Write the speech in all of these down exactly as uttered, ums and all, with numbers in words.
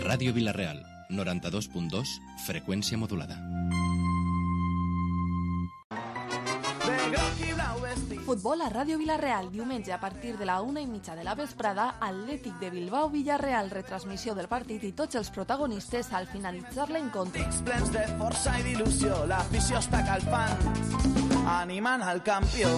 Ràdio Vila-real, noranta-dos punt dos, freqüència modulada. Futbol a Ràdio Vila-real, diumenge a partir de la una i mitja de la vesprada, Atlètic de Bilbao-Villarreal, retransmissió del partit i tots els protagonistes al finalitzar l'encontre. Pics plens de força i d'il·lusió, l'afició està calfant, animant al campió.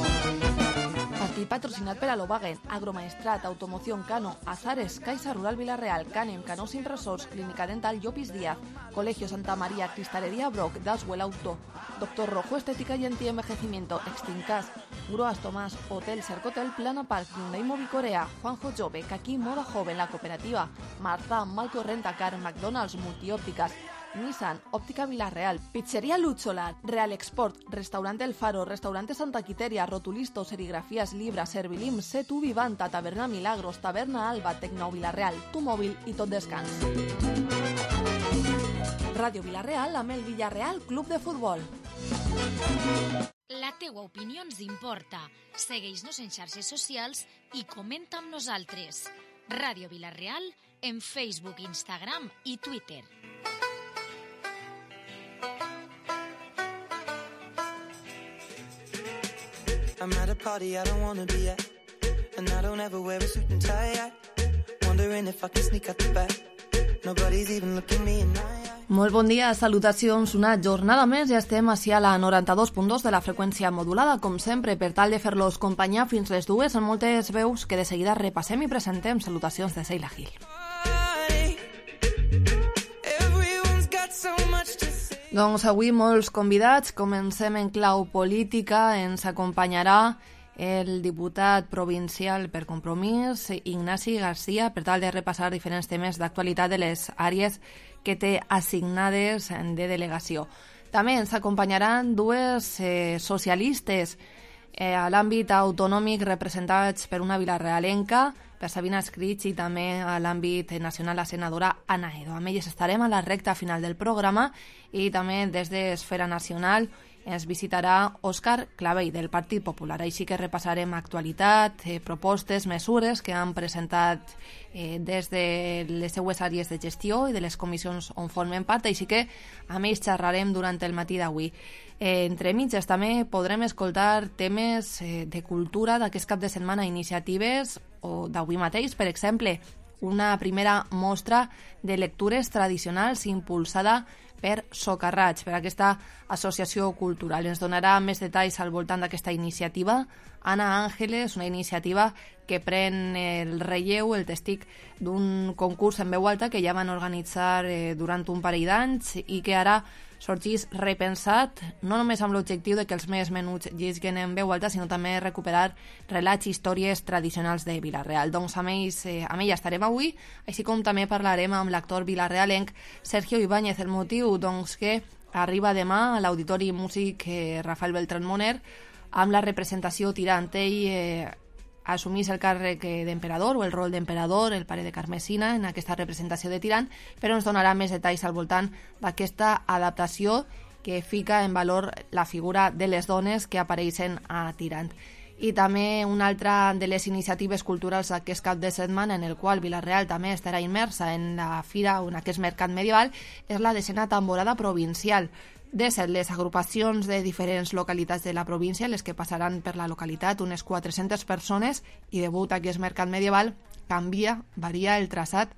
Partit patrocinat per Alobagen, Agromaestrat, Automoción Cano, Azares, Caixa Rural Vila-real, Canem, Canós Impressors, Clínica Dental Llopis Díaz, Colegio Santa María, Cristalería Broc, Daswell Auto, Doctor Rojo Estética y Antienvejecimiento, Extincas, Gruas Tomás, Hotel Cercotel, Plana Park, Hyundai Movicorea, Juanjo Jove, Kaki Moda Joven, La Cooperativa, Marta, Malco Rentacar, McDonald's, Multiópticas, Nissan, Óptica Vila-real, Pizzería Luchola, Real Export, Restaurante El Faro, Restaurante Santa Quiteria, Rotulisto, Serigrafías Libra, Servilim, Setu Vivanta, Taberna Milagros, Taberna Alba, Tecno Vila-real, Tu Mòbil i Tot Descans. Ràdio Vila-real amb el Villarreal Club de Futbol. La teua opinió ens importa. Segueix-nos en xarxes socials i comenta amb nosaltres. Ràdio Vila-real en Facebook, Instagram i Twitter. I'm at a party I don't wanna be at, and I don't ever wear a suit and tie yet. Wondering if I can sneak out the back. Nobody's even looking me in my eye. Molt bon dia, salutacions. Una jornada més ja estem així a la noranta-dos punt dos de la freqüència modulada, com sempre, per tal de fer-los companyia fins les dues en moltes veus que de seguida repassem i presentem. Salutacions de Seila Gil. Doncs avui molts convidats, comencem en clau política, ens acompanyarà el diputat provincial per Compromís, Ignasi Garcia, per tal de repassar diferents temes d'actualitat de les àrees que té assignades de delegació. També ens acompanyaran dues eh, socialistes eh, a l'àmbit autonòmic representats per una vilarealenca, per Sabina Escrits, i també a l'àmbit nacional la senadora Ana Edo. Amb elles estarem a la recta final del programa i també des d'Esfera Nacional ens visitarà Òscar Clavell del Partit Popular. Així que repassarem actualitat, eh, propostes, mesures que han presentat eh, des de les seues àrees de gestió i de les comissions on formen part, així que amb ells xerrarem durant el matí d'avui. Eh, entre mitges també podrem escoltar temes eh, de cultura d'aquest cap de setmana, iniciatives o d'avui mateix, per exemple, una primera mostra de lectures tradicionals impulsada per Socarrats, per aquesta associació cultural. Ens donarà més detalls al voltant d'aquesta iniciativa Anna Ángeles, una iniciativa que pren el relleu, el testic d'un concurs en veu alta que ja van organitzar eh, durant un parell d'anys i que ara sorgís repensat, no només amb l'objectiu de que els més menuts llegeixin en veu alta, sinó també recuperar relats i històries tradicionals de Vila-real. Doncs amb ells, eh, amb ella estarem avui, així com també parlarem amb l'actor vilarealenc Sergio Ibáñez. El motiu, doncs, que arriba demà a l'Auditori Músic eh, Rafael Beltrán Moner amb la representació Tirant. Ell eh, assumís el càrrec d'emperador o el rol d'emperador, el pare de Carmesina, en aquesta representació de Tirant, però ens donarà més detalls al voltant d'aquesta adaptació que fica en valor la figura de les dones que apareixen a Tirant. I també una altra de les iniciatives culturals d'aquest cap de setmana, en el qual Vila-real també estarà immersa en la fira o en aquest mercat medieval, és la desena temporada provincial. De ser les agrupacions de diferents localitats de la província les que passaran per la localitat, unes quatre-centes persones, i degut a aquest mercat medieval canvia, varia el traçat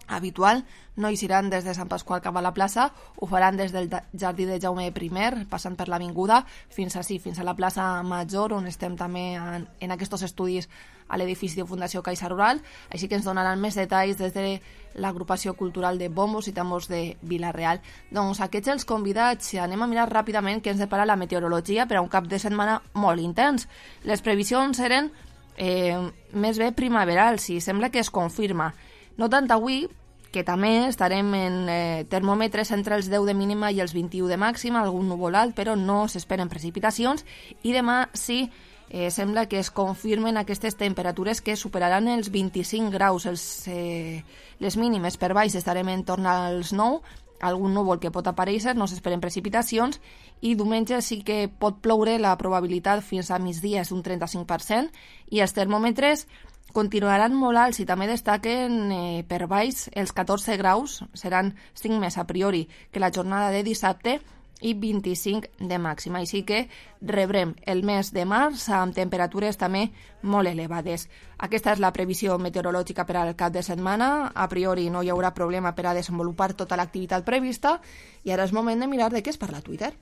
habitual. No hi seran des de Sant Pasqual cap a la plaça, ho faran des del jardí de Jaume I, passant per l'avinguda, fins a, sí, fins a la plaça Major, on estem també en, en aquests estudis a l'edifici de Fundació Caixa Rural, així que ens donaran més detalls des de l'agrupació cultural de bombos i tambors de Vila-real. Doncs aquests els convidats. Anem a mirar ràpidament què ens depara la meteorologia per a un cap de setmana molt intens. Les previsions eren eh, més bé primaverals i sembla que es confirma. No tant avui, que també estarem en eh, termòmetres entre els deu de mínima i els vint-i-u de màxima, algun núvol alt, però no s'esperen precipitacions, i demà sí, eh, sembla que es confirmen aquestes temperatures que superaran els vint-i-cinc graus. Els, eh, les mínimes per baix estarem en torn als nou, algun núvol que pot aparèixer, no s'esperen precipitacions, i diumenge sí que pot ploure, la probabilitat fins a migdia és un trenta-cinc per cent, i els termòmetres continuaran molt alts i també destaquen eh, per baix els catorze graus, seran cinc més a priori que la jornada de dissabte i vint-i-cinc de màxima. Així que rebrem el mes de març amb temperatures també molt elevades. Aquesta és la previsió meteorològica per al cap de setmana. A priori no hi haurà problema per a desenvolupar tota l'activitat prevista i ara és moment de mirar de què es parla a Twitter.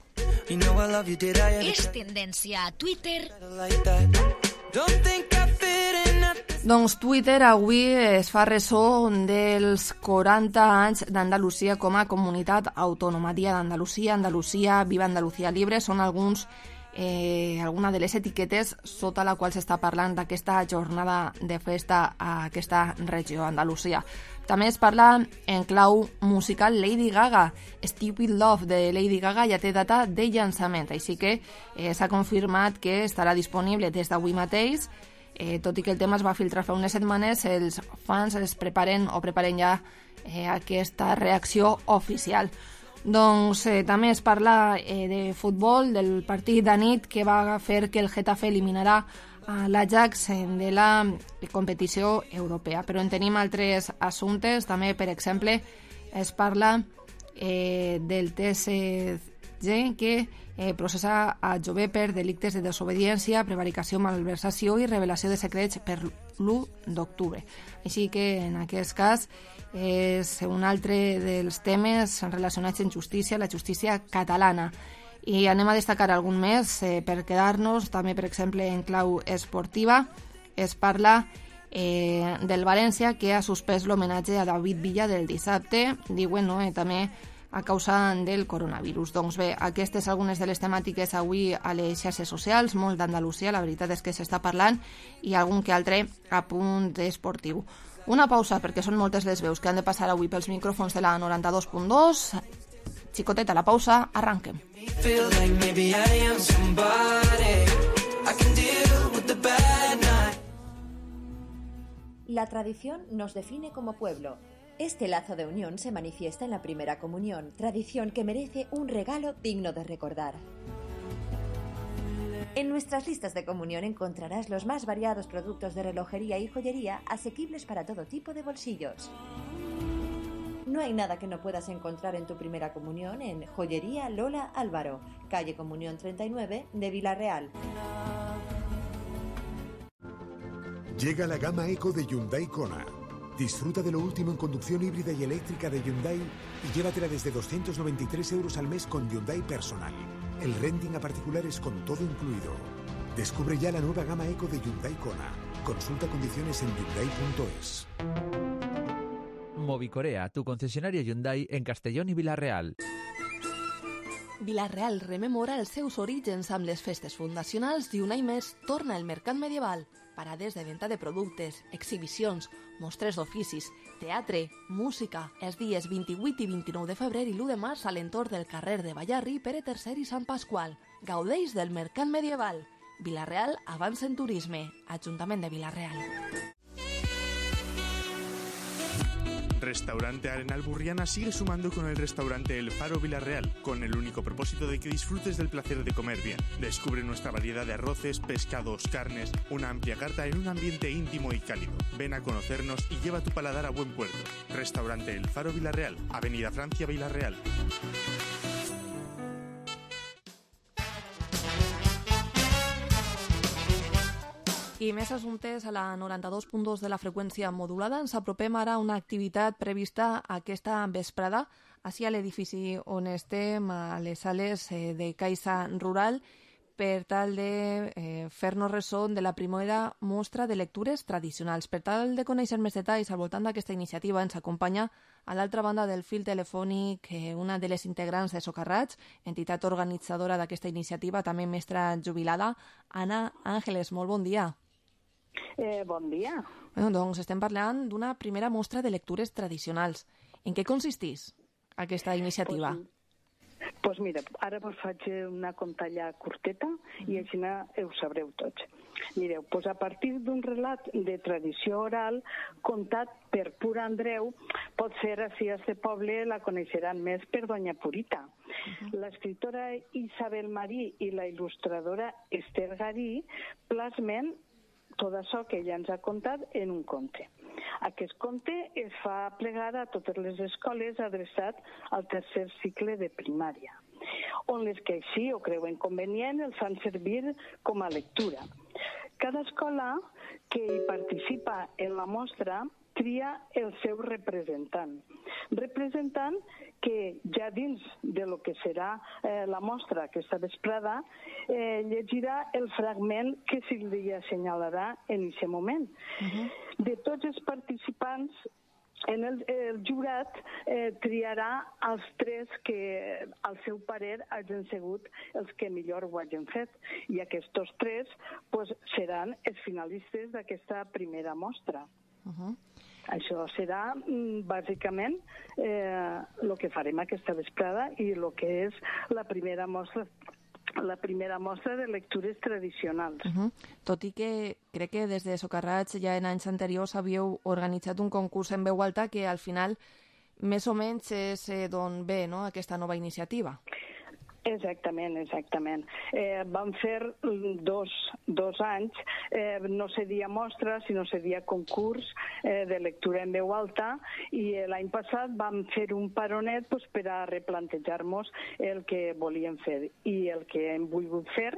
És tendència a Twitter. Doncs Twitter avui es fa ressò dels quaranta anys d'Andalusia com a comunitat autònoma. Dia d'Andalusia, Andalusia, Viva Andalucía Libre, són alguns, eh, alguna de les etiquetes sota la qual s'està parlant d'aquesta jornada de festa a aquesta regió, Andalusia. També es parla en clau musical Lady Gaga. Stupid Love de Lady Gaga ja té data de llançament, així que eh, s'ha confirmat que estarà disponible des d'avui mateix. Eh, tot i que el tema es va filtrar fa unes setmanes, els fans es preparen o preparen ja eh, aquesta reacció oficial. Doncs eh, també es parla eh, de futbol, del partit de nit que va fer que el Getafe eliminarà a l'Ajax de la competició europea. Però en tenim altres assumptes, també, per exemple, es parla eh, del T S G que eh, processa a Jové per delictes de desobediència, prevaricació, malversació i revelació de secrets per l'u d'octubre. Així que en aquest cas és un altre dels temes relacionats amb justícia, la justícia catalana. I anem a destacar algun més eh, per quedar-nos, també per exemple en clau esportiva. Es parla eh, del València que ha suspès l'homenatge a David Villa del dissabte, diuen, no, eh, també a causa del coronavirus. Doncs bé, aquestes algunes de les temàtiques avui a les xarxes socials, molt d'Andalusia, la veritat és que s'està parlant, i algun que altre a punt esportiu. Una pausa, perquè són moltes les veus que han de passar avui pels micròfons de la noranta-dos punt dos. Xicoteta, la pausa, arranquem. La tradición nos define como pueblo. Este lazo de unión se manifiesta en la primera comunión, tradición que merece un regalo digno de recordar. En nuestras listas de comunión encontrarás los más variados productos de relojería y joyería asequibles para todo tipo de bolsillos. No hay nada que no puedas encontrar en tu primera comunión en Joyería Lola Álvaro, calle Comunión treinta y nueve de Vila-real. Llega la gama Eco de Hyundai Kona. Disfruta de lo último en conducción híbrida y eléctrica de Hyundai y llévatela desde doscientos noventa y tres euros al mes con Hyundai Personal. El renting a particulares con todo incluido. Descubre ya la nueva gama Eco de Hyundai Kona. Consulta condiciones en hyundai punto es. Movicorea, tu concesionaria Hyundai en Castellón i Vila-real. Vila-real rememora els seus orígens amb les festes fundacionals i un any més torna el mercat medieval. Parades de venda de productes, exhibicions, mostres d'oficis, teatre, música, els dies vint-i-vuit i vint-i-nou de febrer i l'u de març a l'entorn del carrer de Ballarri, Pere tercer i Sant Pasqual. Gaudeix del mercat medieval. Vila-real avança en turisme. Ajuntament de Vila-real. Restaurante Arenal Burriana sigue sumando con el restaurante El Faro Vila-real, con el único propósito de que disfrutes del placer de comer bien. Descubre nuestra variedad de arroces, pescados, carnes, una amplia carta en un ambiente íntimo y cálido. Ven a conocernos y lleva tu paladar a buen puerto. Restaurante El Faro Vila-real, Avenida Francia, Vila-real. I més assumptes a la noranta-dos punt dos de la freqüència modulada. Ens apropem ara a una activitat prevista aquesta vesprada així a l'edifici on estem, a les sales de Caixa Rural, per tal de eh, fer-nos ressò de la primera mostra de lectures tradicionals. Per tal de conèixer més detalls al voltant d'aquesta iniciativa ens acompanya a l'altra banda del fil telefònic eh, una de les integrants de Socarrats, entitat organitzadora d'aquesta iniciativa, també mestra jubilada, Anna Ángeles. Molt bon dia. Eh, bon dia. Bueno, doncs estem parlant d'una primera mostra de lectures tradicionals. En què consisteix aquesta iniciativa? Pues, pues mira, ara vos faig una contalla curteta i així ho sabreu tots. Mireu, pues a partir d'un relat de tradició oral contat per Pura Andreu, pot ser així a este poble la coneixeran més per Doña Purita. Uh-huh. L'escriptora Isabel Marí i la il·lustradora Esther Garí plasmen tot això que ella ens ha contat en un conte. Aquest conte es fa plegar a totes les escoles adreçat al tercer cicle de primària, on les que així ho creuen convenient els fan servir com a lectura. Cada escola que hi participa en la mostra tria el seu representant. Representant que ja dins de lo que serà eh, la mostra aquesta vesprada eh, llegirà el fragment que se li assenyalarà en aquest moment. Uh-huh. De tots els participants, en el, el jurat eh, triarà els tres que, al seu parer, hagin sigut els que millor ho hagin fet. I aquests tres pues, seran els finalistes d'aquesta primera mostra. Uh-huh. Això serà, bàsicament, eh, el que farem aquesta vesprada i el que és la primera mostra la primera mostra de lectures tradicionals. Uh-huh. Tot i que crec que des de Socarrats ja en anys anteriors havíeu organitzat un concurs en veu alta que al final més o menys és eh, d'on ve, no?, aquesta nova iniciativa. Exactament, exactament. Eh, vam fer dos, dos anys, eh, no seria mostra, sinó seria concurs eh, de lectura en veu alta, i l'any passat vam fer un paronet pues, per a replantejar-nos el que volíem fer. I el que hem volgut fer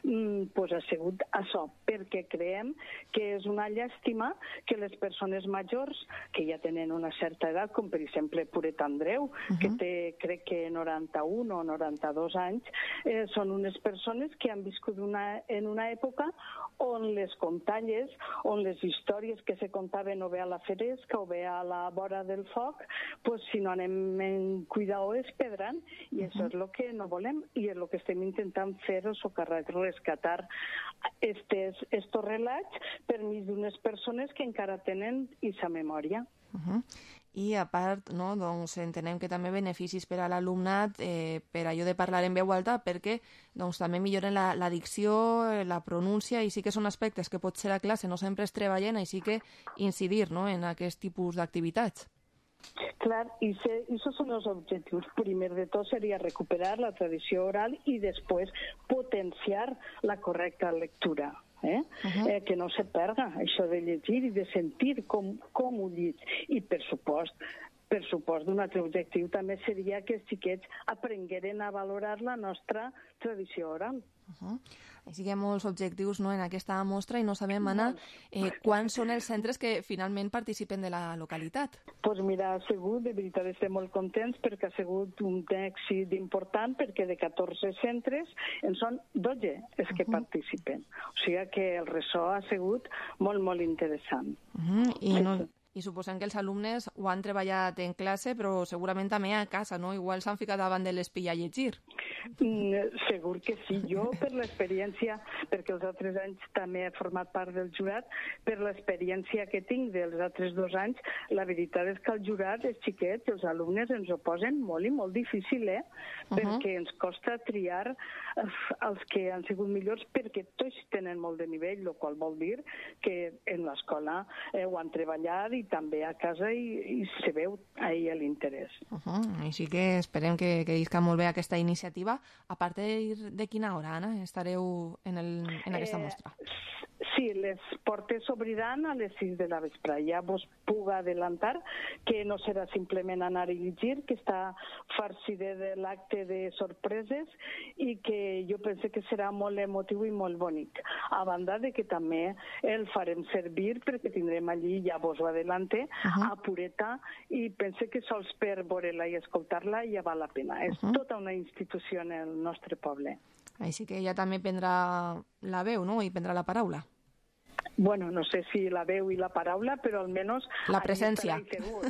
mm, pues, ha sigut això, perquè creiem que és una llàstima que les persones majors, que ja tenen una certa edat, com per exemple Puret Andreu, uh-huh. que té crec que noranta-un o noranta-dos anys, eh, són unes persones que han viscut una, en una època on les contalles, on les històries que se contaven o bé a la Feresca o bé a la vora del foc, pues, si no anem en cuidado es perdran, i uh-huh. això és el que no volem i és el que estem intentant fer o socarrar, rescatar estes, estos relats per mig d'unes persones que encara tenen aquesta memòria. Uh-huh. I a part, no, doncs, entenem que també beneficis per a l'alumnat eh, per allò de parlar en veu alta perquè doncs, també milloren la, la dicció, la pronúncia, i sí que són aspectes que potser a classe no sempre es treballen, així que incidir, no, en aquest tipus d'activitats. Clar, i aquests són els objectius. Primer de tot seria recuperar la tradició oral i després potenciar la correcta lectura. Eh? Uh-huh. eh, que no se perda això de llegir i de sentir com, com ho llig. I per supost, per supost d'un altre objectiu també seria que els xiquets aprengueren a valorar la nostra tradició oral. Uh-huh. Així que hi ha molts objectius, no, en aquesta mostra i no sabem, Anna, eh, quants són els centres que finalment participen de la localitat? Doncs pues mira, ha sigut, de veritat estem molt contents perquè ha sigut un èxit important perquè de catorze centres en són dotze els que uh-huh. participen. O sigui que el ressò ha sigut molt, molt interessant. Uh-huh. I no... I suposem que els alumnes ho han treballat en classe, però segurament també a casa, no? Igual s'han ficat davant de l'espill a llegir. Mm, segur que sí. Jo, per l'experiència, perquè els altres anys també he format part del jurat, per l'experiència que tinc dels altres dos anys, la veritat és que el jurat, els xiquets, els alumnes, ens ho posen molt i molt difícil, eh? Uh-huh. Perquè ens costa triar els que han sigut millors, perquè tots tenen molt de nivell, el qual vol dir que en l'escola eh, ho han treballat i també a casa i, i se veu ahí l'interès. Uh-huh. Així que esperem que, que isca molt bé aquesta iniciativa. A partir de quina hora, Anna, estareu en, el, en aquesta mostra? Eh, sí, les portes s'obriran a les sis de la vespre. Ja vos puc adelantar que no serà simplement anar a llegir, que està farcida de l'acte de sorpreses i que jo penso que serà molt emotiu i molt bonic. A banda de que també el farem servir perquè tindrem allí, ja vos ho adelante, uh-huh. a Pureta, i penso que sols per veure-la i escoltar-la ja val la pena. És uh-huh. tota una institució en el nostre poble. Així que ella també prendrà la veu, no?, i prendrà la paraula. Bueno, no sé si la veu i la paraula, però almenys... La presència. Segur.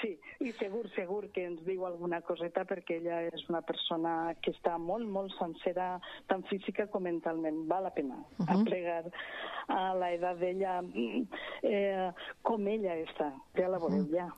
Sí, i segur, segur que ens diu alguna coseta perquè ella és una persona que està molt, molt sencera, tant física com mentalment. Val la pena uh-huh. aplegar a l'edat d'ella eh, com ella està. Ja la veureu, uh-huh. ja.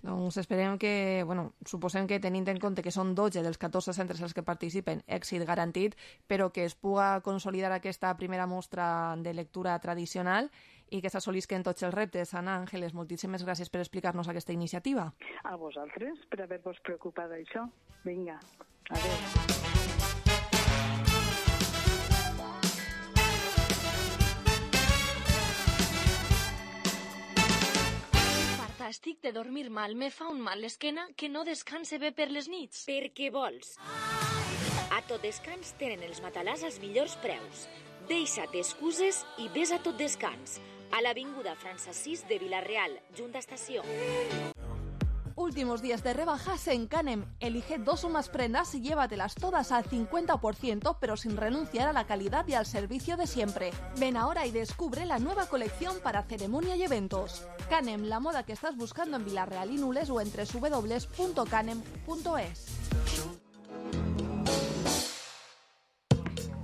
Doncs esperem que, bueno, suposem que tenint en compte que són dotze dels catorze centres els que participen, èxit garantit, però que es puga consolidar aquesta primera mostra de lectura tradicional i que s'assolisquen tots els reptes. Anna Àngeles, moltíssimes gràcies per explicar-nos aquesta iniciativa. A vosaltres, per haver-vos preocupat d'això. Vinga, adéu. casa estic de dormir mal, me fa un mal l'esquena que no descanse bé per les nits. Per què vols? A Tot Descans tenen els matalàs als millors preus. Deixa't excuses i ves a Tot Descans, a l'avinguda França sis de Vila-real, junta estació. Últimos días de rebajas en Canem. Elige dos o más prendas y llévatelas todas al cincuenta por ciento, pero sin renunciar a la calidad y al servicio de siempre. Ven ahora y descubre la nueva colección para ceremonia y eventos. Canem, la moda que estás buscando en Vila-real y Nules o en doble u doble u doble u punto canem punto es.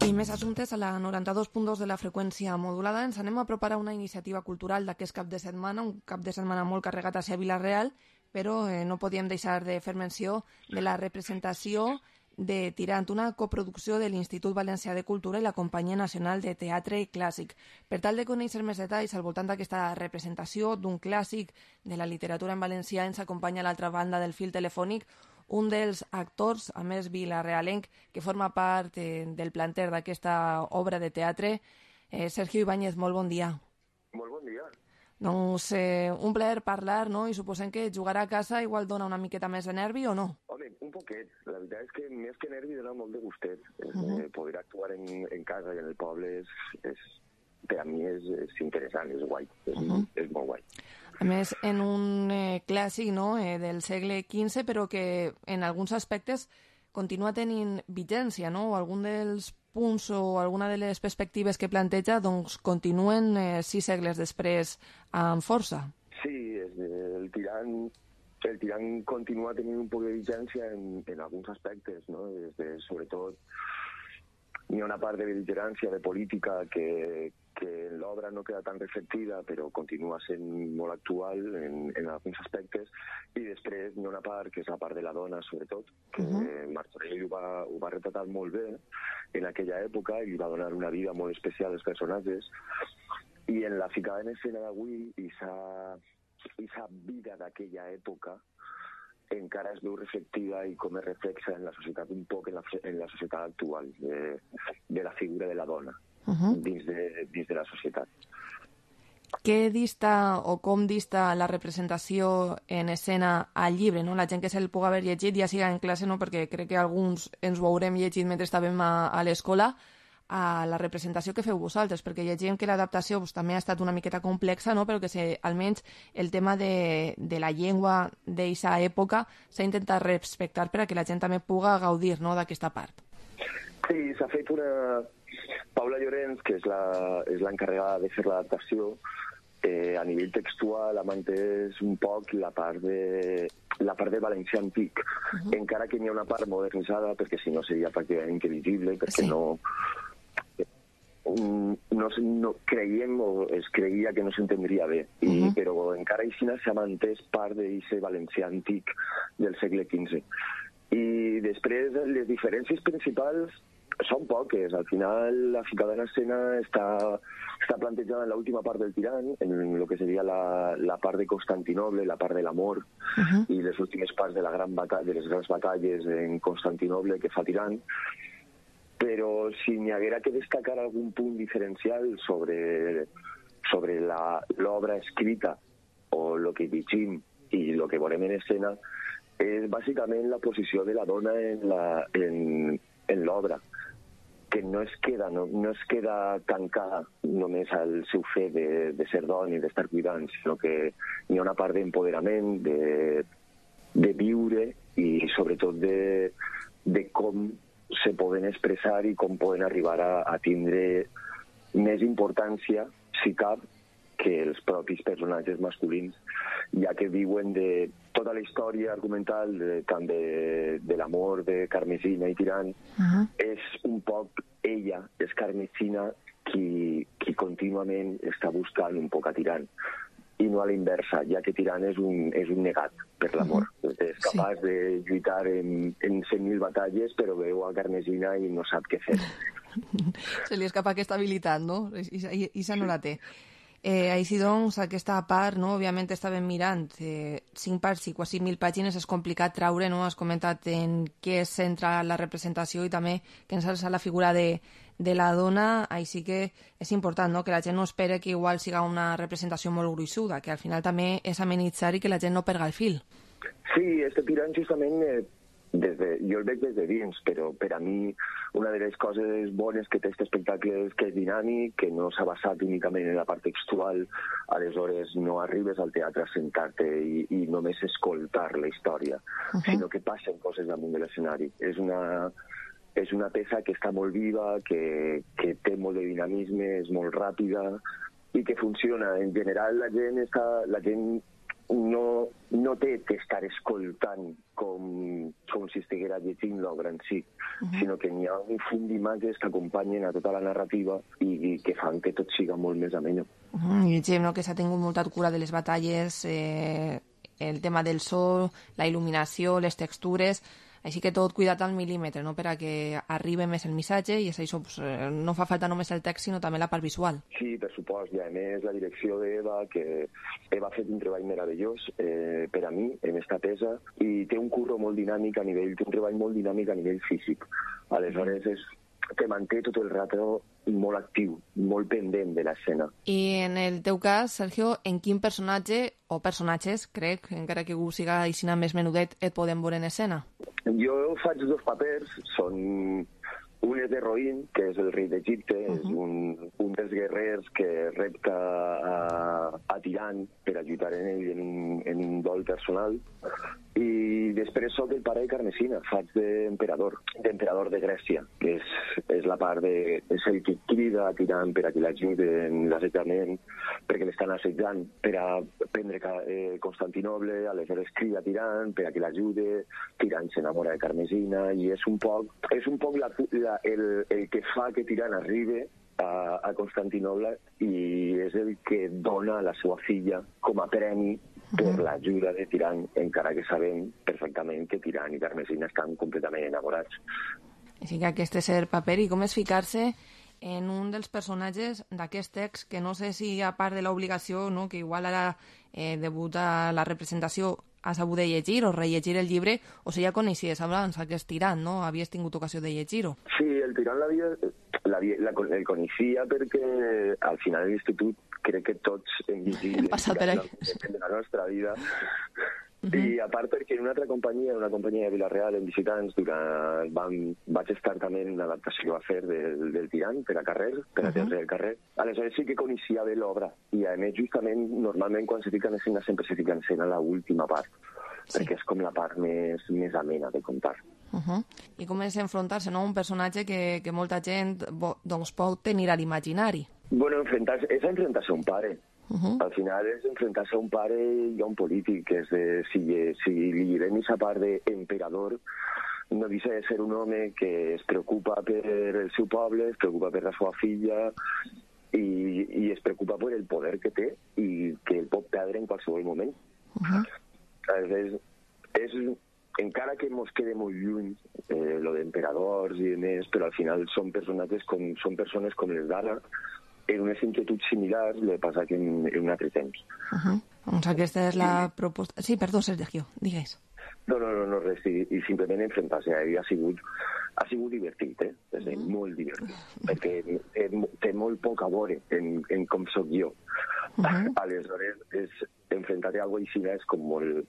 I més assumptes a la noranta-dos punt dos de la freqüència modulada. Ens anem a preparar una iniciativa cultural d'aquest cap de setmana, un cap de setmana molt carregat hacia Vila-real, però eh, no podíem deixar de fer menció de la representació de Tirant, una coproducció de l'Institut Valencià de Cultura i la Companyia Nacional de Teatre Clàssic. Per tal de conèixer més detalls al voltant d'aquesta representació d'un clàssic de la literatura en valencià, ens acompanya a l'altra banda del fil telefònic un dels actors, a més vilarealenc, que forma part eh, del planter d'aquesta obra de teatre, eh, Sergio Ibáñez, molt bon dia. Molt bon dia. Doncs eh, un plaer parlar, no? I suposem que jugar a casa igual dona una miqueta més de nervi o no? Home, un poquet. La veritat és que més que nervi dona molt de gustet. Uh -huh. eh, poder actuar en, en casa i en el poble és, és, per a mi és, és interessant, és guai, és, uh -huh. és molt guai. A més, en un eh, clàssic, no?, eh, del segle quinze, però que en alguns aspectes continua tenint vigència, no? O algun dels punts o alguna de les perspectives que planteja doncs continuen eh, sis segles després amb força. Sí, és, el tirant el tirant continua tenint un poc de vigència en, en alguns aspectes, no? Des de, sobretot, hi ha una part de bel·ligerància, de política, que, que en l'obra no queda tan reflectida, però continua sent molt actual en, en alguns aspectes, i després hi ha una part, que és la part de la dona, sobretot, que uh-huh. Martorell ho va, ho va retratar molt bé en aquella època i li va donar una vida molt especial als personatges, i en la ficada en escena d'avui, aquesta vida d'aquella època encara es veu reflectida i com es reflexa en la societat, un poc en la, en la societat actual, de, de la figura de la dona uh-huh. dins, de, dins de la societat. Què dista o com dista la representació en escena al llibre, no? La gent que se'l pugui haver llegit, ja siga en classe, no? Perquè crec que alguns ens ho haurem llegit mentre estàvem a, a l'escola, a la representació que feu vosaltres, perquè llegim que l'adaptació pues, també ha estat una miqueta complexa, no? Però que se, almenys el tema de, de la llengua d'aquesta època s'ha intentat respectar per a que la gent també pugui gaudir, no?, d'aquesta part. Sí, s'ha fet una... Paula Llorenç, que és la, és l'encarregada de fer l'adaptació, eh, a nivell textual ha mantès un poc la part de, la part de valencià antic, uh-huh. encara que n'hi ha una part modernitzada, perquè si no seria pràcticament intel·ligible, perquè sí. no... No, no creiem o es creia que no s'entendria bé, I, uh-huh. però encara així s'ha mantès part d'aquest valencià antic del segle quinze. I després les diferències principals són poques. Al final la ficada en escena està, està plantejada en l'última part del tirant, en el que seria la, la part de Constantinoble, la part de l'amor, uh-huh. i les últimes parts de, la gran batalla, de les grans batalles en Constantinoble que fa tirant. Però si n'hi haguera que destacar algun punt diferencial sobre, sobre l'obra escrita o el que llegim i el que veurem en escena, és bàsicament la posició de la dona en la, en, en l'obra, que no es queda, no, no es queda tancada només al seu fet de, de ser dona i d'estar cuidant, sinó que hi ha una part d'empoderament, de, de viure i sobretot de, de com se poden expressar i com poden arribar a, a tindre més importància, si cap, que els propis personatges masculins, ja que viuen de tota la història argumental, de, tant de, de l'amor de Carmesina i Tirant, uh-huh. és un poc ella, és Carmesina, qui, qui contínuament està buscant un poc a Tirant, i no a l'inversa, ja que Tirant és un, és un negat per l'amor. Uh-huh. És capaç sí. de lluitar en, en cent mil batalles, però veu a Carmesina i no sap què fer. Se li escapa aquesta habilitat, no? I, i, i no la té. Eh, així doncs, aquesta part, no? Òbviament estàvem mirant eh, cinc parts i quasi mil pàgines, és complicat traure, no? Has comentat en què es centra la representació i també que ens alça la figura de, de la dona, així que és important, no?, que la gent no espere que igual siga una representació molt gruixuda, que al final també és amenitzar i que la gent no perga el fil. Sí, este tirant justament, eh, des de, jo el veig des de dins, però per a mi una de les coses bones que té aquest espectacle és que és dinàmic, que no s'ha basat únicament en la part textual, aleshores no arribes al teatre a sentar-te i, i només escoltar la història, uh-huh. sinó que passen coses damunt de l'escenari. És una, és una peça que està molt viva, que, que té molt de dinamisme, és molt ràpida i que funciona. En general la gent està... La gent no, no té que estar escoltant com, com si estiguera llegint l'obra en si, uh-huh. sinó que n'hi ha un fum d'imatges que acompanyen a tota la narrativa i, i que fan que tot siga molt més ameno. Uh-huh. I llegim, no?, que s'ha tingut molta cura de les batalles, eh, el tema del so, la il·luminació, les textures... Així que tot cuidat al mil·límetre, no?, per a que arribi més el missatge i és això, pues, no fa falta només el text, sinó també la part visual. Sí, per supost, i a més la direcció d'Eva, que Eva ha fet un treball meravellós eh, per a mi en esta peça i té un curro molt dinàmic a nivell, té un treball molt dinàmic a nivell físic. Aleshores és que manté tot el rato molt actiu, molt pendent de l'escena. I en el teu cas, Sergio, en quin personatge o personatges, crec, encara que algú siga així més menudet, et podem veure en escena? Jo faig dos papers, són... Un és de Roïn, que és el rei d'Egipte, uh-huh. és un, un dels guerrers que repta a, a Tiran per ajudar en ell en un, en un dol personal. I després soc el pare de Carmesina, faig d'emperador, d'emperador de Grècia, que és, és la part de... és el que crida a Tiran per a que l'ajudi en l'assetjament, perquè l'estan assetjant per a prendre eh, Constantinoble, aleshores crida a Tiran per a que l'ajude, Tiran s'enamora de Carmesina, i és un poc, és un poc la, la El, el que fa que Tiran arribi a, a Constantinoble i és el que dona a la seva filla com a premi per uh-huh. l'ajuda de Tiran, encara que sabem perfectament que Tiran i Carmesina estan completament enamorats. Així que aquest és el paper. I com és ficar-se en un dels personatges d'aquest text, que no sé si a part de l'obligació, no?, que igual ara eh, debuta la representació, has hagut de llegir o rellegir el llibre, o si ja coneixies abans aquest Tiran, no? Havies tingut ocasió de llegir-ho. Sí, el Tiran l'havia, l'havia, la, el coneixia perquè al final de l'institut crec que tots hem llegit hem passat per ahí. De la nostra vida. Uh-huh. I a part perquè en una altra companyia, una companyia de Vila-real, en visitants, durant, vam, vaig estar també en una adaptació que va fer del, del Tiran per a carrer, per a uh-huh. teatre del carrer. Aleshores sí que coneixia bé l'obra. I a més, justament, normalment quan se fica en escena sempre se fica en escena l'última part, sí. perquè és com la part més, més amena de contar. Uh-huh. I com és enfrontar-se, no?, un personatge que, que molta gent doncs, pot tenir a l'imaginari. Bueno, enfrontar-se, és enfrontar-se a un pare. Uh-huh. Al final és enfrontar-se a un pare i a un polític, és de, si, si li llevem aquesta part d'emperador, no deixa de ser un home que es preocupa per el seu poble, es preocupa per la seva filla i, i es preocupa per el poder que té i que el pot perdre en qualsevol moment. Uh-huh. És, és, encara que ens quede molt lluny eh, lo d'emperadors i més, però al final són personatges com, són persones com les d'ara, en unes inquietuds similars, el que passa que en, en un altre temps. Uh-huh. Doncs aquesta és la proposta... Sí, perdó, Sergio, digues. No, no, no, no res, i, i simplement enfrontar-se. Ha sigut, ha sigut divertit, eh? És uh-huh. molt divertit, perquè eh, té molt poc a veure en, en com soc jo. Uh-huh. Aleshores, és, enfrontar-te a alguna cosa així és com molt...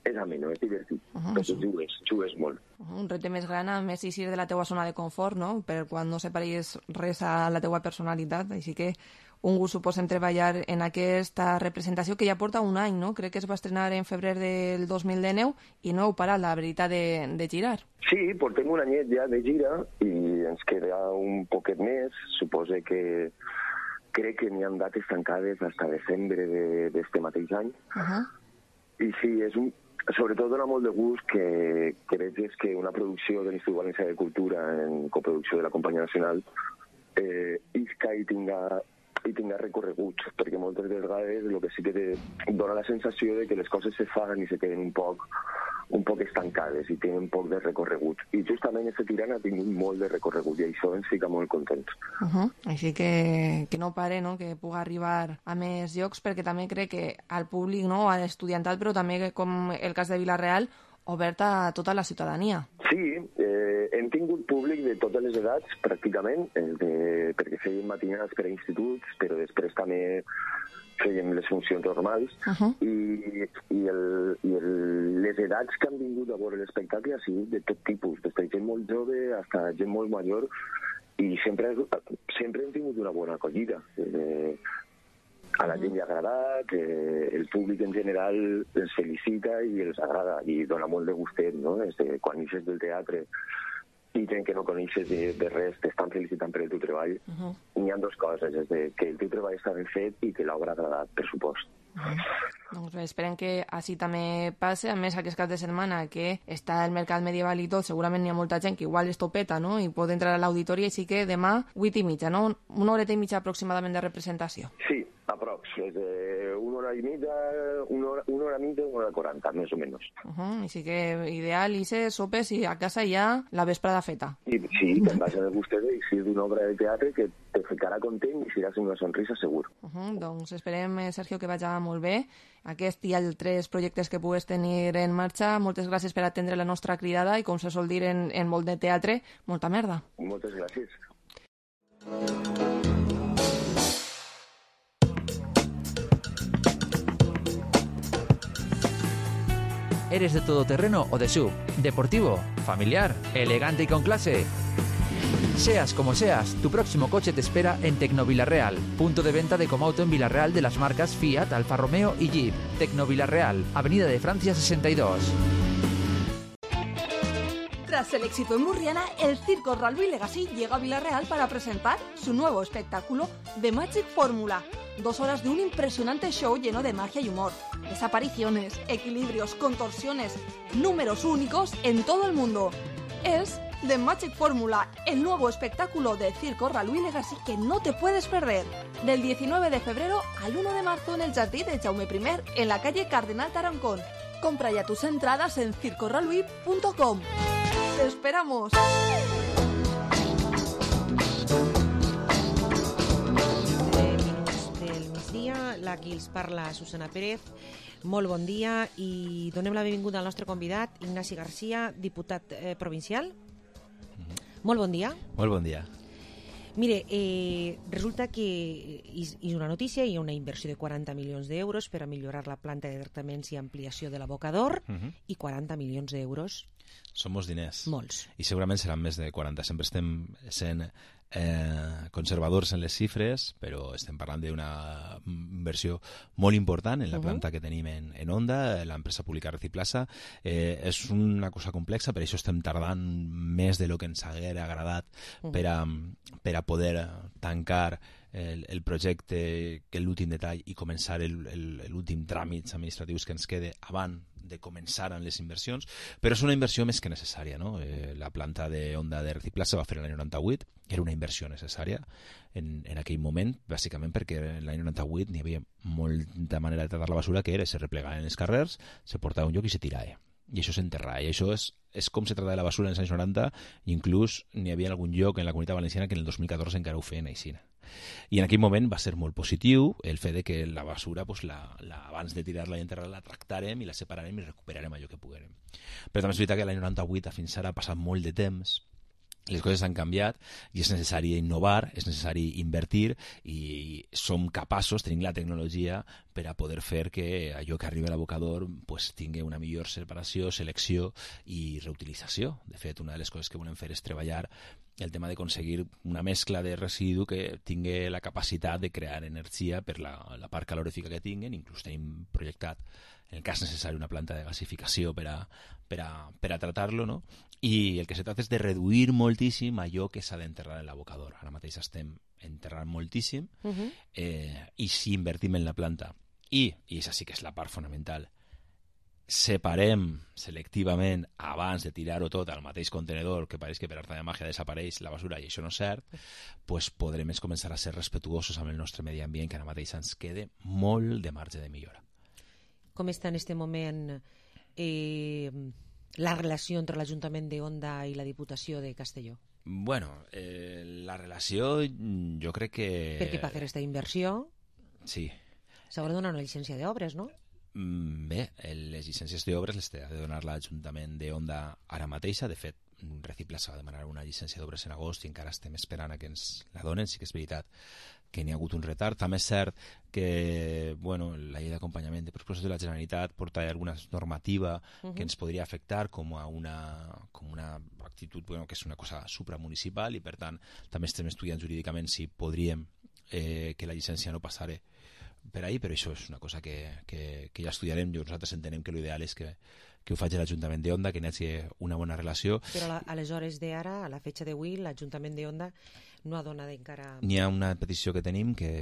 És ameno, és divertit, uh-huh. perquè jugues, jugues molt. Uh-huh. Un repte més gran, a més, eixir de la teua zona de confort, no?, per quan no separis res a la teua personalitat, així que un gust suposem treballar en aquesta representació que ja porta un any, no?, crec que es va estrenar en febrer del dos mil dinou i no heu parat, la veritat, de, de girar. Sí, portem un anyet ja de gira i ens queda un poquet més, suposo que crec que n'hi ha dates tancades fins a desembre d'este mateix any, uh-huh. i sí, és un sobretot dona molt de gust que, que veig que una producció de l'Institut Valencià de Cultura en coproducció de la Companyia Nacional eh, isca i tinga, i tinga recorregut, perquè moltes vegades el que sí que te dona la sensació de que les coses se fan i se queden un poc, un poc estancades i tenen un poc de recorregut. I justament aquest Tiran ha tingut molt de recorregut i això ens fica molt contents. Uh-huh. Així que, que no pare, no?, que pugui arribar a més llocs, perquè també crec que al públic, no?, a l'estudiantat, però també com el cas de Vila-real, obert a tota la ciutadania. Sí, eh, hem hem tingut públic de totes les edats, pràcticament, de, perquè fèiem matinades per a instituts, però després també fèiem les funcions normals, uh-huh. i, i, el, i el, les edats que han vingut a veure l'espectacle ha sigut de tot tipus, des de gent molt jove fins a gent molt major, i sempre, sempre hem tingut una bona acollida. Eh, a la gent li ha agradat, eh, el públic en general els felicita i els agrada, i dona molt de gustet, no? Des de quan eixes del teatre i gent que no coneixes de, de res t'estan felicitant per el teu treball. Uh-huh. N'hi ha dues coses, és de que el teu treball està ben fet i que l'obra ha agradat, per supost. Uh-huh. Doncs bé, esperem que així també passe. A més, aquest cap de setmana que està el mercat medieval i tot, segurament n'hi ha molta gent que igual es topeta, no?, i pot entrar a l'auditori, així que demà, vuit i mitja, no? Una horeta i mitja aproximadament de representació. Sí, aprox, és de una hora i mitja, una hora, una hora i mitja, una hora quaranta, més o menys. Uh-huh. Així que ideal, Ise, sopes i a casa ja la vesprada feta. I, sí, te'n vas a gustet i si és d'una obra de teatre que te ficarà content i seràs una sonrisa segur. Uh-huh. Doncs esperem, Sergio, que vagi molt bé aquest i altres projectes que pugues tenir en marxa. Moltes gràcies per atendre la nostra cridada i, com se sol dir en, en molt de teatre, molta merda. Moltes gràcies. ¿Eres de todoterreno o de sub? ¿Deportivo? ¿Familiar? ¿Elegante y con clase? Seas como seas, tu próximo coche te espera en Tecnovilarreal, punto de venta de Comauto en Villarreal de las marcas Fiat, Alfa Romeo y Jeep. Tecnovilarreal, Avenida de Francia sesenta y dos. Tras el éxito en Murriana, el Circo Ralby Legacy llega a Villarreal para presentar su nuevo espectáculo, The Magic Formula. Dos horas de un impresionante show lleno de magia y humor. Desapariciones, equilibrios, contorsiones, números únicos en todo el mundo. Es The Magic Formula, el nuevo espectáculo de Circo Ralby Legacy que no te puedes perder. Del diecinueve de febrero al uno de marzo en el Jardí de Jaume primer, en la calle Cardenal Tarancón. Compra ya tus entradas en circo ralby punto com. ¡Te esperamos! Minuts del migdia, aquí els parla Susana Pérez. Molt bon dia i donem la benvinguda al nostre convidat, Ignasi Garcia, diputat eh, provincial. Mm-hmm. Molt bon dia. Molt bon dia. Mire, eh, resulta que és una notícia, hi ha una inversió de quaranta milions d'euros per a millorar la planta de tractaments i ampliació de l'abocador, uh-huh. i quaranta milions d'euros. Són molts diners. Molts. I segurament seran més de quaranta. Sempre estem sent eh, conservadors en les xifres, però estem parlant d'una inversió molt important en la planta uh-huh. que tenim en, en Onda, l'empresa pública Reciplaza. Eh, és una cosa complexa, per això estem tardant més de lo que ens haguera agradat uh-huh. per, a, per a poder tancar el, el projecte, que l'últim detall, i començar l'últim tràmits administratius que ens quede abans de començar amb les inversions, però és una inversió més que necessària, no? Eh, la planta de Onda de Reciplaza va fer l'any noranta-vuit, era una inversió necessària en, en aquell moment, bàsicament perquè l'any noranta-vuit n'hi havia molta manera de tratar la basura, que era se replegaven els carrers, se portava a un lloc i se tirava. I això s'enterrava. I això és, és com se tractava la basura en els anys noranta, i inclús n'hi havia algun lloc en la Comunitat Valenciana que en el dos mil catorze encara ho feien així. I en aquell moment va ser molt positiu el fet de que la basura, pues, la, la, abans de tirar-la i enterrar-la, la tractarem i la separarem i recuperarem allò que puguem. Però també és veritat que l'any noranta-vuit fins ara ha passat molt de temps, les coses han canviat i és necessari innovar, és necessari invertir, i som capaços, tenim la tecnologia per a poder fer que allò que arriba a l'abocador pues, tingui una millor separació, selecció i reutilització. De fet, una de les coses que volem fer és treballar el tema d'aconseguir una mescla de residu que tingui la capacitat de crear energia per la, la part calorífica que tinguen. Inclús tenim projectat, en el cas necessari, una planta de gasificació per a, per a, per a tratar-lo, no? I el que se tracta és de reduir moltíssim allò que s'ha d'enterrar en l'abocador. Ara mateix estem enterrant moltíssim, uh-huh. eh, i si invertim en la planta i, i això sí que és la part fonamental, separem selectivament abans de tirar-ho tot al mateix contenedor, que pareix que per art de màgia desapareix la basura i això no és cert, pues podrem començar a ser respetuosos amb el nostre medi ambient, que ara mateix ens quede molt de marge de millora. Com està en aquest moment eh, la relació entre l'Ajuntament de Onda i la Diputació de Castelló? Bueno, eh, la relació jo crec que... Perquè per fer aquesta inversió sí. s'haurà de donar una llicència d'obres, no? Bé, les llicències d'obres les té de donar l'Ajuntament de Onda ara mateixa. De fet, Reciplaça va demanar una llicència d'obres en agost i encara estem esperant a que ens la donen. Sí que és veritat que n'hi ha hagut un retard. També és cert que bueno, la llei d'acompanyament de pressupostos de la Generalitat porta alguna normativa uh-huh. que ens podria afectar com a una, com una actitud bueno, que és una cosa supramunicipal i per tant també estem estudiant jurídicament si podríem eh, que la llicència no passara per ahí, però això és una cosa que, que, que ja estudiarem. Nosaltres entenem que l'ideal és que, que ho faci l'Ajuntament de Onda, que n'hi hagi una bona relació. Però la, aleshores d'ara, a la fetxa d'avui, l'Ajuntament de Onda no ha donat encara... N'hi ha una petició que tenim que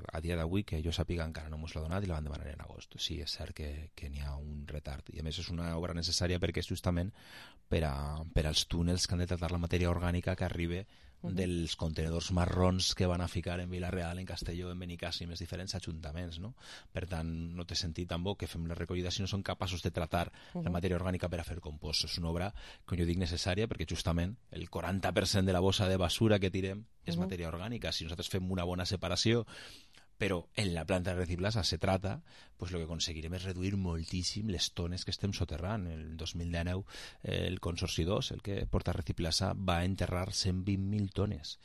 a dia d'avui, que jo sàpiga, encara no mos l'ha donat i la van demanar en agost. Sí, és cert que, que n'hi ha un retard. I a més és una obra necessària perquè és justament per, a, per als túnels que han de tractar la matèria orgànica que arriba uh-huh. dels contenedors marrons que van a ficar en Vila-real, en Castelló, en Benicàssim, en els diferents ajuntaments, no? Per tant, no té sentit tampoc que fem la recollida si no som capaços de tratar uh-huh. la matèria orgànica per a fer compost. És una obra, com jo dic, necessària perquè justament el quaranta per cent de la bossa de basura que tirem és uh-huh. matèria orgànica. Si nosaltres fem una bona separació però en la planta de Reciplaça se trata, pues lo que aconseguirem és reduir moltíssim les tones que estem soterrant. El dos mil dinou eh, el Consorci dos, el que porta Reciplaça, va enterrar cent vint mil tones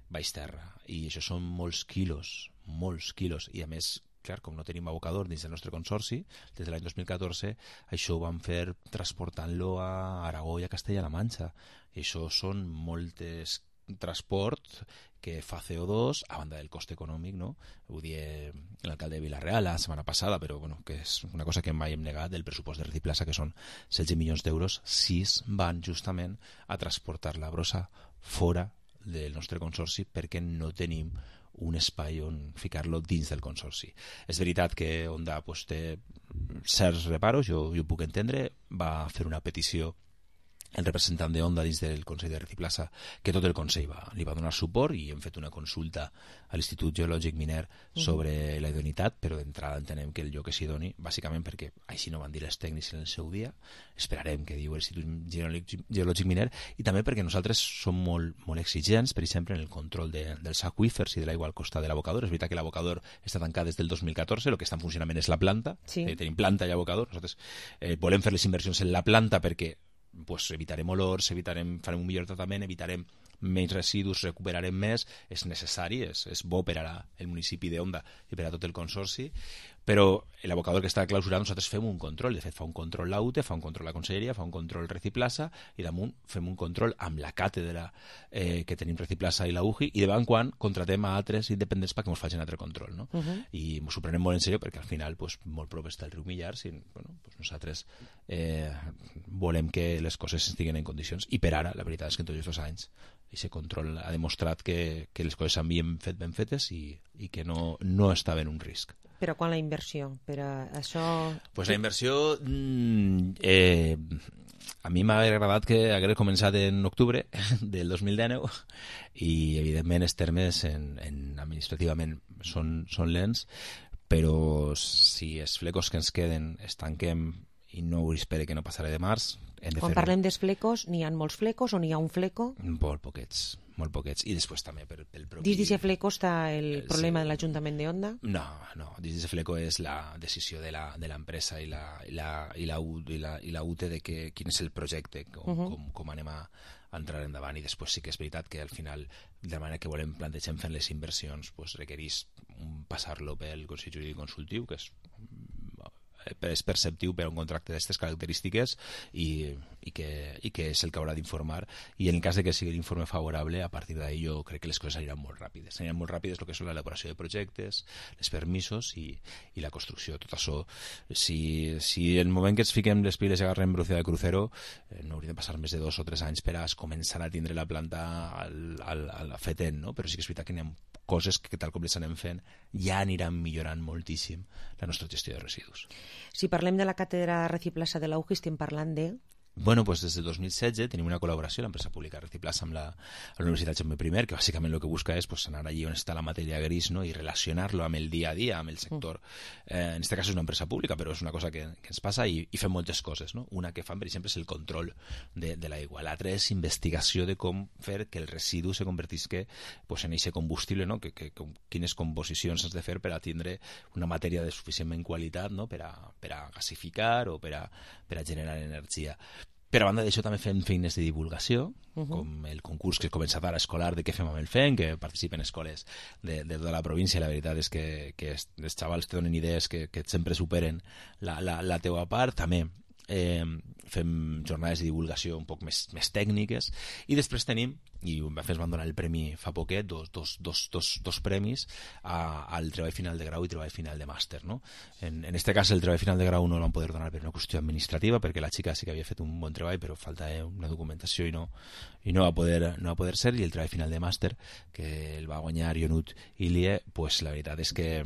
baix terra i això són molts quilos, molts quilos i a més clar, com no tenim abocador dins del nostre consorci, des de l'any dos mil catorze això ho vam fer transportant-lo a Aragó i a Castella-La Manxa i això són moltes transport que fa C O dos a banda del cost econòmic, no? Ho dia l'alcalde de Vila-real la setmana passada, però bueno, que és una cosa que mai hem negat del pressupost de Reciplaça, que són setze milions d'euros, sis van justament a transportar la brossa fora del nostre consorci perquè no tenim un espai on ficar-lo dins del consorci. És veritat que Onda pues, té certs reparos, jo, jo ho puc entendre, va fer una petició el representant de Onda dins del Consell de Reciplaça, que tot el Consell va, li va donar suport i hem fet una consulta a l'Institut Geològic Miner sobre uh-huh. la idoneïtat, però d'entrada entenem que el lloc que s'hi doni, bàsicament perquè així no van dir els tècnics en el seu dia, esperarem que diu l'Institut Geològic Miner i també perquè nosaltres som molt, molt exigents, per exemple, en el control de, dels aqüífers i de l'aigua al costat de l'abocador. És veritat que l'abocador està tancat des del dos mil catorze, el que està en funcionament és la planta, sí. eh, tenim planta i abocador, nosaltres eh, volem fer les inversions en la planta perquè pues evitarem olors, evitarem, farem un millor tractament, evitarem menys residus, recuperarem més, és necessari, és, és bo per a el municipi d'Onda i per a tot el consorci, però l'abocador que està clausurat nosaltres fem un control, de fet fa un control l'A U T E, fa un control la Conselleria, fa un control Reciplaça i damunt fem un control amb la càtedra eh, que tenim Reciplaça i la U J I i de tant en quant contratem a altres independents perquè ens facin altre control, no? Uh-huh. I ens ho prenem molt en sèrio perquè al final pues, molt prop està el riu Millars i bueno, pues nosaltres eh, volem que les coses estiguen en condicions i per ara la veritat és que en tots els anys aquest control ha demostrat que, que les coses s'havien fet ben fetes i, i que no, no estava en un risc. Però quan la inversió? Per a això... Pues la inversió eh, a mi m'ha agradat que hagués començat en octubre del dos mil dinou i evidentment els termes en, en administrativament són, són lents, però si els flecos que ens queden es tanquem i no ho espere que no passarà de març, hem de Quan fer... parlem dels flecos, n'hi ha molts flecos o n'hi ha un fleco? Molt poquets, molt poquets. I després també per, pel propi... Dins d'aquest fleco està el problema sí. de l'Ajuntament de Onda? No, no. Dins d'aquest fleco és la decisió de l'empresa i la, i, la, i, la, i, la, i la U T E de que, quin és el projecte, com, uh -huh. com, com anem a entrar endavant. I després sí que és veritat que al final, de la manera que volem plantegem fent les inversions, pues, requereix passar-lo pel Consell Jurídic Consultiu, que és és perceptiu per a un contracte d'aquestes característiques i, i, que, i que és el que haurà d'informar i en el cas de que sigui l'informe favorable a partir d'ahí jo crec que les coses aniran molt ràpides aniran molt ràpides el que són l'elaboració de projectes els permisos i, i la construcció tot això, si, si el moment que ens fiquem les piles i agarrem velocitat de crucero eh, no hauria de passar més de dos o tres anys per a començar a tindre la planta al, al, al fetent, no? Però sí que és veritat que n'hi ha coses que tal com les anem fent ja aniran millorant moltíssim la nostra gestió de residus. Si parlem de la càtedra Reciplaça de la U J I estem parlant de... bueno, pues des del dos mil setze tenim una col·laboració l'empresa pública Reciplaza amb la, la Universitat Jaume I, que bàsicament el que busca és pues, anar allí on està la matèria gris, no? I relacionar-lo amb el dia a dia, amb el sector. Eh, en aquest cas és una empresa pública, però és una cosa que, que ens passa i, i fem moltes coses. No? Una que fan, per exemple, és el control de, de l'aigua. L'altra és investigació de com fer que el residu se convertisca pues, en aquest combustible, no? que, que, que, quines composicions has de fer per a tindre una matèria de suficientment qualitat, no? per, a, per a gasificar o per a, per a generar energia. Per a banda d'això també fem feines de divulgació, uh -huh. com el concurs que he començat ara escolar de què fem amb el F E M, que participen escoles de, de tota la província. La veritat és que, que els xavals te donen idees que, que sempre superen la, la, la teua part. També eh, fem jornades de divulgació un poc més, més tècniques i després tenim, i ens van donar el premi fa poquet, dos, dos, dos, dos, dos premis a, al treball final de grau i treball final de màster, no? En, en este cas el treball final de grau no el van poder donar per una qüestió administrativa, perquè la xica sí que havia fet un bon treball, però falta eh, una documentació i no, i no va poder, no va poder ser, i el treball final de màster que el va guanyar Ionut Ilie, pues la veritat és que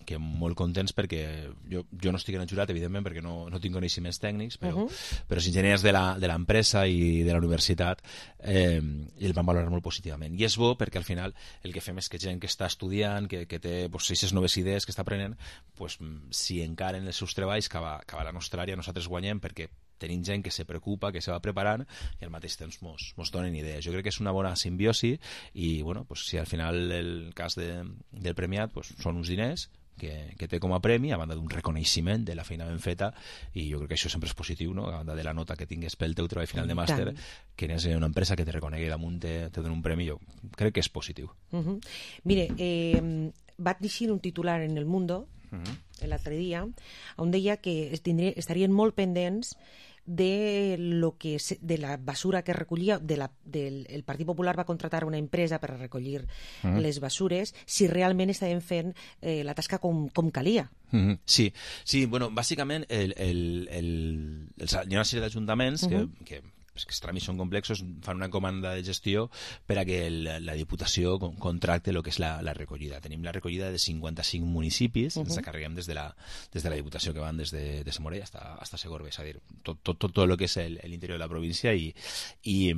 que molt contents perquè jo, jo no estic en el jurat, evidentment, perquè no, no tinc coneixements tècnics, però, uh -huh. però els enginyers de l'empresa i de la universitat eh, el van valorar molt positivament. I és bo perquè al final el que fem és que gent que està estudiant, que, que té pues, aquestes noves idees que està aprenent, pues, si encaren els seus treballs cap a, cap a la nostra àrea, nosaltres guanyem perquè tenim gent que se preocupa, que se va preparant i al mateix temps mos, mos donen idees. Jo crec que és una bona simbiosi i bueno, pues, si al final el cas de, del premiat pues, són uns diners que, que té com a premi, a banda d'un reconeixement de la feina ben feta, i jo crec que això sempre és positiu, no? A banda de la nota que tingues pel teu treball final de màster, que és una empresa que te reconegui damunt, te, te dona un premi, jo crec que és positiu. Uh -huh. Mire, eh, va dir un titular en El Mundo uh -huh. l'altre dia, on deia que estarien molt pendents de lo que de la basura que recollia de la, del, el Partit Popular va contratar una empresa per a recollir mm -hmm. les basures, si realment estaven fent eh, la tasca com, com calia. Mm -hmm. Sí, sí, bueno, bàsicament el, el, el, el, hi ha una sèrie d'ajuntaments mm -hmm. que, que que els tràmits són complexos, fan una comanda de gestió per a que el, la Diputació contracte el que és la, la recollida. Tenim la recollida de cinquanta-cinc municipis, uh -huh. ens encarreguem des de la, des de la Diputació, que van des de, de Samorell hasta, hasta Segorbe, és a dir, tot, tot, tot, tot el que és l'interior de la província i, i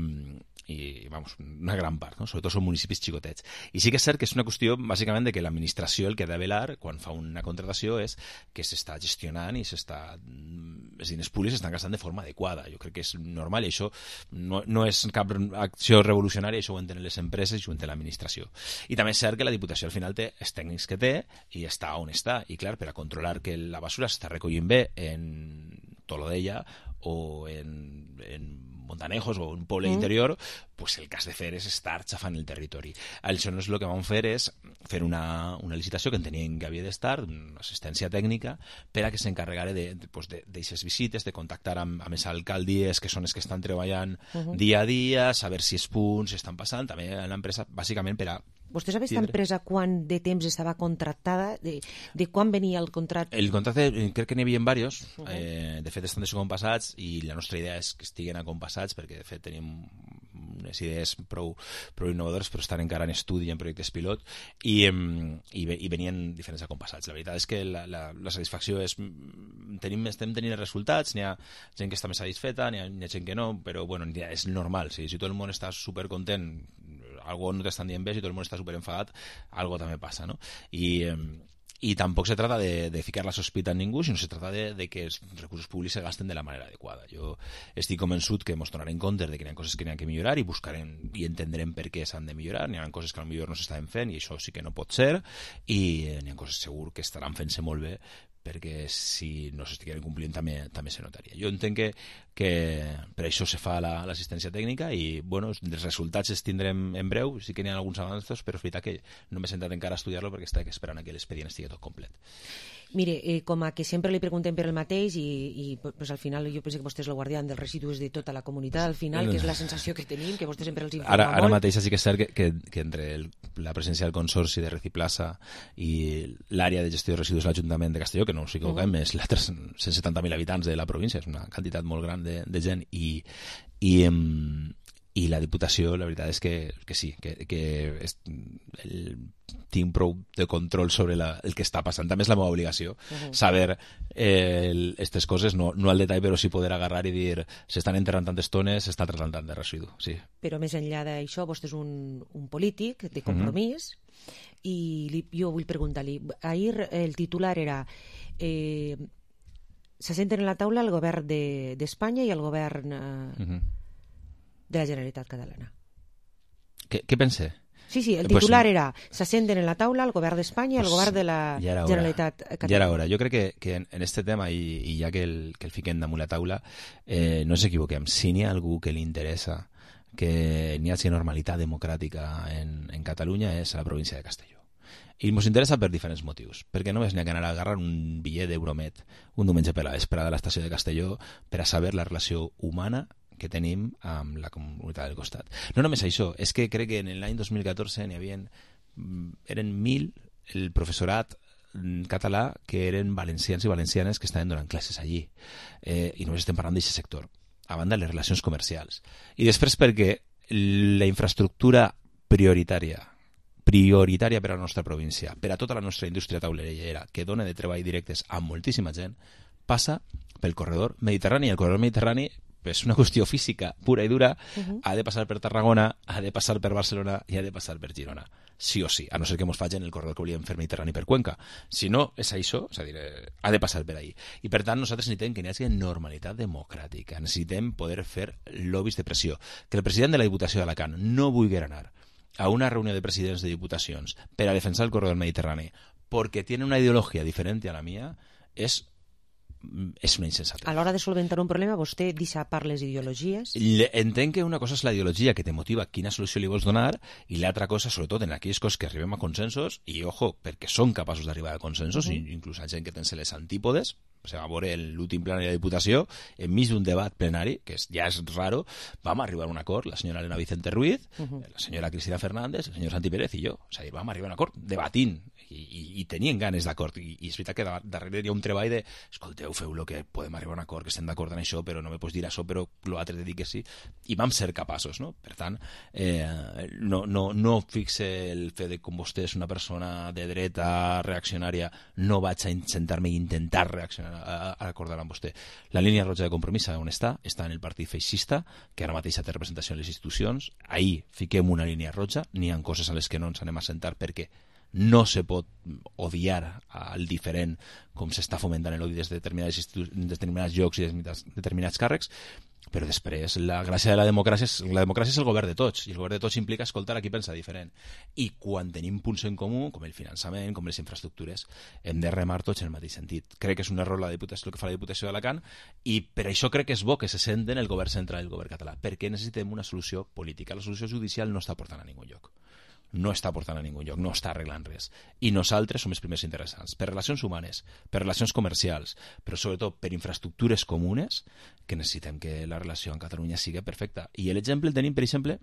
i vamos, una gran part, no? Sobretot són municipis xicotets. I sí que és cert que és una qüestió bàsicament de que l'administració el que ha de velar quan fa una contratació és que s'està gestionant i s'està els diners públics s'estan gastant de forma adequada. Jo crec que és normal i això no, no és cap acció revolucionària, això ho entenen les empreses i ho entén l'administració. I també és cert que la Diputació al final té els tècnics que té i està on està. I clar, per a controlar que la basura s'està recollint bé en Tolodella o en, en Montanejos o un poble mm. interior, pues el que has de fer és estar xafant el territori. Aleshores el que vam fer és fer una, una licitació que enteníem que havia d'estar, una assistència tècnica, per a que s'encarregara d'aixes pues de, visites, de contactar amb, amb els alcaldies, que són els que estan treballant uh -huh. dia a dia, saber si els punts estan passant, també a l'empresa, bàsicament per a... Vostè sap aquesta empresa quan de temps estava contractada? De, de quan venia el contracte? El contracte crec que n'hi havia diversos. Uh -huh. eh, de fet estan descompassats i la nostra idea és que estiguen acompassats perquè de fet tenim unes idees prou, prou innovadores però estan encara en estudi en projectes pilot i, i, i venien diferents acompassats. La veritat és que la, la, la satisfacció és tenim, estem tenint resultats, n'hi ha gent que està més satisfeta, n'hi ha, ha gent que no, però bueno, és normal, si, si tot el món està supercontent, algo no t'estan dient bé, si tot el món està superenfadat, algo també passa, no? I, eh, i tampoc se trata de, de ficar la sospita en ningú, sinó se trata de, de que els recursos públics se gasten de la manera adequada. Jo estic convençut que ens donarem compte de que hi ha coses que n'hi ha que millorar i buscarem i entendrem per què s'han de millorar. N'hi ha coses que potser no s'estaven fent i això sí que no pot ser, i n'hi ha coses segur que estaran fent-se molt bé, perquè si no s'estigueren complint també, també se notaria. Jo entenc que, que per això se fa l'assistència la, tècnica i bueno, els resultats els tindrem en breu, sí que n'hi ha alguns avanços, però és veritat que no m'he sentat encara a estudiar-lo perquè estic esperant que l'expedient estigui tot complet. Mire, eh, com a que sempre li preguntem per el mateix i, i pues, al final jo penso que vostè és el guardián dels residus de tota la comunitat, al final, que és la sensació que tenim, que vostè sempre els informa ara, molt. Ara mateix sí que és cert que, que, que entre el, la presència del Consorci de Reciplaza i l'àrea de gestió de residus de l'Ajuntament de Castelló, que no us equivoquem, uh -huh. és la cent setanta mil habitants de la província, és una quantitat molt gran de, de gent i, i, i la Diputació, la veritat és que, que sí, que, que és, el, tinc prou de control sobre la, el que està passant. També és la meva obligació uh-huh. saber aquestes eh, coses, no, no al detall, però sí poder agarrar i dir s'estan enterrant tantes tones, s'està tratant tant de residu. Sí. Però més enllà d'això, vostè és un, un polític de compromís uh-huh. i li, jo vull preguntar-li, ahir el titular era eh, se senten en la taula el govern d'Espanya de, i el govern eh, uh-huh. de la Generalitat Catalana. Què, què pense? Sí, sí, el titular pues, era se senten en la taula el govern d'Espanya i el pues, govern de la Generalitat Catalana. Ja era hora. Jo crec que, que en, en este tema, i, i ja que el, que el fiquem damunt la taula, eh, no ens equivoquem. Si n'hi ha algú que li interessa que n'hi hagi normalitat democràtica en, en Catalunya és a la província de Castelló. I ens interessa per diferents motius, perquè només n'hi ha que anar a agarrar un bitllet d'Euromet un diumenge per la vesprada a l'estació de Castelló per a saber la relació humana que tenim amb la comunitat del costat. No només això, és que crec que en l'any dos mil catorze n'hi havia, eren mil el professorat català que eren valencians i valencianes que estaven donant classes allí. Eh, I només estem parlant d'aquest sector. A banda, les relacions comercials. I després perquè la infraestructura prioritària prioritària per a la nostra província, per a tota la nostra indústria taulerellera, que dona de treball directes a moltíssima gent, passa pel corredor mediterrani. El corredor mediterrani és una qüestió física pura i dura, uh-huh. ha de passar per Tarragona, ha de passar per Barcelona i ha de passar per Girona. Sí o sí, a no ser que ens facin el corredor que volíem fer mediterrani per Cuenca. Si no, és això, és a dir, eh, ha de passar per ahí. I per tant, nosaltres necessitem que hi hagi normalitat democràtica, necessitem poder fer lobbies de pressió. Que el president de la Diputació d'Alacant no vulgui anar a una reunió de presidents de diputacions per a defensar el corredor mediterrani perquè tiene una ideologia diferent a la mía, és és una insensatez. A l'hora de solventar un problema, vostè deixa part les ideologies? Entenc que una cosa és la ideologia que te motiva quina solució li vols donar i l'altra cosa, sobretot en aquelles coses que arribem a consensos, i ojo, perquè són capaços d'arribar a consensos, uh-huh. inclús a gent que tens les antípodes. Se va veure l'últim plenari de la Diputació, enmig d'un debat plenari, que ja és raro, vam arribar a un acord, la senyora Elena Vicente Ruiz, uh-huh. la senyora Cristina Fernández, el senyor Santi Pérez i jo. O sigui, vam arribar a un acord debatint, i, i, i tenien ganes d'acord, I, i és veritat que darrere hi ha un treball de, escolteu, feu lo que podem arribar a un acord, que estem d'acord en això, però no me pots dir això, però l'altre te dic que sí, i vam ser capaços, no? Per tant, eh, no, no, no fixe el fet de com vostè és una persona de dreta reaccionària, no vaig a sentar-me i intentar reaccionar a, a acordar amb vostè. La línia roja de compromís on està? Està en el partit feixista, que ara mateix té representació en les institucions. Ahir fiquem una línia roja, n'hi ha coses a les que no ens anem a sentar perquè no se pot odiar al diferent com s'està fomentant l'odi des de determinats, determinats llocs i des de determinats càrrecs, però després la gràcia de la democràcia és, la democràcia és el govern de tots, i el govern de tots implica escoltar a qui pensa diferent. I quan tenim punts en comú, com el finançament, com les infraestructures, hem de remar tots en el mateix sentit. Crec que és un error la Diputació, el que fa la Diputació d'Alacant, i per això crec que és bo que se senten el govern central i el govern català, perquè necessitem una solució política. La solució judicial no està portant a ningú lloc. No està portant a ningú lloc, no està arreglant res. I nosaltres som els primers interessants, per relacions humanes, per relacions comercials, però sobretot per infraestructures comunes, que necessitem que la relació amb Catalunya sigui perfecta. I l'exemple el tenim, per exemple,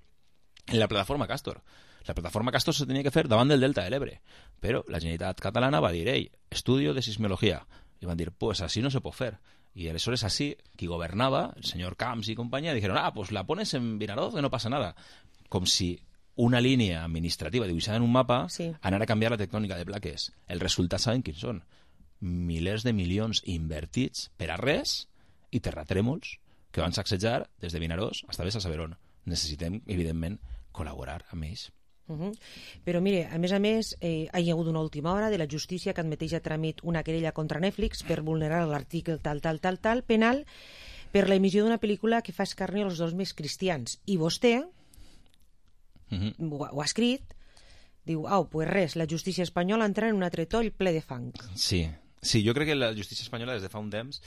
en la plataforma Castor. La plataforma Castor se tenia que fer davant del Delta de l'Ebre, però la Generalitat catalana va dir, ei, estudio de sismología. I van dir, pues así no se pot fer. Y aleshores así, qui governava, el senyor Camps i companyia, dijeron, ah, pues la pones en Vinaroz, que no passa nada. Com si una línia administrativa dibuixada en un mapa sí. anar a canviar la tectònica de plaques. El resultat saben quins són. Milers de milions invertits per a res i terratrèmols que van sacsejar des de Vinaròs fins a Besa Saberón. Necessitem, evidentment, col·laborar amb ells. Uh-huh. Però mire, a més a més, eh, hi ha hagut una última hora de la justícia que admeteix a tràmit una querella contra Netflix per vulnerar l'article tal, tal, tal, tal, penal, per la emissió d'una pel·lícula que fa escarni als dos més cristians. I vostè Uh-huh. ho, ho ha escrit, diu, au, pues res, la justícia espanyola entra en un altre toll ple de fang. Sí, sí, jo crec que la justícia espanyola des de fa un temps,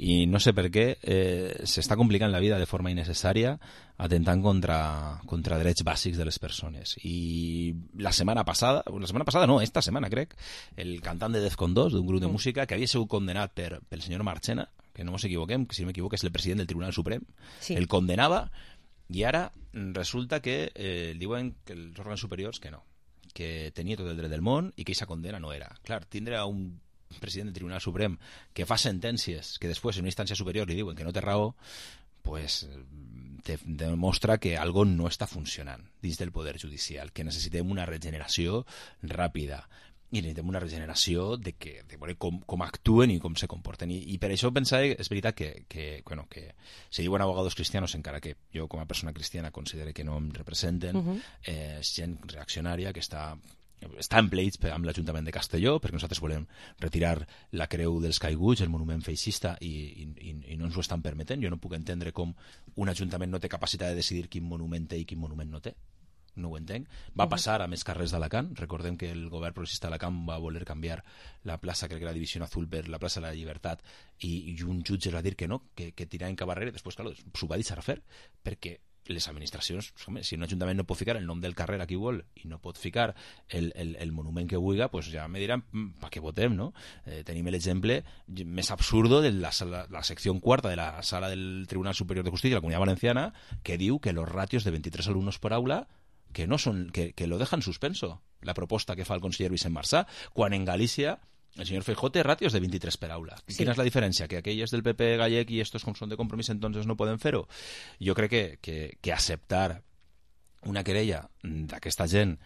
i no sé per què, eh, s'està complicant la vida de forma innecessària, atentant contra, contra drets bàsics de les persones. I la setmana passada, la setmana passada no, esta setmana crec, el cantant de Defcon dos, d'un grup de música, que havia sigut condenat per, pel senyor Marchena, que no ens equivoquem, que si no m'equivoco és el president del Tribunal Suprem, sí. el condenava. I ara resulta que eh, diuen que els òrgans superiors que no, que tenia tot el dret del món i que aquesta condena no era. Clar, tindre un president del Tribunal Suprem que fa sentències que després en una instància superior li diuen que no té raó, pues te demostra que algo no està funcionant dins del poder judicial, que necessitem una regeneració ràpida i necessitem una regeneració de, que, de veure com, com actuen i com se comporten. I, i per això pensava, és veritat que, que, bueno, que se diuen abogados cristianos, encara que jo com a persona cristiana considero que no em representen, uh-huh. eh, és gent reaccionària que està està en pleits amb l'Ajuntament de Castelló, perquè nosaltres volem retirar la creu dels caiguts, el monument feixista, i, i, i no ens ho estan permetent. Jo no puc entendre com un Ajuntament no té capacitat de decidir quin monument té i quin monument no té. No ho entenc. Va passar a més carrers d'Alacant. Recordem que el govern progressista d'Alacant va voler canviar la plaça, crec que la Divisió Azul, per la plaça de la Llibertat, i, i un jutge va dir que no, que, que tirar en Cabarrera. Després, clar, s'ho va deixar fer, perquè les administracions, home, si un ajuntament no pot ficar el nom del carrer a qui vol i no pot ficar el, el, el monument que vulgui, pues ja me diran per què votem, no? Eh, tenim l'exemple més absurdo de la, sala, la secció quarta de la sala del Tribunal Superior de Justícia de la Comunitat Valenciana, que diu que los ratios de veintitrés alumnos por aula que no son, que, que lo dejan suspenso, la proposta que fa el conseller Vicent Marsà, quan en Galícia el senyor Feijóo té ratios de veintitrés per aula. Sí. Quina és la diferència? Que aquelles del P P gallec i estos com són de Compromís entonces no poden fer-ho? Jo crec que, que, que acceptar una querella d'aquesta gent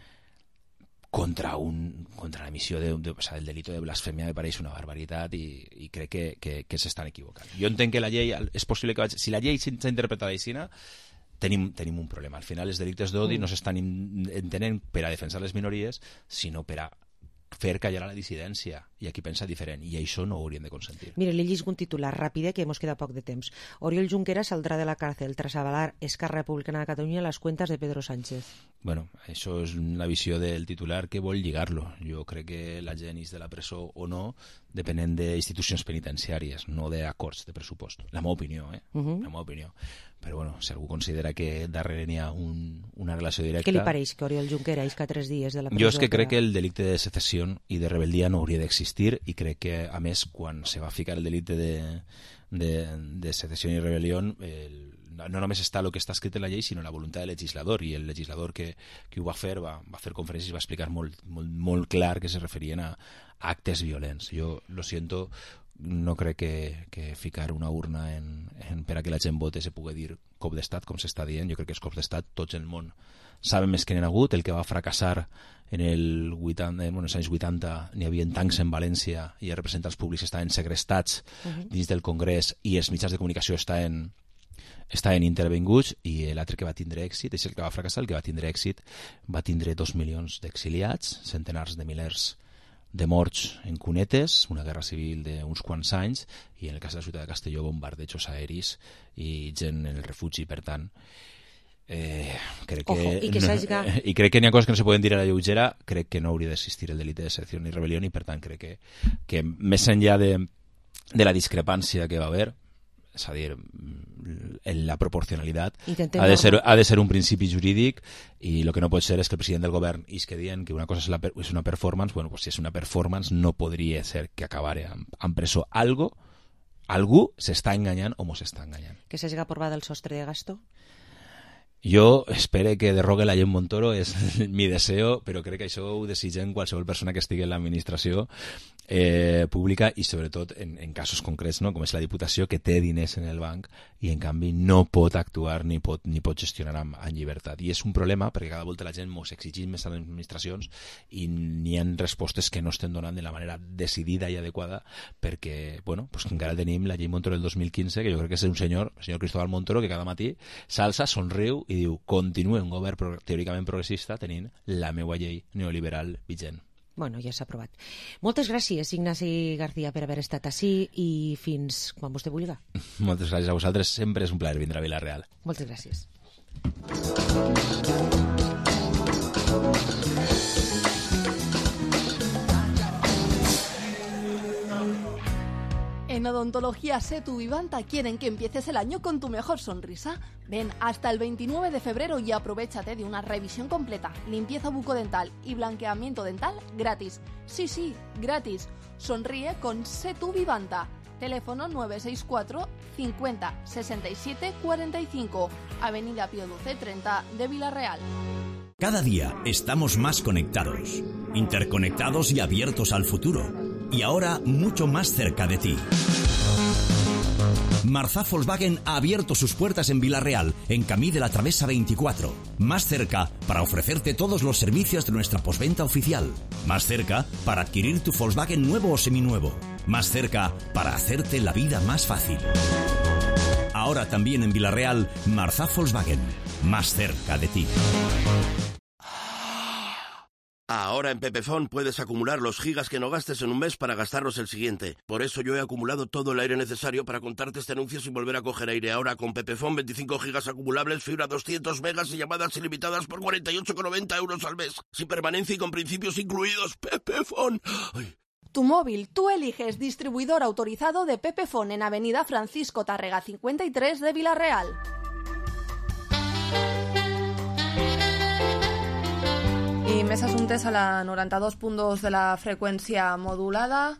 contra, un, contra l'emissió de, de, o sea, del delito de blasfèmia me pareix una barbaritat i, i crec que, que, que s'estan equivocant. Jo entenc que la llei, és possible que... Si la llei s'ha interpretat així, tenim, tenim un problema. Al final els delictes d'odi mm. no s'estan entenent per a defensar les minories, sinó per a fer callar la dissidència, i aquí pensa diferent, i això no ho hauríem de consentir. Mire, li llisgo un titular ràpid, que mos queda poc de temps. Oriol Junqueras saldrà de la càrcel tras avalar Esquerra Republicana de Catalunya les cuentas de Pedro Sánchez. Bueno, això és una visió del titular que vol lligar-lo. Jo crec que la gent és de la presó o no, depenent d'institucions penitenciàries, no d'acords de pressupost. La meva opinió, eh? Uh-huh. La meva opinió. Però bueno, si algú considera que darrere n'hi ha un, una relació directa... Què li pareix que Oriol Junqueras isca tres dies de la presó? Jo és que crec que el delicte de secessió i de rebel·lia no hauria d'existir, i crec que, a més, quan se va ficar el delicte de, de, de secessió i rebel·lió, el, no només està el que està escrit en la llei, sinó la voluntat del legislador, i el legislador que, que ho va fer va, va fer conferències i va explicar molt, molt, molt clar que se referien a actes violents. Jo lo siento, no crec que, que ficar una urna en, en, per a que la gent vote se pugui dir cop d'estat, com s'està dient. Jo crec que els cops d'estat tots el món saben més que n'hi ha hagut. El que va fracassar en, el vuitanta, bueno, els anys vuitanta n'hi havia tancs en València i els representants públics estaven segrestats uh-huh. dins del Congrés, i els mitjans de comunicació estaven, estaven intervinguts, i l'altre que va tindre èxit és el que va fracassar. El que va tindre èxit va tindre dos milions d'exiliats, centenars de milers de morts en cunetes, una guerra civil d'uns quants anys, i en el cas de la ciutat de Castelló bombardejos aeris i gent en el refugi. Per tant, eh, crec que Ojo, i, que no, i crec que n'hi ha coses que no se poden dir a la lleugera. Crec que no hauria d'existir el delicte de secessió ni rebel·lió, i per tant crec que, que més enllà de, de la discrepància que va haver, és a dir, en la proporcionalitat, ha de, ser, ha de ser un principi jurídic, i el que no pot ser és que el president del govern isque dient que una cosa és, la, és una performance. Bueno, pues si és una performance no podria ser que acabara en, en presó. Algo, algú s'està enganyant o mos està enganyant. Que s'hagi aprovat el sostre de gasto? Jo espero que derrogue la llei Montoro, és mi deseo, però crec que això ho desitgen qualsevol persona que estigui en l'administració eh, pública, i sobretot en, en casos concrets, no? Com és la Diputació, que té diners en el banc i en canvi no pot actuar ni pot, ni pot gestionar amb, amb llibertat. I és un problema perquè cada volta la gent mos exigim més a les administracions i n'hi ha respostes que no estem donant de la manera decidida i adequada, perquè bueno, pues encara tenim la llei Montoro del dos mil quinze, que jo crec que és un senyor, el senyor Cristóbal Montoro, que cada matí s'alça, somriu i diu: continua un govern pro teòricament progressista tenint la meva llei neoliberal vigent. Bueno, ja s'ha aprovat. Moltes gràcies, Ignasi García, per haver estat ací, i fins quan vostè vulgui. Moltes gràcies a vosaltres, sempre és un plaer vindre a Vila-real. Moltes gràcies. En Odontología Setu Vivanta quieren que empieces el año con tu mejor sonrisa. Ven hasta el veintinueve de febrero y aprovéchate de una revisión completa, limpieza bucodental y blanqueamiento dental gratis. Sí, sí, gratis. Sonríe con Setu Vivanta. Teléfono nueve seis cuatro cincuenta sesenta y siete cuarenta y cinco, Avenida Pío doce treinta de Vila-real. Cada día estamos más conectados, interconectados y abiertos al futuro. Y ahora mucho más cerca de ti. Marzá Volkswagen ha abierto sus puertas en Villarreal, en Camí de la Travesa veinticuatro. Más cerca para ofrecerte todos los servicios de nuestra postventa oficial. Más cerca para adquirir tu Volkswagen nuevo o seminuevo. Más cerca para hacerte la vida más fácil. Ahora también en Villarreal, Marzá Volkswagen. Más cerca de ti. Ahora en Pepefon puedes acumular los gigas que no gastes en un mes para gastarlos el siguiente. Por eso yo he acumulado todo el aire necesario para contarte este anuncio sin volver a coger aire. Ahora con Pepefon, veinticinco gigas acumulables, fibra doscientos megas y llamadas ilimitadas por cuarenta y ocho con noventa euros al mes. Sin permanencia y con principios incluidos. Pepefon. Ay. Tu móvil, tú eliges distribuidor autorizado de Pepefon en Avenida Francisco Tárrega cincuenta y tres de Villarreal. I més assumptes a la noranta-dos punt dos de la freqüència modulada.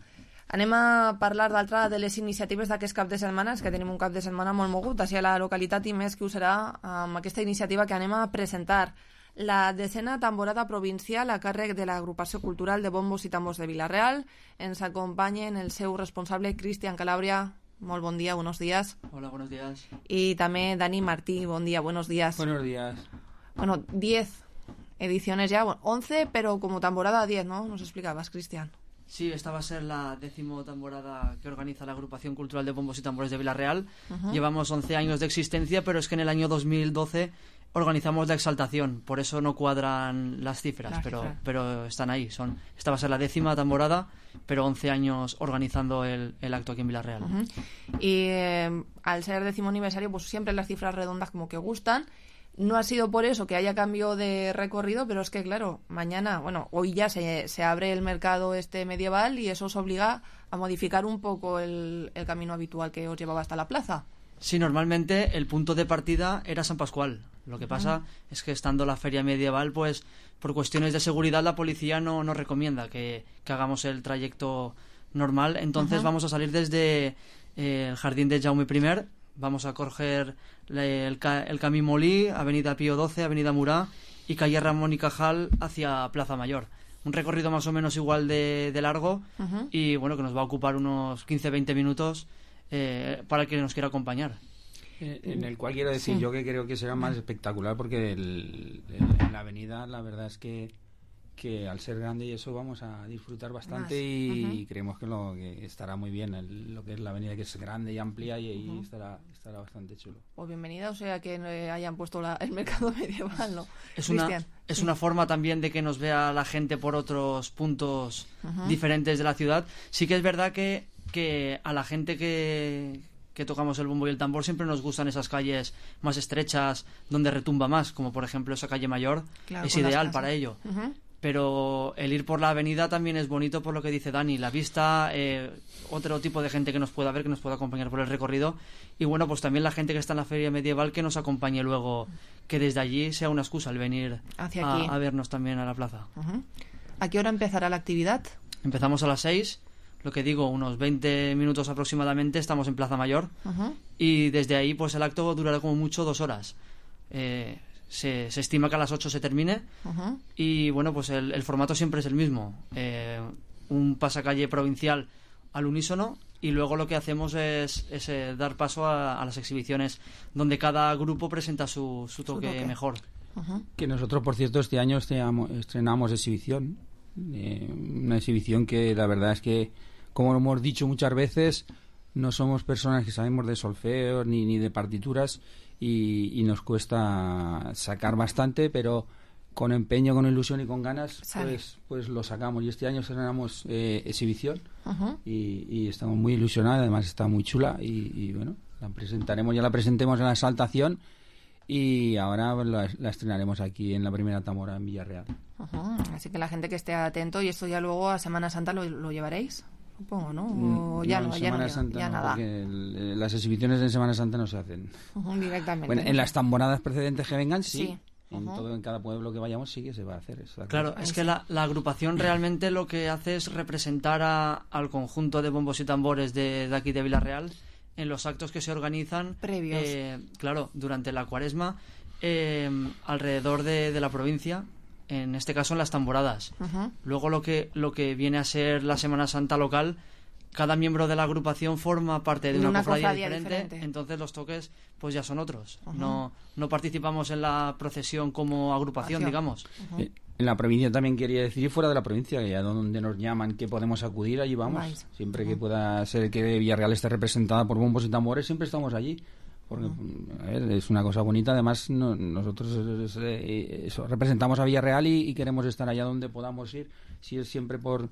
Anem a parlar d'altra de les iniciatives d'aquest cap de setmana, que tenim un cap de setmana molt mogut així a la localitat i més que ho serà amb aquesta iniciativa que anem a presentar. La desena temporada provincial a càrrec de l'agrupació cultural de bombos i tambors de Villarreal. Ens acompanyen el seu responsable, Cristian Calabria. Molt bon dia, buenos días. Hola, buenos días. Y también Dani Martí, buen día, buenos días. Buenos días. Bueno, diez ediciones ya, bueno, once, pero como temporada diez, ¿no? Nos explicabas, Cristian. Sí, esta va a ser la décimo temporada que organiza la Agrupación Cultural de Bombos y Tambores de Villarreal. Uh-huh. Llevamos once años de existencia, pero es que en el año dos mil doce organizamos la Exaltación, por eso no cuadran las cifras, Las pero, cifras. pero están ahí. Son, esta va a ser la décima temporada, pero once años organizando el, el acto aquí en Villarreal. Uh-huh. Y eh, al ser décimo aniversario, pues siempre las cifras redondas como que gustan. No ha sido por eso que haya cambio de recorrido, pero es que, claro, mañana, bueno, hoy ya se, se abre el mercado este medieval y eso os obliga a modificar un poco el, el camino habitual que os llevaba hasta la plaza. Sí, normalmente el punto de partida era San Pascual. Lo que pasa Ujú. es que estando la feria medieval, pues por cuestiones de seguridad la policía no nos recomienda que, que hagamos el trayecto normal. Entonces Ujú. vamos a salir desde eh, el Jardín de Jaume I, vamos a coger le- el, ca- el Camí Molí, Avenida Pío doce, Avenida Murá y calle Ramón y Cajal hacia Plaza Mayor. Un recorrido más o menos igual de, de largo Ujú. y bueno, que nos va a ocupar unos quince a veinte minutos eh, para el que nos quiera acompañar. Eh, En el cual quiero decir Sí. yo que creo que será más espectacular porque el, el- en la avenida la verdad es que que al ser grande y eso vamos a disfrutar bastante Más. y Ujú. creemos que lo que estará muy bien el- lo que es la avenida, que es grande y amplia y ahí Ujú. estará estará bastante chulo. Pues bienvenida, o sea, que eh, hayan puesto la- el mercado medieval, ¿no? Es una, Cristian, es sí. una forma también de que nos vea la gente por otros puntos Ujú. diferentes de la ciudad. Sí que es verdad que, que a la gente que, que tocamos el bombo y el tambor siempre nos gustan esas calles más estrechas, donde retumba más, como por ejemplo esa calle Mayor. Claro, es con las ideal casas. para ello. Ujú. Pero el ir por la avenida también es bonito por lo que dice Dani, la vista, eh, otro tipo de gente que nos pueda ver, que nos pueda acompañar por el recorrido y bueno, pues también la gente que está en la feria medieval que nos acompañe luego, que desde allí sea una excusa el venir Hacia a, aquí. a vernos también a la plaza. Ujú. ¿A qué hora empezará la actividad? Empezamos a las seis, lo que digo, unos veinte minutos aproximadamente estamos en Plaza Mayor Ujú. y desde ahí pues el acto durará como mucho dos horas. Eh, se, se estima que a las ocho se termine. Ujú. Y bueno, pues el, el formato siempre es el mismo. Eh, un pasacalle provincial al unísono y luego lo que hacemos es, es, eh, dar paso a, a las exhibiciones donde cada grupo presenta su, su toque, toque. mejor. Ujú. Que nosotros, por cierto, este año estrenamos, estrenamos exhibición. Eh, una exhibición que la verdad es que, como hemos dicho muchas veces, no somos personas que sabemos de solfeo ni, ni de partituras y, y nos cuesta sacar bastante, pero con empeño, con ilusión y con ganas, Sale. pues, pues lo sacamos. Y este año estrenamos eh, exhibición Ujú. y, y estamos muy ilusionados, además está muy chula y, y bueno, la presentaremos, ya la presentemos en la Exaltación y ahora la, la estrenaremos aquí en la primera tamora en Villarreal. Ujú. Así que la gente que esté atento, y esto ya luego a Semana Santa lo, lo llevaréis, supongo, ¿no? O Mm, ya no, no, en ya, no, Semana ya, Santa ya no, nada. porque el- las exhibiciones en Semana Santa no se hacen. Ujú, directamente. Bueno, en las temporadas precedentes que vengan, sí. Sí. En Ujú. todo, en cada pueblo que vayamos sí que se va a hacer eso. Claro, es que la, la agrupación realmente lo que hace es representar a- al conjunto de bombos y tambores de, de aquí de Villarreal en los actos que se organizan Previos. eh, claro, durante la cuaresma eh, alrededor de, de la provincia, en este caso en las tamboradas. Ujú. Luego lo que, lo que viene a ser la Semana Santa local cada miembro de la agrupación forma parte de una, una cofradía, cofradía diferente, diferente, entonces los toques pues ya son otros. Uh-huh. No, no participamos en la procesión como agrupación, Acción. digamos. Uh-huh. En la provincia también quería decir, y fuera de la provincia, que a donde nos llaman que podemos acudir, allí vamos. Vais. Siempre uh-huh. que pueda ser que Villarreal esté representada por bombos y tambores, siempre estamos allí. Porque uh-huh. a ver, es una cosa bonita. Además, no, nosotros es, es, eso, representamos a Villarreal y, y queremos estar allá donde podamos ir. Si es siempre por,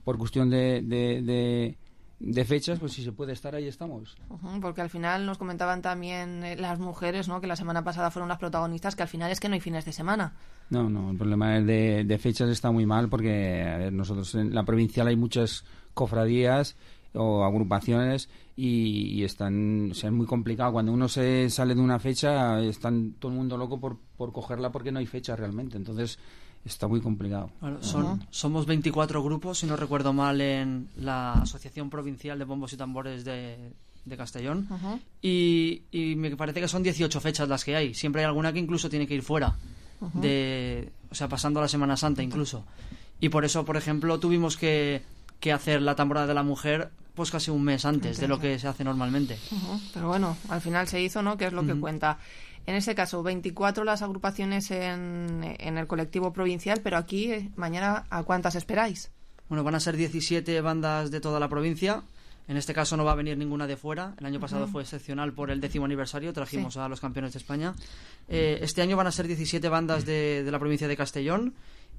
por cuestión de... de, de de fechas, pues si se puede estar ahí estamos. Uh-huh, porque al final nos comentaban también eh, las mujeres, ¿no?, que la semana pasada fueron las protagonistas, que al final es que no hay fines de semana. No, no, el problema de, de fechas está muy mal porque a ver, nosotros en la provincial hay muchas cofradías o agrupaciones y, y están, o sea, es muy complicado. Cuando uno se sale de una fecha, están todo el mundo loco por, por cogerla porque no hay fecha realmente. Entonces está muy complicado. Bueno, son, uh-huh. Somos veinticuatro grupos, si no recuerdo mal, en la Asociación Provincial de Bombos y Tambores de, de Castellón. Uh-huh. y, y me parece que son dieciocho fechas las que hay. Siempre hay alguna que incluso tiene que ir fuera. Uh-huh. de, o sea, pasando la Semana Santa incluso. Y por eso, por ejemplo, tuvimos que, que hacer la tamborada de la mujer pues casi un mes antes Entonces, de lo que se hace normalmente. Uh-huh. Pero bueno, al final se hizo, ¿no?, que es lo uh-huh. que cuenta. En este caso, veinticuatro las agrupaciones en, en el colectivo provincial, pero aquí, mañana, ¿a cuántas esperáis? Bueno, van a ser diecisiete bandas de toda la provincia. En este caso no va a venir ninguna de fuera. El año pasado uh-huh. fue excepcional por el décimo aniversario, trajimos sí. a los campeones de España. Eh, este año van a ser diecisiete bandas de, de la provincia de Castellón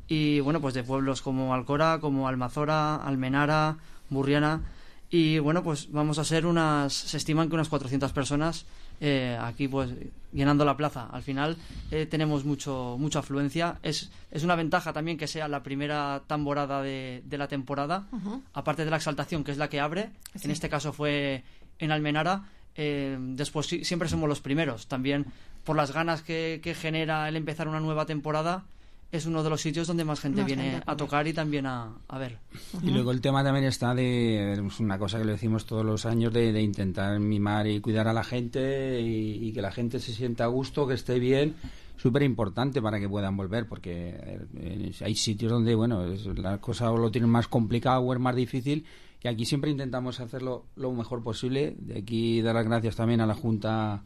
y, bueno, pues de pueblos como Alcora, como Almazora, Almenara, Burriana. Y, bueno, pues vamos a ser unas... Se estiman que unas cuatrocientas personas... Eh, aquí pues llenando la plaza. Al final eh, tenemos mucho mucha afluencia. Es, es una ventaja también que sea la primera tamborada de, de la temporada, uh-huh. aparte de la exaltación, que es la que abre. Sí. En este caso fue en Almenara. Eh, después sí, siempre somos los primeros. También por las ganas que, que genera el empezar una nueva temporada, es uno de los sitios donde más gente más viene gente a tocar y también a, a ver. Uh-huh. Y luego el tema también está de, es una cosa que lo decimos todos los años, de, de intentar mimar y cuidar a la gente y, y que la gente se sienta a gusto, que esté bien, súper importante para que puedan volver, porque eh, hay sitios donde, bueno, es, la cosa lo tienen más complicado o es más difícil, y aquí siempre intentamos hacerlo lo mejor posible. De aquí dar las gracias también a la Junta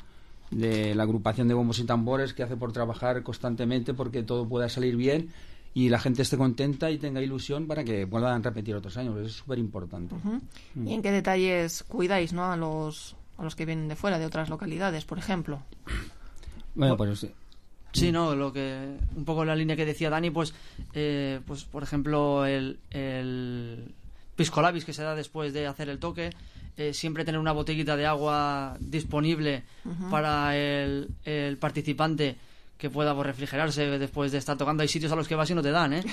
de la agrupación de bombos y tambores, que hace por trabajar constantemente porque todo pueda salir bien y la gente esté contenta y tenga ilusión para que puedan repetir otros años. Eso es súper importante. Uh-huh. ¿Y en qué detalles cuidáis, ¿no?, a los a los que vienen de fuera, de otras localidades, por ejemplo? Bueno, pues sí, no, lo que un poco la línea que decía Dani, pues eh, pues por ejemplo el, el pisco labis que se da después de hacer el toque. Eh, siempre tener una botellita de agua disponible uh-huh. para el, el participante que pueda pues, refrigerarse después de estar tocando. Hay sitios a los que vas y no te dan, ¿eh?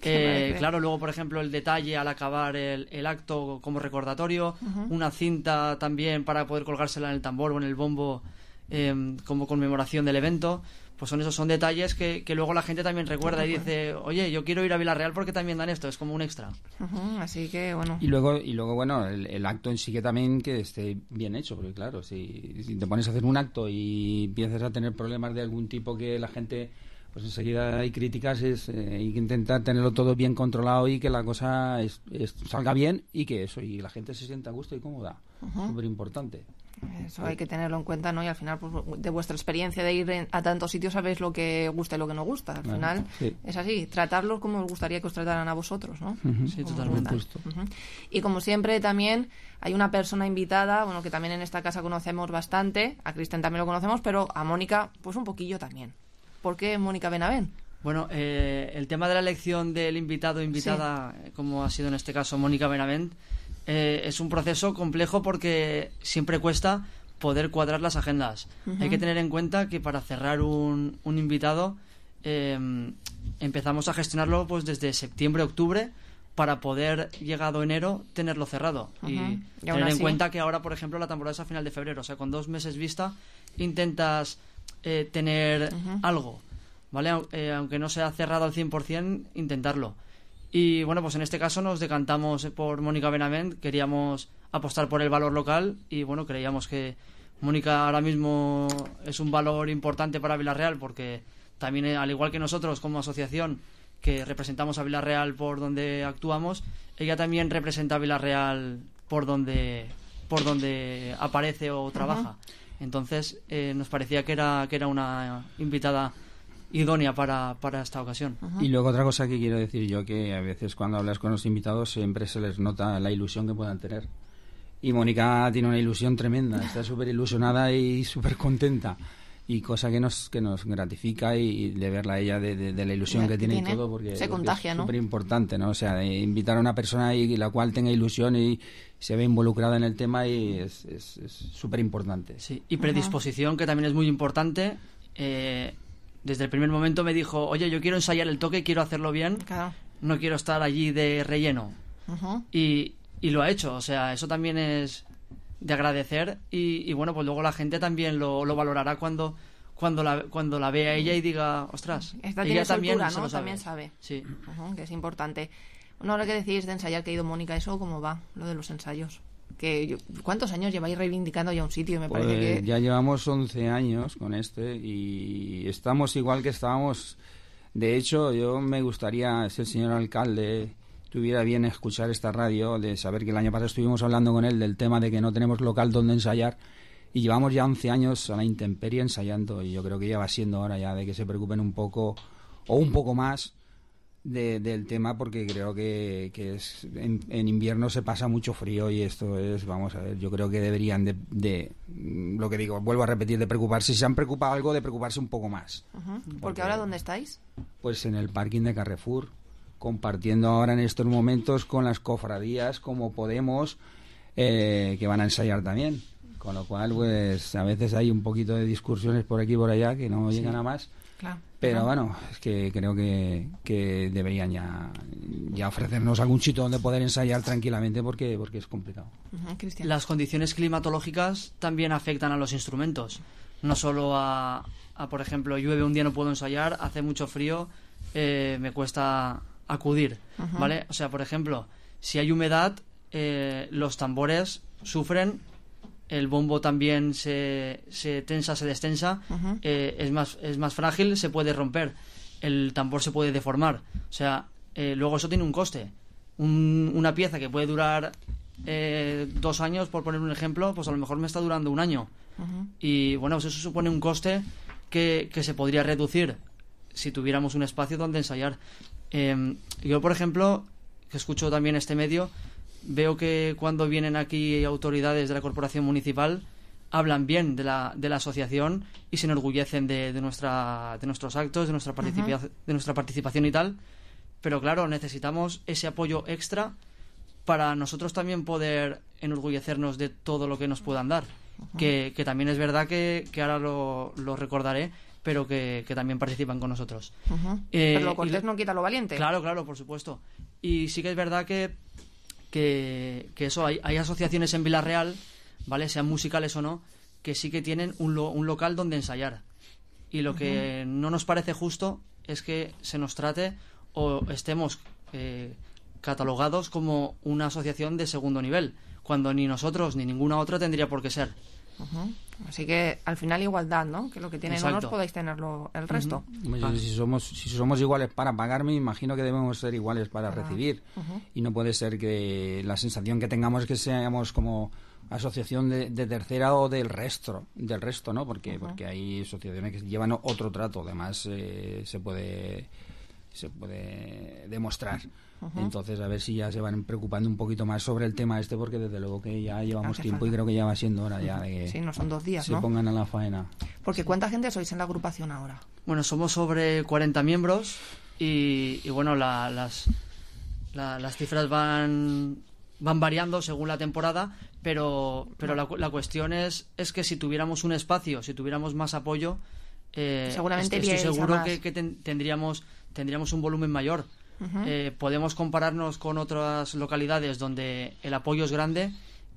eh claro, luego, por ejemplo, el detalle al acabar el, el acto como recordatorio, uh-huh. una cinta también para poder colgársela en el tambor o en el bombo eh, como conmemoración del evento. Pues son esos son detalles que, que luego la gente también recuerda y dice, oye, yo quiero ir a Villarreal porque también dan esto, es como un extra. Uh-huh, así que, bueno. Y luego, y luego bueno, el, el acto en sí que también que esté bien hecho, porque claro, si, si te pones a hacer un acto y empiezas a tener problemas de algún tipo que la gente, pues enseguida hay críticas, es, eh, hay que intentar tenerlo todo bien controlado y que la cosa es, es, salga bien y que eso, y la gente se sienta a gusto y cómoda. Uh-huh. Súper importante. Eso hay que tenerlo en cuenta, ¿no? Y al final, pues, de vuestra experiencia de ir en, a tantos sitios, sabéis lo que gusta y lo que no gusta. Al bueno, final sí. es así, tratarlos como os gustaría que os trataran a vosotros, ¿no? Uh-huh. Sí, totalmente. Uh-huh. Y como siempre también hay una persona invitada, bueno, que también en esta casa conocemos bastante, a Cristian también lo conocemos, pero a Mónica, pues un poquillo también. ¿Por qué Mónica Benavent? Bueno, eh, el tema de la elección del invitado o invitada, sí. como ha sido en este caso Mónica Benavent, Eh, es un proceso complejo porque siempre cuesta poder cuadrar las agendas. Uh-huh. Hay que tener en cuenta que para cerrar un, un invitado eh, empezamos a gestionarlo pues desde septiembre, octubre, para poder, llegado enero, tenerlo cerrado. Uh-huh. Y, y tener en cuenta que ahora, por ejemplo, la temporada es a final de febrero, o sea, con dos meses vista intentas eh, tener uh-huh. algo, ¿vale? Eh, aunque no sea cerrado al cien por ciento, intentarlo. Y bueno, pues en este caso nos decantamos por Mónica Benavent, queríamos apostar por el valor local y bueno, creíamos que Mónica ahora mismo es un valor importante para Villarreal porque también, al igual que nosotros como asociación que representamos a Villarreal por donde actuamos, ella también representa a Villarreal por donde por donde aparece o trabaja. Ajá. Entonces eh, nos parecía que era que era una invitada idónea para, para esta ocasión. Y luego otra cosa que quiero decir yo, que a veces cuando hablas con los invitados siempre se les nota la ilusión que puedan tener. Y Mónica tiene una ilusión tremenda, está súper ilusionada y súper contenta. Y cosa que nos que nos gratifica, y de verla a ella de, de, de la ilusión Ya, que tiene, tiene. y todo, porque, Se porque contagia, es ¿no? súper importante, ¿no? O sea, de invitar a una persona y la cual tenga ilusión y se ve involucrada en el tema, y es es es súper importante. Sí, y predisposición, que también es muy importante. Eh, desde el primer momento me dijo, oye, yo quiero ensayar el toque, quiero hacerlo bien, Claro. no quiero estar allí de relleno. Ujú. Y, y lo ha hecho, o sea, eso también es de agradecer, y, y bueno, pues luego la gente también lo, lo valorará cuando cuando la cuando la vea ella y diga, ostras, Esta ella tiene también soltura, se ¿no? lo sabe. También sabe. Sí. Ujú, que es importante. No, lo que decís de ensayar, que ha ido Mónica, ¿eso cómo va? Lo de los ensayos. Que yo- ¿Cuántos años lleváis reivindicando ya un sitio? Me Pues parece que... ya llevamos once años con este y estamos igual que estábamos. De hecho, yo me gustaría, si el señor alcalde tuviera bien escuchar esta radio, de saber que el año pasado estuvimos hablando con él del tema de que no tenemos local donde ensayar, y llevamos ya once años a la intemperie ensayando, y yo creo que ya va siendo hora ya de que se preocupen un poco o un poco más de- del tema, porque creo que, que es, en, en invierno se pasa mucho frío, y esto es, vamos a ver, yo creo que deberían de, de mm, lo que digo, vuelvo a repetir, de preocuparse, si se han preocupado algo, de preocuparse un poco más. Ujú. Porque ahora, ¿dónde estáis? Pues en el parking de Carrefour, compartiendo ahora en estos momentos con las cofradías como Podemos, eh, que van a ensayar también. Con lo cual, pues a veces hay un poquito de discusiones por aquí y por allá que no Sí. llegan a más. Claro. Pero Ajá. bueno, es que creo que, que deberían ya, ya ofrecernos algún sitio donde poder ensayar tranquilamente, porque, porque es complicado. Ujú, Cristian. Las condiciones climatológicas también afectan a los instrumentos. No solo a, a, por ejemplo, llueve un día, no puedo ensayar, hace mucho frío, eh, me cuesta acudir, Ujú. ¿vale? O sea, por ejemplo, si hay humedad, eh, los tambores sufren, el bombo también se, se tensa, se destensa, Ujú. eh, es más es más frágil, se puede romper, el tambor se puede deformar. O sea, eh, luego eso tiene un coste. Un- una pieza que puede durar eh, dos años, por poner un ejemplo, pues a lo mejor me está durando un año. Ujú. Y bueno, pues eso supone un coste que, que se podría reducir si tuviéramos un espacio donde ensayar. Eh, yo, por ejemplo, que escucho también este medio, veo que cuando vienen aquí autoridades de la corporación municipal hablan bien de la, de la asociación y se enorgullecen de, de nuestra de nuestros actos, de nuestra participa- Ujú. de nuestra participación y tal. Pero claro, necesitamos ese apoyo extra para nosotros también poder enorgullecernos de todo lo que nos puedan dar. Que, que también es verdad que, que ahora lo, lo recordaré, pero que, que también participan con nosotros. Ujú. Eh, Pero lo y cortés le- no quita lo valiente. Claro, claro, por supuesto. Y sí que es verdad que, que, que eso, hay, hay asociaciones en Villarreal, ¿vale? Sean musicales o no, que sí que tienen un, lo- un local donde ensayar. Y lo que no nos parece justo es que se nos trate o estemos eh, catalogados como una asociación de segundo nivel, cuando ni nosotros ni ninguna otra tendría por qué ser. Ujú. Así que al final igualdad, ¿no? Que lo que tienen Exacto. unos podáis tenerlo el resto. Hombre, Vale. si somos si somos iguales para pagar, me imagino que debemos ser iguales para Para- recibir. Ujú. Y no puede ser que la sensación que tengamos es que seamos como asociación de, de tercera o del resto, del resto, ¿no? Porque Ujú. porque hay asociaciones que llevan otro trato, además eh, se puede se puede demostrar. Ujú. Entonces, a ver si ya se van preocupando un poquito más sobre el tema este, porque desde luego que ya llevamos Hace tiempo falta. y creo que ya va siendo hora ya de que Sí, no son dos días, se ¿no? pongan a la faena. Porque ¿cuánta gente sois en la agrupación ahora? Bueno, somos sobre cuarenta miembros y, y bueno, la- las, la- las cifras van van variando según la temporada, pero pero la, cu- la cuestión es es que si tuviéramos un espacio, si tuviéramos más apoyo, eh, Seguramente estoy, estoy iríais a seguro más. que, que ten- tendríamos tendríamos un volumen mayor. Ujú. Eh, podemos compararnos con otras localidades donde el apoyo es grande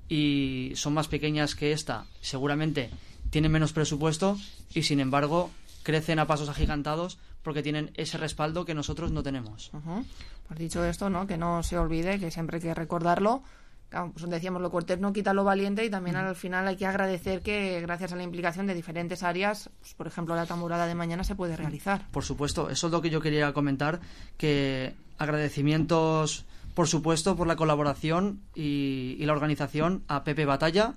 y son más pequeñas que esta, seguramente tienen menos presupuesto y sin embargo crecen a pasos agigantados porque tienen ese respaldo que nosotros no tenemos. Ujú. Pues dicho esto, ¿no? Que no se olvide, que siempre hay que recordarlo. Claro, pues decíamos, lo cortés no quita lo valiente, y también al final hay que agradecer que gracias a la implicación de diferentes áreas, pues, por ejemplo, la tamborada de mañana se puede realizar. Por supuesto, eso es lo que yo quería comentar, que agradecimientos por supuesto, por la colaboración y, y la organización a Pepe Batalla,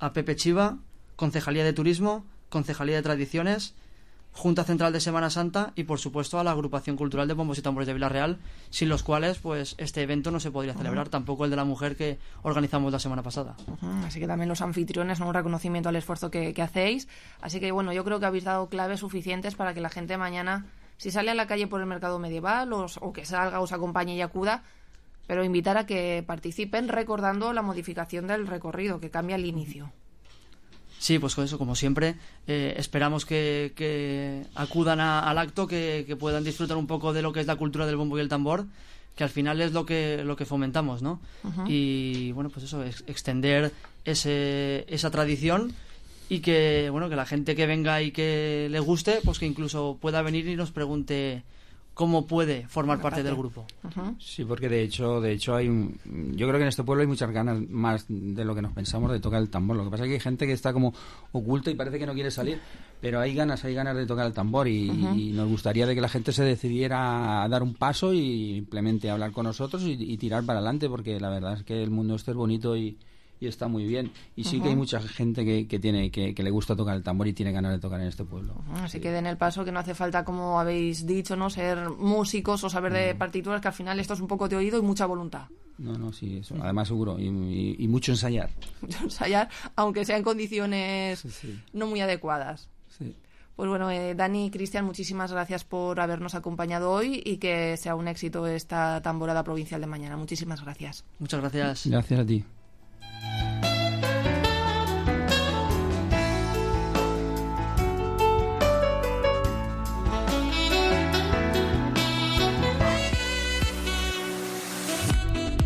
a Pepe Chiva, Concejalía de Turismo, Concejalía de Tradiciones, Junta Central de Semana Santa y, por supuesto, a la Agrupación Cultural de Bombos y Tambores de Vila-real, sin los cuales pues este evento no se podría celebrar, uh-huh. tampoco el de la mujer que organizamos la semana pasada. Uh-huh. Así que también los anfitriones, ¿no? Un reconocimiento al esfuerzo que, que hacéis. Así que, bueno, yo creo que habéis dado claves suficientes para que la gente mañana, si sale a la calle por el mercado medieval o, o que salga, os acompañe y acuda, pero invitar a que participen recordando la modificación del recorrido, que cambia el inicio. Sí, pues con eso, como siempre, eh, esperamos que, que acudan a, al acto, que, que puedan disfrutar un poco de lo que es la cultura del bombo y el tambor, que al final es lo que lo que fomentamos, ¿no? Uh-huh. Y bueno, pues eso, ex- extender ese, esa tradición y que bueno que la gente que venga y que le guste, pues que incluso pueda venir y nos pregunte cómo puede formar parte del grupo. Uh-huh. Sí, porque de hecho, de hecho hay un, yo creo que en este pueblo hay muchas ganas más de lo que nos pensamos de tocar el tambor. Lo que pasa es que hay gente que está como oculta y parece que no quiere salir, pero hay ganas, hay ganas de tocar el tambor y, uh-huh. y nos gustaría de que la gente se decidiera a dar un paso y simplemente hablar con nosotros y, y tirar para adelante, porque la verdad es que el mundo este es bonito y y está muy bien, y sí uh-huh. que hay mucha gente que, que tiene que, que le gusta tocar el tambor y tiene ganas de tocar en este pueblo. Uh-huh. Así sí. que den el paso, que no hace falta, como habéis dicho, no ser músicos o saber de partituras, que al final esto es un poco de oído y mucha voluntad. No, no, sí, eso, además seguro, y, y, y mucho ensayar. Mucho ensayar, aunque sea en condiciones sí, sí. no muy adecuadas. Sí. Pues bueno, eh, Dani y Cristian, muchísimas gracias por habernos acompañado hoy y que sea un éxito esta tamborada provincial de mañana. Muchísimas gracias. Muchas gracias. Gracias a ti.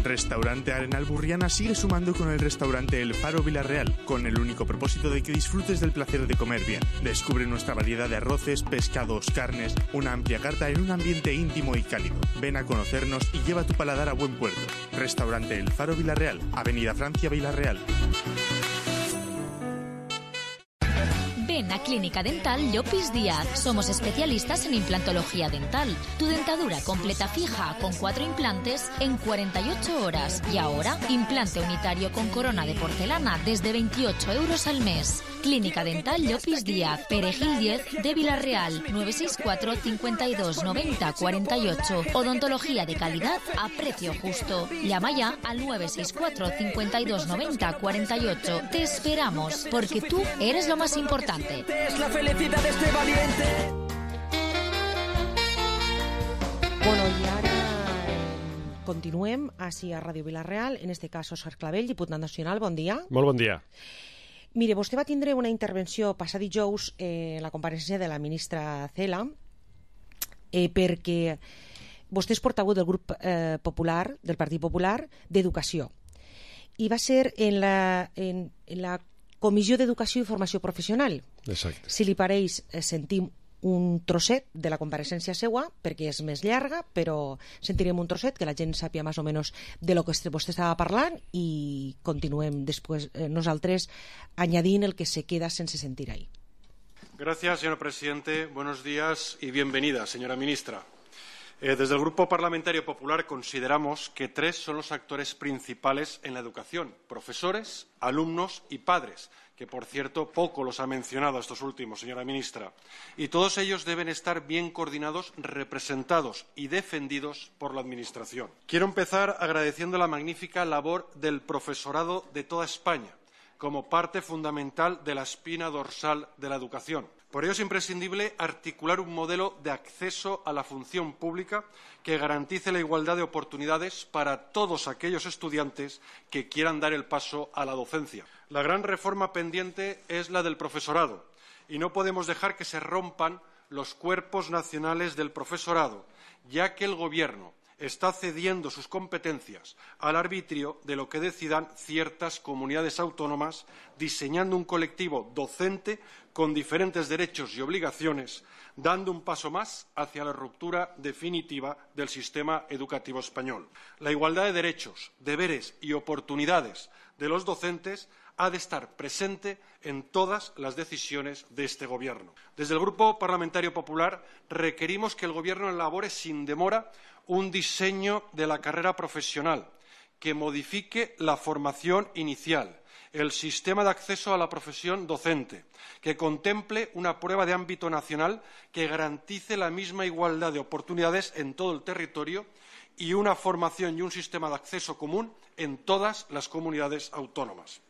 Restaurante Arenal Burriana sigue sumando con el restaurante El Faro Vila-real, con el único propósito de que disfrutes del placer de comer bien. Descubre nuestra variedad de arroces, pescados, carnes, una amplia carta en un ambiente íntimo y cálido. Ven a conocernos y lleva tu paladar a buen puerto. Restaurante El Faro Vila-real, Avenida Francia, Vila-real. Ven a Clínica Dental Llopis Díaz. Somos especialistas en implantología dental. Tu dentadura completa fija con cuatro implantes en cuarenta y ocho horas. Y ahora, implante unitario con corona de porcelana desde veintiocho euros al mes. Clínica Dental Llopis Díaz, Perejil diez de Vila-real, nueve seis cuatro, cincuenta y dos, noventa, cuarenta y ocho. Odontología de calidad a precio justo. Llama ya al nueve seis cuatro, cincuenta y dos, noventa, cuarenta y ocho. Te esperamos, porque tú eres lo más importante. Es la felicidad de este valiente. Bueno, i ara continuem així a Ràdio Vila-real, en este cas Òscar Clavell, diputat nacional, bon dia. Molt bon dia. Mire, vostè va tindre una intervenció passat dijous eh, en la compareixença de la ministra Cela eh, perquè vostè és portaveu del grup eh, popular, del Partit Popular d'Educació, i va ser en la, en, en la Comissió d'Educació i Formació Professional. Exacte. Si li pareix, eh, sentim un trosset de la compareixença seua, perquè és més llarga, però sentirem un trosset que la gent sàpia més o menys de lo que vostè estava parlant i continuem després eh, nosaltres añadint el que se queda sense sentir ahí. Gracias, señor presidente. Buenos días y bienvenida, señora ministra. Eh, desde el Grupo Parlamentario Popular consideramos que tres son los actores principales en la educación: profesores, alumnos y padres, que por cierto poco los ha mencionado estos últimos, señora ministra, y todos ellos deben estar bien coordinados, representados y defendidos por la Administración. Quiero empezar agradeciendo la magnífica labor del profesorado de toda España, como parte fundamental de la espina dorsal de la educación. Por ello es imprescindible articular un modelo de acceso a la función pública que garantice la igualdad de oportunidades para todos aquellos estudiantes que quieran dar el paso a la docencia. La gran reforma pendiente es la del profesorado y no podemos dejar que se rompan los cuerpos nacionales del profesorado, ya que el Gobierno está cediendo sus competencias al arbitrio de lo que decidan ciertas comunidades autónomas, diseñando un colectivo docente con diferentes derechos y obligaciones, dando un paso más hacia la ruptura definitiva del sistema educativo español. La igualdad de derechos, deberes y oportunidades de los docentes ha de estar presente en todas las decisiones de este Gobierno. Desde el Grupo Parlamentario Popular requerimos que el Gobierno elabore sin demora un diseño de la carrera profesional que modifique la formación inicial, el sistema de acceso a la profesión docente, que contemple una prueba de ámbito nacional que garantice la misma igualdad de oportunidades en todo el territorio y una formación y un sistema de acceso común en todas las comunidades autónomas.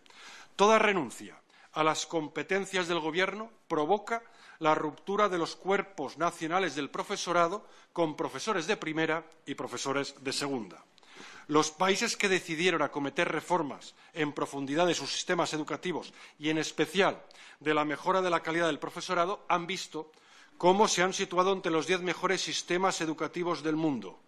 Toda renuncia a las competencias del Gobierno provoca la ruptura de los cuerpos nacionales del profesorado con profesores de primera y profesores de segunda. Los países que decidieron acometer reformas en profundidad de sus sistemas educativos y, en especial, de la mejora de la calidad del profesorado, han visto cómo se han situado entre los diez mejores sistemas educativos del mundo.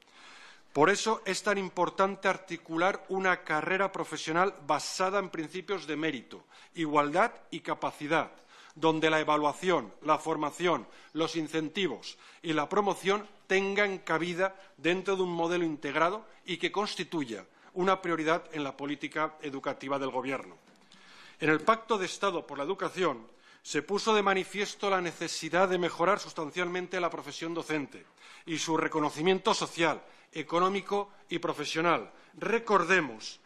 Por eso es tan importante articular una carrera profesional basada en principios de mérito, igualdad y capacidad, donde la evaluación, la formación, los incentivos y la promoción tengan cabida dentro de un modelo integrado y que constituya una prioridad en la política educativa del Gobierno. En el Pacto de Estado por la Educación se puso de manifiesto la necesidad de mejorar sustancialmente la profesión docente y su reconocimiento social, económico y profesional. Recordemos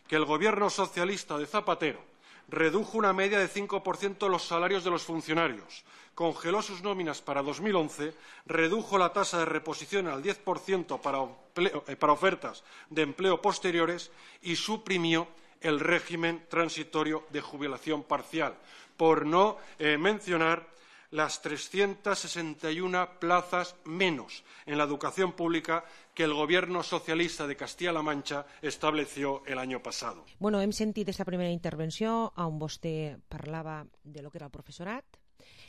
que el Gobierno socialista de Zapatero redujo una media de cinco por ciento los salarios de los funcionarios, congeló sus nóminas para dos mil once, redujo la tasa de reposición al diez por ciento para, empleo, eh, para ofertas de empleo posteriores y suprimió el régimen transitorio de jubilación parcial, por no eh, mencionar las trescientas sesenta y una plazas menos en la educación pública que el Gobierno socialista de Castilla-La Mancha estableció el año pasado. Bueno, hem sentit aquesta primera intervenció on vostè parlava de lo que era el professorat.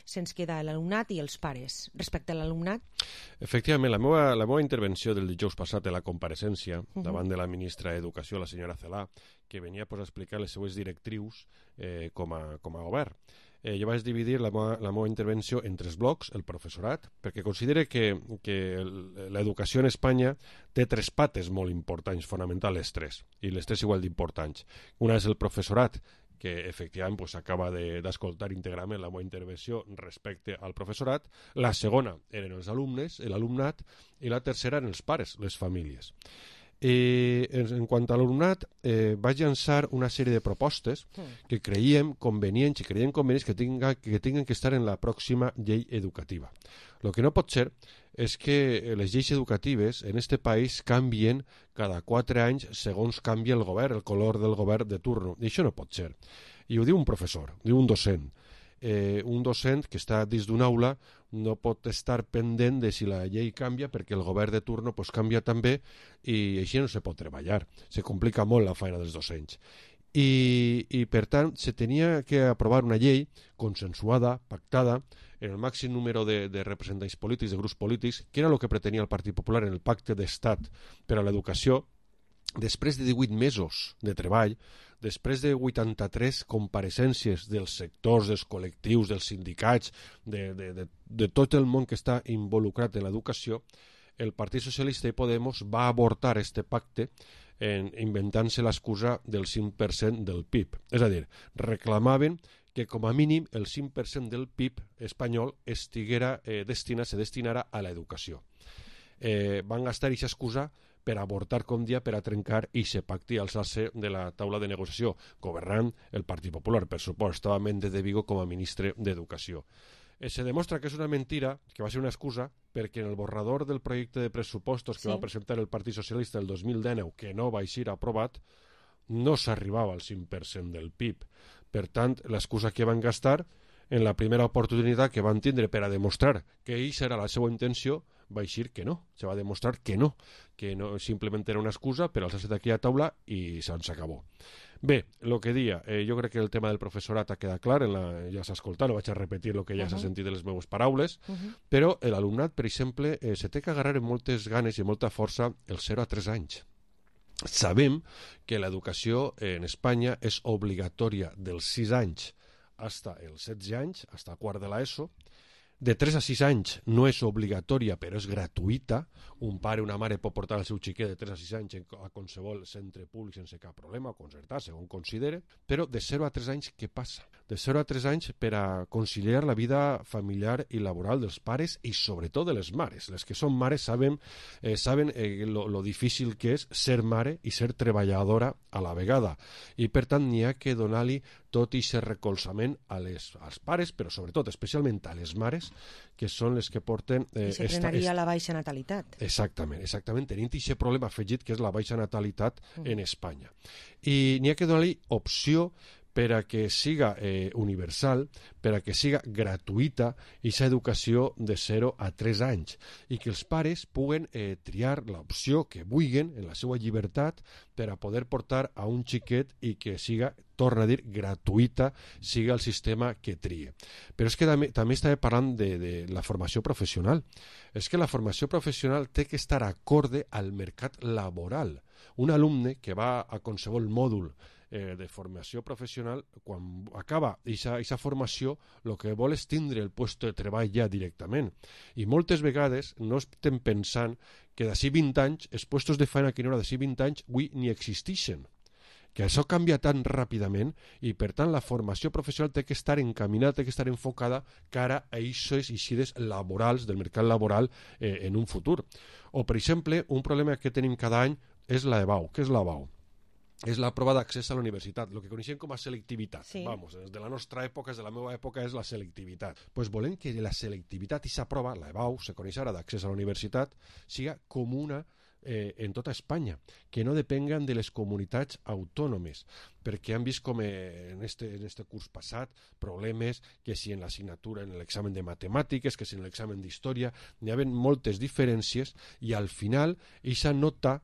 Se'ns queda l'alumnat i els pares. Respecte a l'alumnat... Efectivament, la meva, la meva intervenció del dijous passat de la compareixença uh-huh. davant de la ministra d'Educació, la senyora Celaá, que venia pues, a explicar les seues directrius eh, com, a, com a govern. Eh, jo vaig dividir la meva, la meva intervenció en tres blocs, el professorat, perquè considere que, que l'educació en Espanya té tres pates molt importants, fonamentals les tres, i les tres igual d'importants. Una és el professorat, que efectivament pues, acaba d'escoltar de, íntegrament la meva intervenció respecte al professorat. La segona eren els alumnes, l'alumnat, i la tercera eren els pares, les famílies. Eh, en, en quant a l'alumnat, eh, vaig llançar una sèrie de propostes que creiem convenients i creiem convenients que, tinga, que tinguin que estar en la pròxima llei educativa. El que no pot ser és que les lleis educatives en este país canvien cada quatre anys segons canvia el govern, el color del govern de turno. I això no pot ser. I ho diu un professor, diu un docent. Eh, un docent que està dins d'una aula no pot estar pendent de si la llei canvia perquè el govern de turno pues, canvia també i així no se pot treballar. Se complica molt la feina dels docents. I, i per tant se tenia que aprovar una llei consensuada, pactada, en el màxim número de, de representants polítics, de grups polítics, que era el que pretenia el Partit Popular en el Pacte d'Estat per a l'Educació, després de divuit mesos de treball, després de vuitanta-tres compareixences dels sectors, dels col·lectius, dels sindicats, de, de, de, de tot el món que està involucrat en l'educació, el Partit Socialista i Podemos va avortar este pacte en, inventant-se l'excusa del cinc per cent del P I B. És a dir, reclamaven que com a mínim el cinc per cent del P I B espanyol estiguera eh, destinat, se destinara a l'educació. Eh, van gastar aquesta excusa per avortar, com dia, per a trencar i se pacti alçar-se de la taula de negociació, governant el Partit Popular, per supost, estava Méndez de Vigo com a ministre d'Educació. Eh, se demostra que és una mentira, que va ser una excusa, perquè en el borrador del projecte de pressupostos que sí. va presentar el Partit Socialista el dos mil dinou, que no va ser aprovat, no s'arribava al cinc per cent del P I B. Per tant, l'excusa que van gastar en la primera oportunitat que van tindre per a demostrar que aquesta era la seva intenció, va eixir que no, se va demostrar que no, que no simplement era una excusa per alçar-se d'aquella taula i se'ns acabó. Bé, el que dia, eh, jo crec que el tema del professorat ha quedat clar, en la, ja s'ha escoltat, no vaig a repetir el que ja uh -huh. s'ha sentit de les meves paraules, uh -huh. però l'alumnat, per exemple, eh, se té que agarrar amb moltes ganes i molta força el zero a tres anys. Sabem que l'educació en Espanya és obligatòria dels sis anys fins als setze anys, fins al quart de l'ESO. de tres a sis anys no és obligatòria, però és gratuïta. Un pare o una mare pot portar el seu xiquet de tres a sis anys a qualsevol centre públic sense cap problema, o concertar, segons considere. Però de zero a tres anys, què passa? De zero a tres anys per a conciliar la vida familiar i laboral dels pares i sobretot de les mares. Les que són mares saben, eh, saben eh, lo, lo difícil que és ser mare i ser treballadora a la vegada. I per tant n'hi ha que donar-li tot i aquest recolzament a les, als pares, però sobretot, especialment a les mares, que són les que porten... Eh, I se frenaria la baixa natalitat. Exactament, exactament, tenint aquest problema afegit que és la baixa natalitat mm. en Espanya. I n'hi ha que donar-li opció per a que siga eh, universal, per a que siga gratuïta aquesta educació de zero a tres anys i que els pares puguen eh, triar l'opció que vulguin en la seva llibertat per a poder portar a un xiquet i que siga, torna a dir, gratuïta, siga el sistema que trie. Però és que també, també estava parlant de, de la formació professional. És que la formació professional té que estar acorde al mercat laboral. Un alumne que va a qualsevol mòdul Eh, de formació professional, quan acaba aquesta formació, el que vol és tindre el lloc de treball ja directament. I moltes vegades no estem pensant que d'ací vint anys, els llocs de feina que n'hi haurà d'ací vint anys, avui ni existeixen. Que això canvia tan ràpidament i, per tant, la formació professional té que estar encaminada, té que estar enfocada cara a aquestes eixides laborals del mercat laboral eh, en un futur. O, per exemple, un problema que tenim cada any és la E B A U. Què és la E B A U? És la prova d'accés a la universitat, el que coneixem com a selectivitat. Sí. Vamos, des de la nostra època, des de la meva època, és la selectivitat. Pues volem que la selectivitat i aquesta prova, la E B A U, se coneix ara d'accés a la universitat, siga comuna eh, en tota Espanya, que no depenguen de les comunitats autònomes, perquè han vist com eh, en, este, en este curs passat problemes que si en l'assignatura, en l'examen de matemàtiques, que si en l'examen d'història, n'hi ha moltes diferències i al final aquesta nota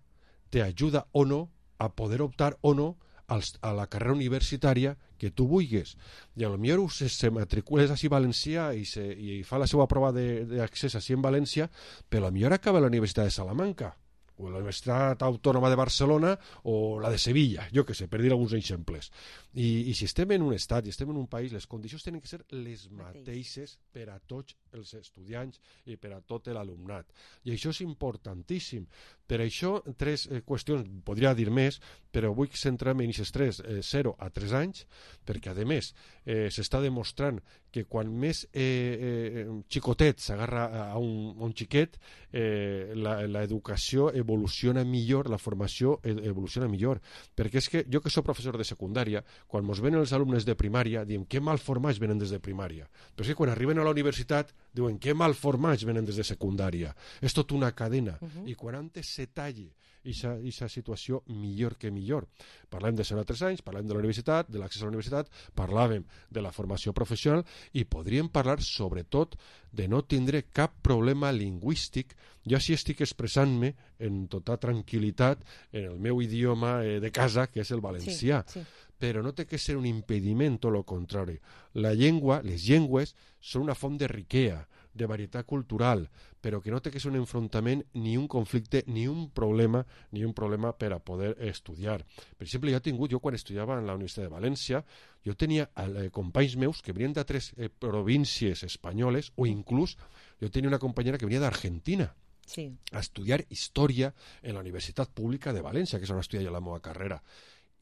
t'ajuda o no a poder optar o no als, a la carrera universitària que tu vulguis. I potser se, se matricules així a València i, se, i fa la seva prova d'accés així en València, però potser acaba a la Universitat de Salamanca o la Universitat Autònoma de Barcelona o la de Sevilla, jo que sé, per dir alguns exemples. I, i si estem en un estat i estem en un país, les condicions tenen que ser les mateixes per a tots els estudiants i per a tot l'alumnat. I això és importantíssim. Per això, tres eh, qüestions, podria dir més, però vull centrar-me en aquests tres, eh, zero a tres anys, perquè, a més, eh, s'està demostrant que quan més eh, eh, xicotet s'agarra a un, a un xiquet, eh, l'educació evoluciona millor, la formació evoluciona millor. Perquè és que jo que soc professor de secundària, quan ens venen els alumnes de primària, diem que mal formats venen des de primària. Però és que quan arriben a la universitat, diuen que mal formats venen des de secundària. És tot una cadena. Uh-huh. I quan antes se talli aquesta situació, millor que millor. Parlem de zero a tres anys, parlem de la universitat, de l'accés a la universitat, parlàvem de la formació professional i podríem parlar sobretot de no tindre cap problema lingüístic. Jo sí estic expressant-me en tota tranquil·litat en el meu idioma eh, de casa, que és el valencià. Sí, sí. Però no té que ser un impediment, tot el contrari. La llengua, les llengües, són una font de riquea, de varietat cultural, però que no té que ser un enfrontament, ni un conflicte, ni un problema, ni un problema per a poder estudiar. Per exemple, jo he tingut, jo quan estudiava en la Universitat de València, jo tenia eh, companys meus que venien d'altres eh, províncies espanyoles, o inclús jo tenia una companyera que venia d'Argentina, sí, a estudiar història en la Universitat Pública de València, que és on estudia jo la meva carrera.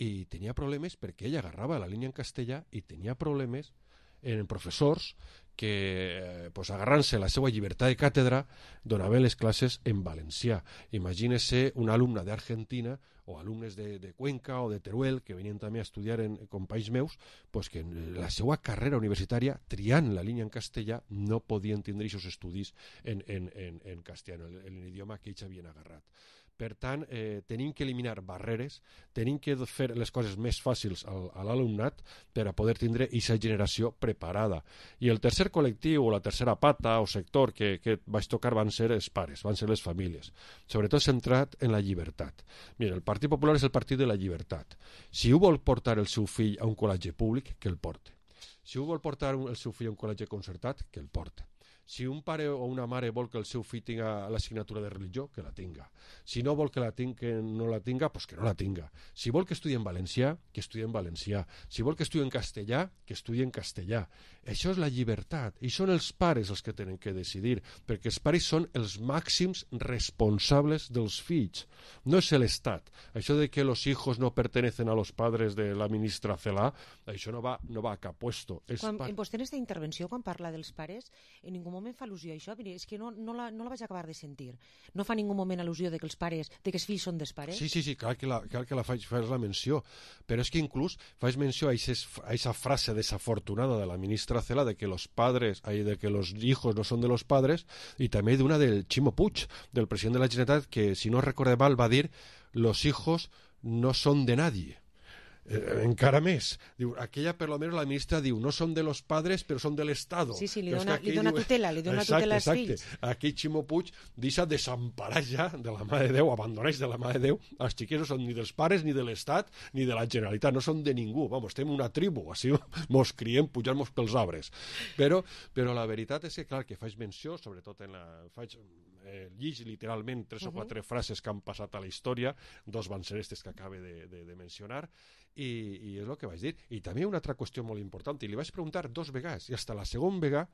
I tenia problemes perquè ella agarrava la línia en castellà i tenia problemes en professors que, eh, pues, agarrant-se la seva llibertat de càtedra, donaven les classes en valencià. Imagínese un alumne d'Argentina o alumnes de, de Cuenca o de Teruel que venien també a estudiar en, en companys meus, pues que en la seva carrera universitària, triant la línia en castellà, no podien tindre aquests estudis en, en, en, en castellà, en l'idioma que ells havien agarrat. Per tant, eh, tenim que eliminar barreres, tenim que fer les coses més fàcils al, a l'alumnat per a poder tindre aquesta generació preparada. I el tercer col·lectiu, o la tercera pata o sector que, que vaig tocar van ser els pares, van ser les famílies, sobretot centrat en la llibertat. Mira, el Partit Popular és el partit de la llibertat. Si ho vol portar el seu fill a un col·legi públic, que el porte. Si ho vol portar el seu fill a un col·legi concertat, que el porte. Si un pare o una mare vol que el seu fill tinga l'assignatura de religió, que la tinga. Si no vol que la tinga, que no la tinga, pues que no la tinga. Si vol que estudi en valencià, que estudi en valencià. Si vol que estudi en castellà, que estudi en castellà. Això és la llibertat. I són els pares els que tenen que decidir, perquè els pares són els màxims responsables dels fills. No és l'Estat. Això de que los hijos no pertenecen a los padres de la ministra Celaá, això no va, no va a cap puesto. Quan, pa... Vostè en aquesta intervenció, quan parla dels pares, en ningú moment fa al·lusió a això. Mira, és que no, no, la, no la vaig acabar de sentir. No fa ningú moment al·lusió de que els pares, de que els fills són dels pares? Sí, sí, sí, clar que la, clar que la faig, fas la menció. Però és que inclús faig menció a aquesta frase desafortunada de la ministra Celaá de que los padres, de que los hijos no son de los padres, i també d'una del Ximo Puig, del president de la Generalitat, que, si no recordo mal, va dir los hijos no son de nadie. Eh, encara més. Diu, aquella, per lo menos, la ministra diu, no són de los padres, però són de l'Estado. Sí, sí, li dona, li dona diu, tutela, li dona exacte, tutela als exacte. fills. Aquí Ximo Puig deixa desemparar ja de la mà de Déu, abandoneix de la mà de Déu, els xiquets no són ni dels pares, ni de l'Estat, ni de la Generalitat, no són de ningú. Vamos, estem una tribu, així mos criem pujant-nos pels arbres. Però, però la veritat és que, clar, que faig menció, sobretot en la... faig eh, llig literalment tres uh -huh. o quatre frases que han passat a la història, dos van ser estes que acabe de, de, de mencionar, i, i és el que vaig dir. I també una altra qüestió molt important, i li vaig preguntar dos vegades, i hasta la segona vegada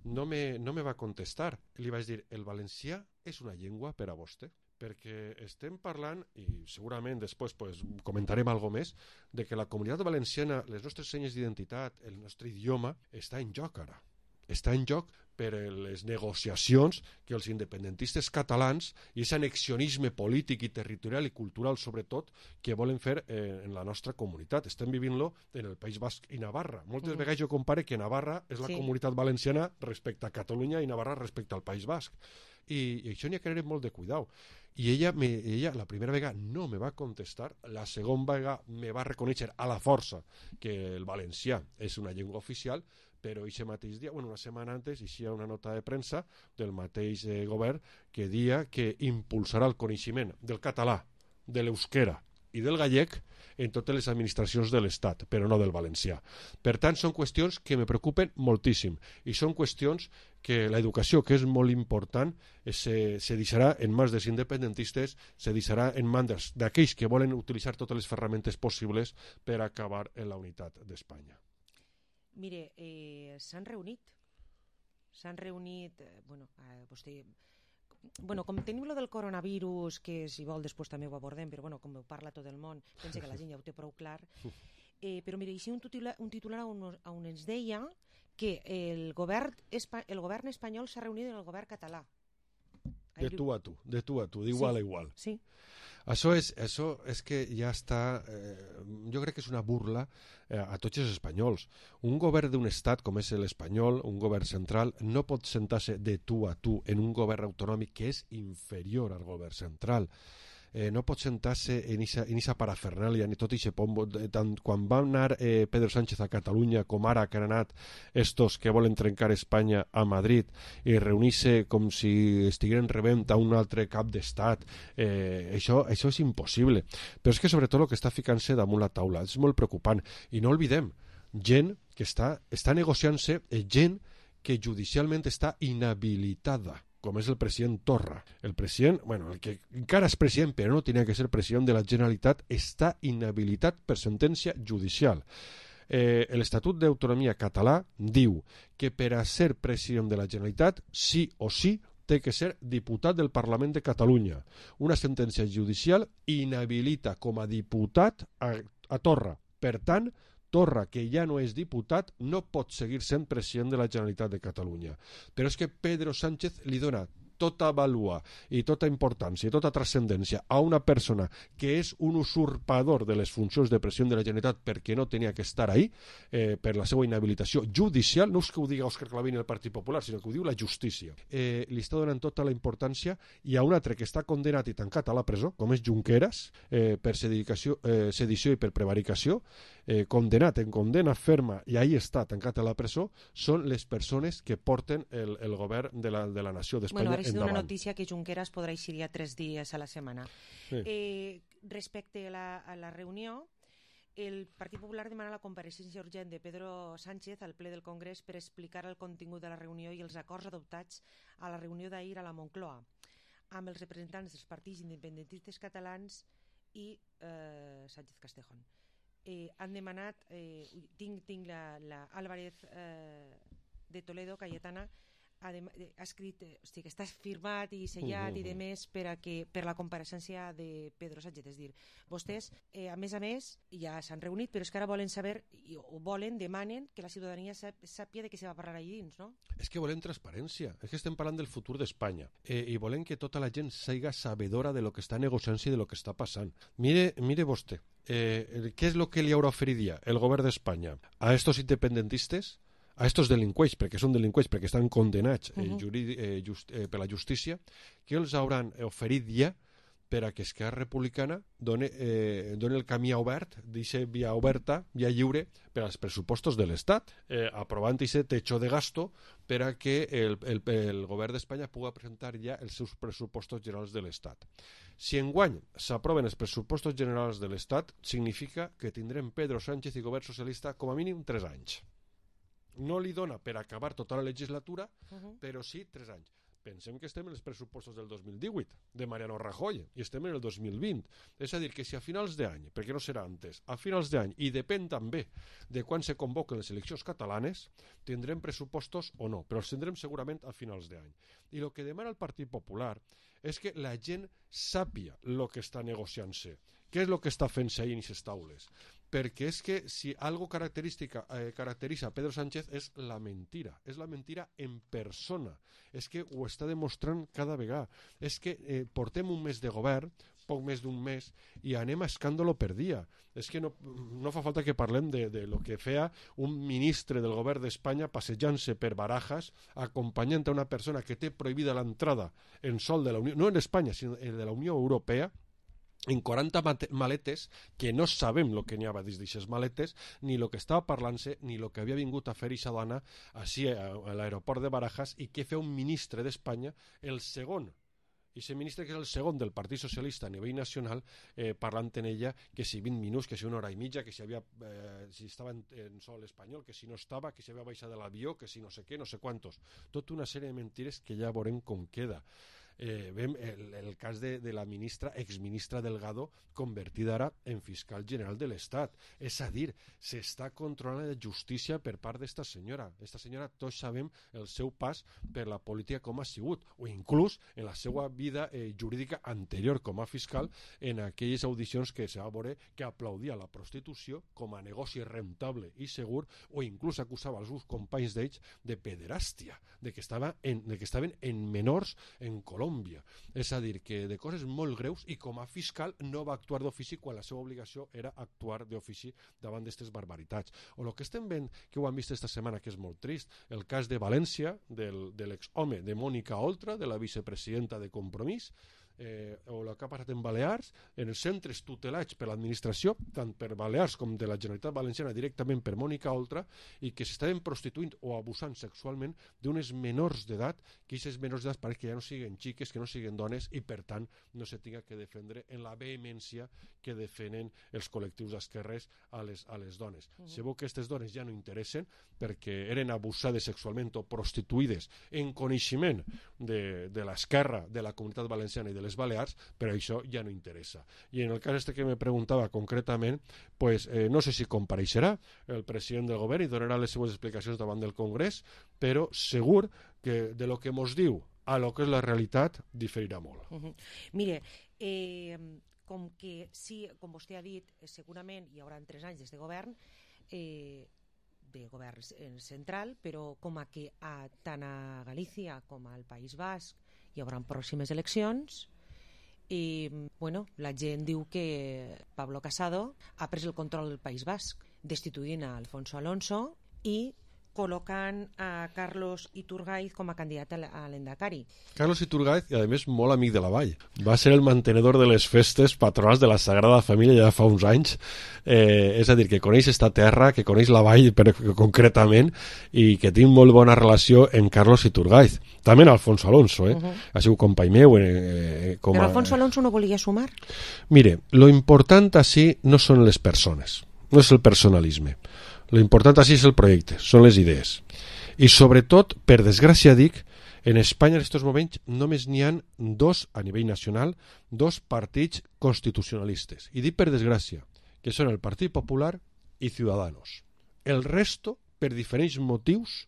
no me, no me va contestar. Li vaig dir, el valencià és una llengua per a vostè? Perquè estem parlant, i segurament després pues, comentarem alguna més, de que la comunitat valenciana, les nostres senyes d'identitat, el nostre idioma, està en joc ara. Està en joc per les negociacions que els independentistes catalans i aquest annexionisme polític i territorial i cultural, sobretot, que volen fer eh, en la nostra comunitat. Estem vivint-lo en el País Basc i Navarra. Moltes mm. vegades jo compare que Navarra és la sí. comunitat valenciana respecte a Catalunya i Navarra respecte al País Basc. I, i això n'hi ha que tenir molt de cuidau. I ella, me, ella la primera vegada no me va contestar, la segona vegada me va reconèixer a la força que el valencià és una llengua oficial, però aquest mateix dia, bueno, una setmana antes, hi ha una nota de premsa del mateix eh, govern que dia que impulsarà el coneixement del català, de l'euskera i del gallec en totes les administracions de l'Estat, però no del valencià. Per tant, són qüestions que me preocupen moltíssim i són qüestions que l'educació, que és molt important, se, se deixarà en mans dels independentistes, se deixarà en mans d'aquells que volen utilitzar totes les ferramentes possibles per acabar en la unitat d'Espanya. Mire, eh, s'han reunit, s'han reunit, eh, bueno, eh, vostè... Bueno, com tenim lo del coronavirus, que si vol després també ho abordem, però bueno, com ho parla tot el món, penso que la gent ja ho té prou clar. Eh, però mira, hi ha un titular, un titular on, on ens deia que el govern, el govern espanyol s'ha reunit amb el govern català. De tu a tu, de tu a tu, d'igual sí, a igual. Sí. Això és, això és que ja està... Eh, jo crec que és una burla eh, a tots els espanyols. Un govern d'un estat com és l'espanyol, un govern central, no pot sentar-se de tu a tu en un govern autonòmic que és inferior al govern central. Eh, no pot sentar-se en aquesta parafernàlia ni tot aquest pombo. Tant quan va anar eh, Pedro Sánchez a Catalunya com ara que han anat estos que volen trencar Espanya a Madrid i reunir-se com si estigueren rebent a un altre cap d'estat, eh, això, això és impossible. Però és que sobretot el que està ficant-se damunt la taula és molt preocupant. I no oblidem, gent que està, està negociant-se, eh, gent que judicialment està inhabilitada, com és el president Torra. El president, bueno, el que encara és president, però no tenia que ser president de la Generalitat, està inhabilitat per sentència judicial. Eh, L'Estatut d'Autonomia català diu que per a ser president de la Generalitat, sí o sí, té que ser diputat del Parlament de Catalunya. Una sentència judicial inhabilita com a diputat a, a Torra. Per tant, Torra, que ja no és diputat, no pot seguir sent president de la Generalitat de Catalunya. Però és que Pedro Sánchez li dona tota vàlua i tota importància i tota transcendència a una persona que és un usurpador de les funcions de president de la Generalitat perquè no tenia que estar ahí, eh, per la seva inhabilitació judicial, no és que ho digui Òscar Clavin i el Partit Popular, sinó que ho diu la justícia. Eh, li està donant tota la importància, i a un altre que està condenat i tancat a la presó, com és Junqueras, eh, per sedició, eh, sedició i per prevaricació, eh, condenat en condena ferma i ahí està tancat a la presó, són les persones que porten el, el govern de la, de la nació d'Espanya. Bueno, sido una noticia que Junqueras podrà ir tres dies a la setmana. Sí. Eh, respecte a la, a la reunió, El Partit Popular demana la compareixença urgent de Pedro Sánchez al ple del Congrés per explicar el contingut de la reunió i els acords adoptats a la reunió d'ahir a la Moncloa, amb els representants dels partits independentistes catalans i eh, Sánchez Castejón. Eh, han demanat, eh, tinc, tinc la, la Álvarez eh, de Toledo, Cayetana, ha, de, ha escrit, eh, o sigui, que està firmat i sellat uh -huh. i de més per, a que, per la compareixença de Pedro Sánchez. És dir, vostès, eh, a més a més, ja s'han reunit, però és que ara volen saber, i, o volen, demanen que la ciutadania sap, sàpia de què se va parlar allà dins, no? És que volem transparència, és que estem parlant del futur d'Espanya eh, i volem que tota la gent siga sabedora de lo que està negociant i de lo que està passant. Mire, mire vostè, eh, què és lo que li haurà oferit ja el govern d'Espanya a estos independentistes, a estos delinqüents, perquè són delinqüents, perquè estan condenats eh, Uh-huh. juridi, eh, just, eh, per la justícia, que els hauran oferit ja per a que Esquerra Republicana doni, eh, doni el camí obert, deixi via oberta, via lliure, per als pressupostos de l'Estat, eh, aprovant aquest techo de gasto per a que el, el, el govern d'Espanya pugui presentar ja els seus pressupostos generals de l'Estat. Si enguany s'aproven els pressupostos generals de l'Estat, significa que tindrem Pedro Sánchez i govern socialista com a mínim tres anys. No li dona per acabar tota la legislatura, Uh-huh. però sí tres anys. Pensem que estem en els pressupostos del dos mil divuit, de Mariano Rajoy, i estem en el dos mil vint. És a dir, que si a finals d'any, perquè no serà antes, a finals d'any, i depèn també de quan se convoquen les eleccions catalanes, tindrem pressupostos o no, però els tindrem segurament a finals d'any. I el que demana el Partit Popular és que la gent sàpia el que està negociant-se, què és el que està fent-se ahir en aquestes taules. Perquè és que si algo característica eh, caracteritza a Pedro Sánchez és la mentira, és la mentira en persona, és que ho està demostrant cada vegada, és que eh, portem un mes de govern, poc més d'un mes, i anem a escàndalo per dia. És que no, no fa falta que parlem de, de lo que feia un ministre del govern d'Espanya passejant-se per Barajas, acompanyant a una persona que té prohibida l'entrada en sol de la Unió, no en Espanya, sinó de la Unió Europea, en quaranta maletes, que no sabem el que n'hi havia dins d'aquestes maletes, ni el que estava parlant-se, ni el que havia vingut a fer aquesta dona així a, a l'aeroport de Barajas, i què feia un ministre d'Espanya, el segon, i aquest ministre que és el segon del Partit Socialista a nivell nacional, eh, parlant en ella que si vint minuts, que si una hora i mitja, que si, havia, eh, si estava en, en sol espanyol, que si no estava, que si havia baixat de l'avió, que si no sé què, no sé quantos. Tota una sèrie de mentires que ja veurem com queda. Eh, vem el, el cas de, de la ministra, exministra Delgado, convertida ara en fiscal general de l'Estat. És a dir, s'està controlant la justícia per part d'esta senyora. Esta senyora, tots sabem el seu pas per la política com ha sigut, o inclús en la seva vida eh, jurídica anterior com a fiscal, en aquelles audicions que se va veure que aplaudia la prostitució com a negoci rentable i segur, o inclús acusava els seus companys d'ells de pederàstia, de que, estava en, de que estaven en menors en Colòmbia. És a dir, que de coses molt greus, i com a fiscal no va actuar d'ofici quan la seva obligació era actuar d'ofici davant d'aquestes barbaritats. O el que estem veient, que ho hem vist esta setmana, que és molt trist, el cas de València, del, de l'exhome de Mònica Oltra, de la vicepresidenta de Compromís, eh, o el que ha passat en Balears, en els centres tutelats per l'administració, tant per Balears com de la Generalitat Valenciana, directament per Mònica Oltra, i que s'estaven prostituint o abusant sexualment d'unes menors d'edat, que aquestes menors d'edat pareix que ja no siguen xiques, que no siguen dones, i per tant no se tinga que defendre en la vehemència que defenen els col·lectius d'esquerres a les, a les dones. Uh -huh. Se veu que aquestes dones ja no interessen perquè eren abusades sexualment o prostituïdes en coneixement de, de l'esquerra, de la Comunitat Valenciana i de les Balears, però això ja no interessa. I en el cas este que me preguntava concretament, pues, eh, no sé si compareixerà el president del govern i donarà les seues explicacions davant del Congrés, però segur que de lo que mos diu a lo que és la realitat diferirà molt. Uh -huh. Mire, eh, com que sí, com vostè ha dit, segurament hi haurà tres anys des de govern, eh, de govern central, però com a que a, tant a Galícia com al País Basc hi haurà pròximes eleccions, i bueno, la gent diu que Pablo Casado ha pres el control del País Basc, destituint a Alfonso Alonso i col·locant a Carlos Iturgaiz com a candidat a l'Endacari. Carlos Iturgaiz, i a més molt amic de la Vall, va ser el mantenedor de les festes patronals de la Sagrada Família ja fa uns anys, eh, és a dir, que coneix esta terra, que coneix la Vall per, concretament, i que tinc molt bona relació amb Carlos Iturgaiz. També en Alfonso Alonso, eh? Uh -huh. Ha sigut company meu. Eh, com Però Alfonso Alonso no volia sumar? Mire, lo important així no són les persones. no és el personalisme. L'important així és el projecte, són les idees. I sobretot, per desgràcia dic, en Espanya en aquests moments només n'hi ha dos, a nivell nacional, dos partits constitucionalistes. I dic per desgràcia, que són el Partit Popular i Ciudadanos. El resto, per diferents motius,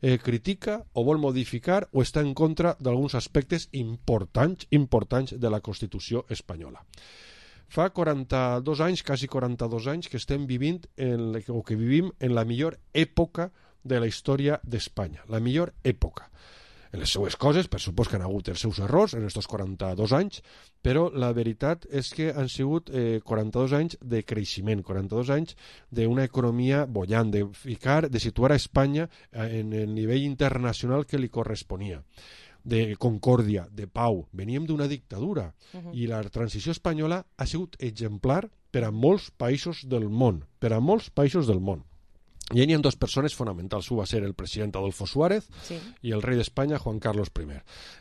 eh, critica o vol modificar o està en contra d'alguns aspectes importants, importants de la Constitució espanyola. Fa quaranta-dos anys, quasi quaranta-dos anys, que estem vivint en, o que vivim en la millor època de la història d'Espanya. La millor època. En les seues coses, per supost que han hagut els seus errors en aquests quaranta-dos anys, però la veritat és que han sigut eh, quaranta-dos anys de creixement, quaranta-dos anys d'una economia bollant, de ficar, de situar a Espanya en el nivell internacional que li corresponia, de concòrdia, de pau. Veníem d'una dictadura uh-huh. i la transició espanyola ha sigut exemplar per a molts països del món, per a molts països del món. I hi ha dues persones fonamentals. Un va ser el president Adolfo Suárez sí. i el rei d'Espanya, Juan Carlos I.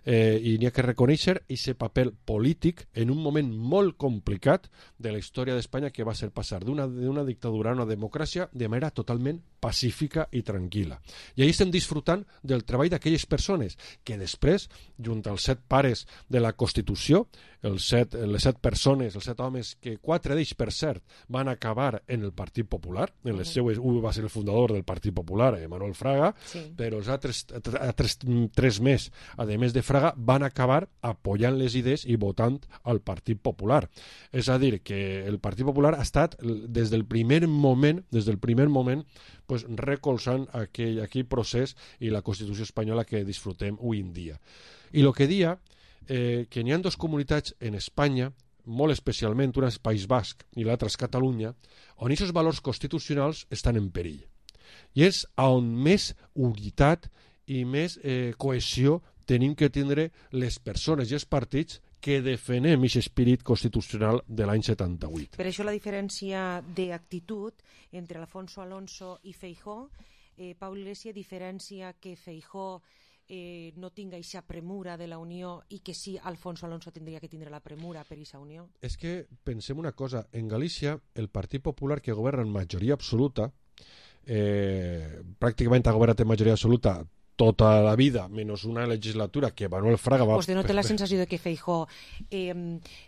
Eh, I n'hi ha que reconèixer aquest paper polític en un moment molt complicat de la història d'Espanya, que va ser passar d'una dictadura a una democràcia de manera totalment pacífica i tranquil·la. I ahí estem disfrutant del treball d'aquelles persones que després, junt als set pares de la Constitució, els set, les set persones, els set homes, que quatre d'ells, per cert, van acabar en el Partit Popular, en les seues, un va ser el fundador del Partit Popular, Manuel Fraga, sí. però els altres tres, tres més, a més de Fraga, van acabar apoyant les idees i votant al Partit Popular. És a dir, que el Partit Popular ha estat, des del primer moment, des del primer moment, pues, recolzant aquell, aquell procés i la Constitució espanyola que disfrutem avui en dia. I el que dia Eh, que n'hi ha dues comunitats en Espanya, molt especialment, una és País Basc i l'altra és Catalunya, on aquests valors constitucionals estan en perill. I és on més unitat i més eh, cohesió tenim que tindre les persones i els partits que defenem aquest espírit constitucional de l'any setanta-vuit. Per això la diferència d'actitud entre Alfonso Alonso i Feijóo, eh, Pau Iglesias diferencia que Feijóo Eh, no tinga aquesta premura de la Unió i que sí, Alfonso Alonso tindria que tindre la premura per aquesta Unió? És que pensem una cosa, en Galícia el Partit Popular, que governa en majoria absoluta, eh, pràcticament ha governat en majoria absoluta tota la vida, menys una legislatura que Manuel Fraga va... Vostè no té la sensació de que Feijóo eh,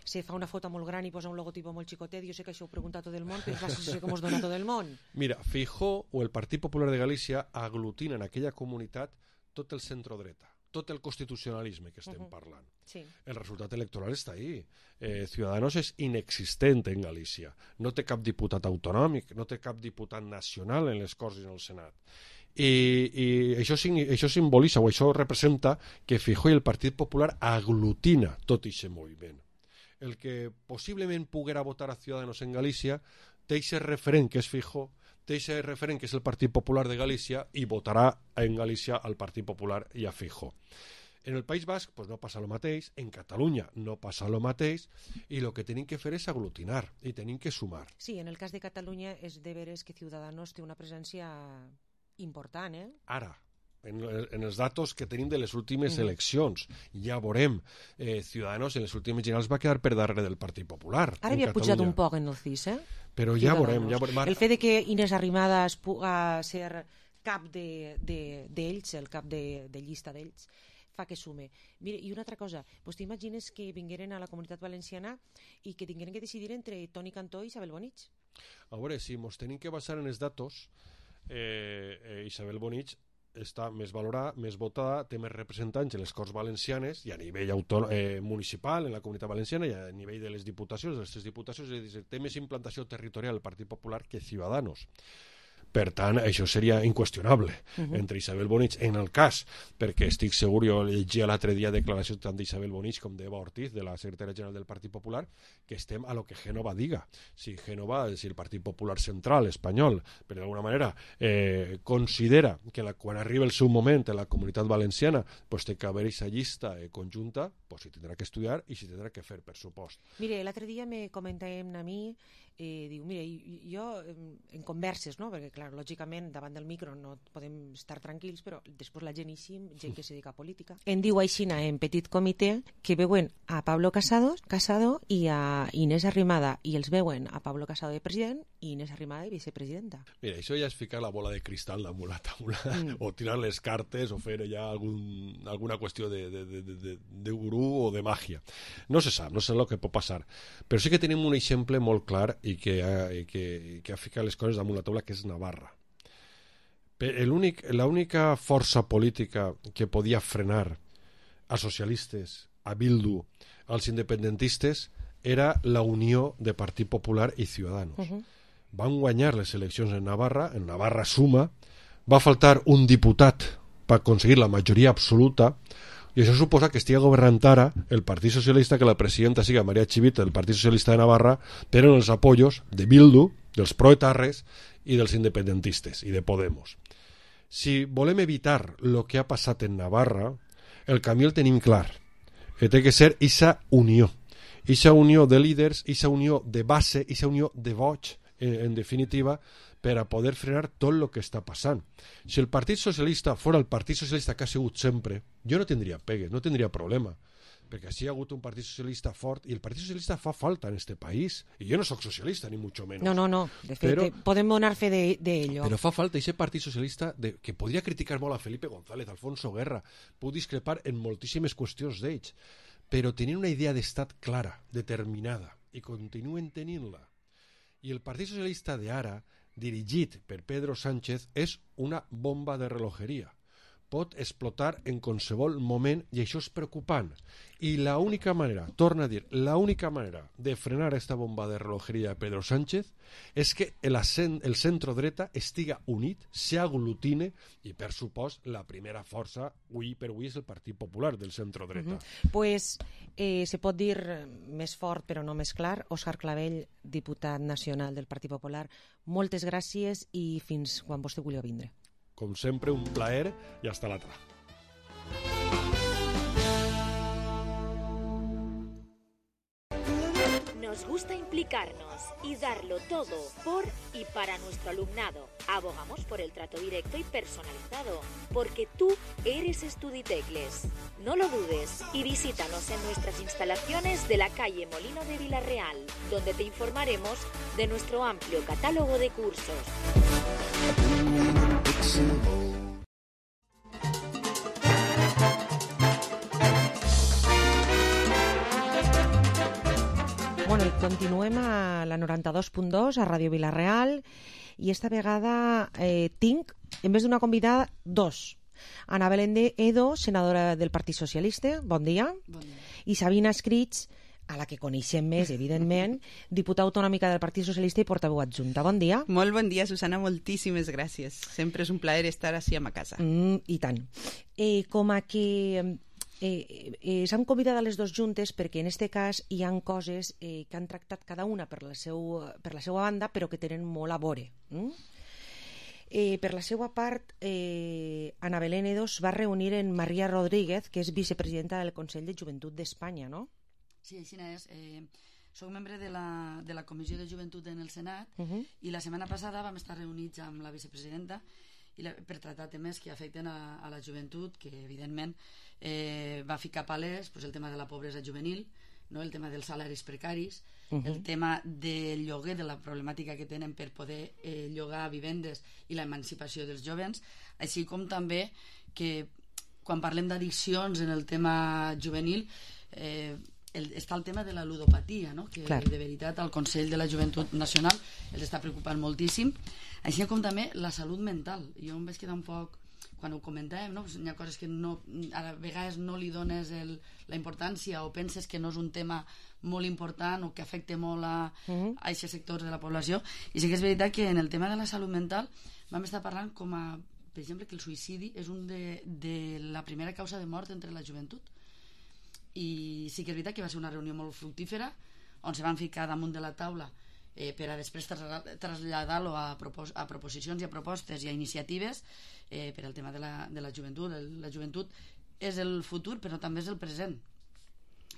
se fa una foto molt gran i posa un logotipo molt xicotet? Jo sé que això ho pregunta tot el món, però és la sensació que ens dona tot el món. Mira, Feijóo o el Partit Popular de Galícia aglutina en aquella comunitat tot el centrodreta, tot el constitucionalisme que estem uh-huh. parlant. Sí. El resultat electoral està ahí. Eh, Ciudadanos és inexistent en Galícia. No té cap diputat autonòmic, no té cap diputat nacional en les Corts i en el Senat. I, i això, això simbolitza, o això representa, que Feijóo i el Partit Popular aglutina tot aquest moviment. El que possiblement poguera votar a Ciudadanos en Galícia té aquest referent que és Feijóo, té aquest referent que és el Partit Popular de Galícia i votarà en Galícia al Partit Popular i a Feijóo. En el País Basc pues, no passa el mateix, en Catalunya no passa el mateix, i el que tenim que fer és aglutinar i tenim que sumar. Sí, en el cas de Catalunya és de veres que Ciudadanos té una presència important, eh? Ara, en, en els datos que tenim de les últimes mm. eleccions, ja veurem, eh, Ciudadanos en les últimes generals va quedar per darrere del Partit Popular. Ara havia Catalunya. Pujat un poc en el C I S, eh? Però ja veurem, ja veurem. El fet de que Inés Arrimadas pugui ser cap d'ells, de, de, el cap de, de llista d'ells, fa que sume. Mira, i una altra cosa, pues t'imagines que vingueren a la Comunitat Valenciana i que tingueren que decidir entre Toni Cantó i Isabel Bonich? A veure, si ens tenim que basar en els datos, eh, eh, Isabel Bonich està més valorada, més votada, té més representants en les Corts Valencianes i a nivell eh, municipal, en la Comunitat Valenciana, i a nivell de les diputacions, de les tres diputacions, és a dir, té més implantació territorial el Partit Popular que Ciudadanos. Per tant, això seria inqüestionable uh-huh. entre Isabel Bonich, en el cas, perquè estic segur, jo llegia l'altre dia declaracions tant d'Isabel Bonich com d'Eva Ortiz, de la secretària general del Partit Popular, que estem a lo que Génova diga. Si Génova, si el Partit Popular Central espanyol, per d'alguna manera, eh, considera que la, quan arriba el seu moment en la Comunitat Valenciana pues, té que haver aquesta llista eh, conjunta, pues, s'hi tindrà que estudiar i s'hi tindrà que fer, per supost. Mire, l'altre dia me comentàvem a mi, eh, diu, mire, jo en converses, no?, perquè clar, lògicament davant del micro no podem estar tranquils, però després la gent així, gent que se dedica a política, em diu aixina en petit comitè que veuen a Pablo Casado, Casado i a Inés Arrimada, i els veuen a Pablo Casado de president i Inés Arrimada de vicepresidenta. Mira, això ja és ficar la bola de cristal damunt la taula, mm. o tirar les cartes, o fer ja algun, alguna qüestió de, de, de, de, de gurú o de màgia. No se sap, no sé el que pot passar, però sí que tenim un exemple molt clar i que ha, i que, que ha ficat les coses damunt la taula, que és Navarra. L'única força política que podia frenar a socialistes, a Bildu, als independentistes, era la unió de Partit Popular i Ciudadanos. Uh-huh. Van guanyar les eleccions en Navarra, en Navarra suma, va faltar un diputat per aconseguir la majoria absoluta, i això suposa que estigui governant ara el Partit Socialista, que la presidenta siga María Chivite del Partit Socialista de Navarra, però en els apoyos de Bildu, dels proetarres i dels independentistes i de Podemos. Si volem evitar el que ha passat en Navarra, el camí el tenim clar. Té que ser aquesta unió. Aquesta unió de líders, aquesta unió de base, aquesta unió de vots, en, en definitiva, per a poder frenar tot el que està passant. Si el Partit Socialista fora el Partit Socialista que ha sigut sempre, jo no tindria pegues, no tindria problema, perquè així hi ha hagut un Partit Socialista fort, i el Partit Socialista fa falta en este país, i jo no sóc socialista, ni mucho menos. No, no, no, de fet, però, podem donar fe d'ello. Però fa falta aquest Partit Socialista de, que podria criticar molt a Felipe González, Alfonso Guerra, puc discrepar en moltíssimes qüestions d'ells, però tenir una idea d'estat clara, determinada, i continuen tenint-la. I el Partit Socialista d'ara, dirigit per Pedro Sánchez, és una bomba de relojeria. Pot explotar en qualsevol moment i això és preocupant. I l'única manera, torna a dir, l'única manera de frenar aquesta bomba de relojeria de Pedro Sánchez és que el, el centro-dreta estiga unit, s'aglutine i, per supost, la primera força avui per avui és el Partit Popular del centro-dreta. Uh-huh. Pues eh, se pot dir més fort però no més clar. Òscar Clavell, diputat nacional del Partit Popular, moltes gràcies i fins quan vostè vulgui vindre. Com sempre, un plaer y hasta la otra. Nos gusta implicarnos y darlo todo por y para nuestro alumnado. Abogamos por el trato directo y personalizado, porque tú eres Estuditecles. No lo dudes y visítanos en nuestras instalaciones de la calle Molino de Villarreal, donde te informaremos de nuestro amplio catálogo de cursos. Bueno, i continuem a la noranta-dos punt dos, a Ràdio Vila-real, i esta vegada eh, tinc, en vez d'una convidada, dos. Ana Belén de Edo, senadora del Partit Socialista, bon dia. Bon dia. I Sabina Escrits, a la que coneixem més, evidentment, diputada autonòmica del Partit Socialista i portaveu adjunta. Bon dia. Molt bon dia, Susana, moltíssimes gràcies. Sempre és un plaer estar així a ma casa. Mm, I tant. Eh, com a que... Eh, eh, s'han convidat a les dues juntes perquè en aquest cas hi han coses eh, que han tractat cada una per la, seu, per la seva banda però que tenen molt a veure. Mm? Eh, per la seva part, eh, Ana Belén Edo es va reunir en Maria Rodríguez, que és vicepresidenta del Consell de Joventut d'Espanya, no? Sí, així és. Eh, soc membre de la, de la Comissió de Joventut en el Senat uh -huh. i la setmana passada vam estar reunits amb la vicepresidenta i la, per tractar temes que afecten a, a la joventut, que evidentment eh, va ficar palès pues, el tema de la pobresa juvenil, no? El tema dels salaris precaris, uh -huh. el tema del lloguer, de la problemàtica que tenen per poder eh, llogar vivendes i la emancipació dels jovens, així com també que quan parlem d'addiccions en el tema juvenil eh, el, està el tema de la ludopatia, no? Que Clar. De veritat al Consell de la Joventut Nacional els està preocupant moltíssim, així com també la salut mental. Jo em vaig quedar un poc, quan ho comentàvem, no? Pues hi ha coses que no, a vegades no li dones el, la importància o penses que no és un tema molt important o que afecta molt a, uh-huh. a aquests sectors de la població, i sí que és veritat que en el tema de la salut mental vam estar parlant com a, per exemple, que el suïcidi és un de, de la primera causa de mort entre la joventut, i sí que és veritat que va ser una reunió molt fructífera on se van ficar damunt de la taula eh, per a després traslladar-lo a, propos a proposicions i a propostes i a iniciatives eh, per al tema de la, de la joventut. El, la joventut és el futur però també és el present,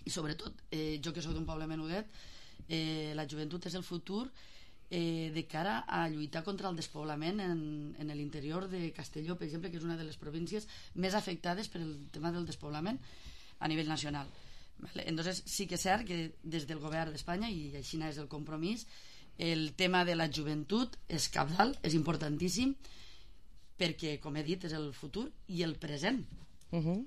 i sobretot eh, jo que soc d'un poble menudet, eh, la joventut és el futur eh, de cara a lluitar contra el despoblament en, en l'interior de Castelló, per exemple, que és una de les províncies més afectades per el tema del despoblament a nivell nacional. Vale? Entonces sí que és cert que des del govern d'Espanya, i així és el compromís, el tema de la joventut és cabdal, és importantíssim, perquè, com he dit, és el futur i el present. Uh-huh.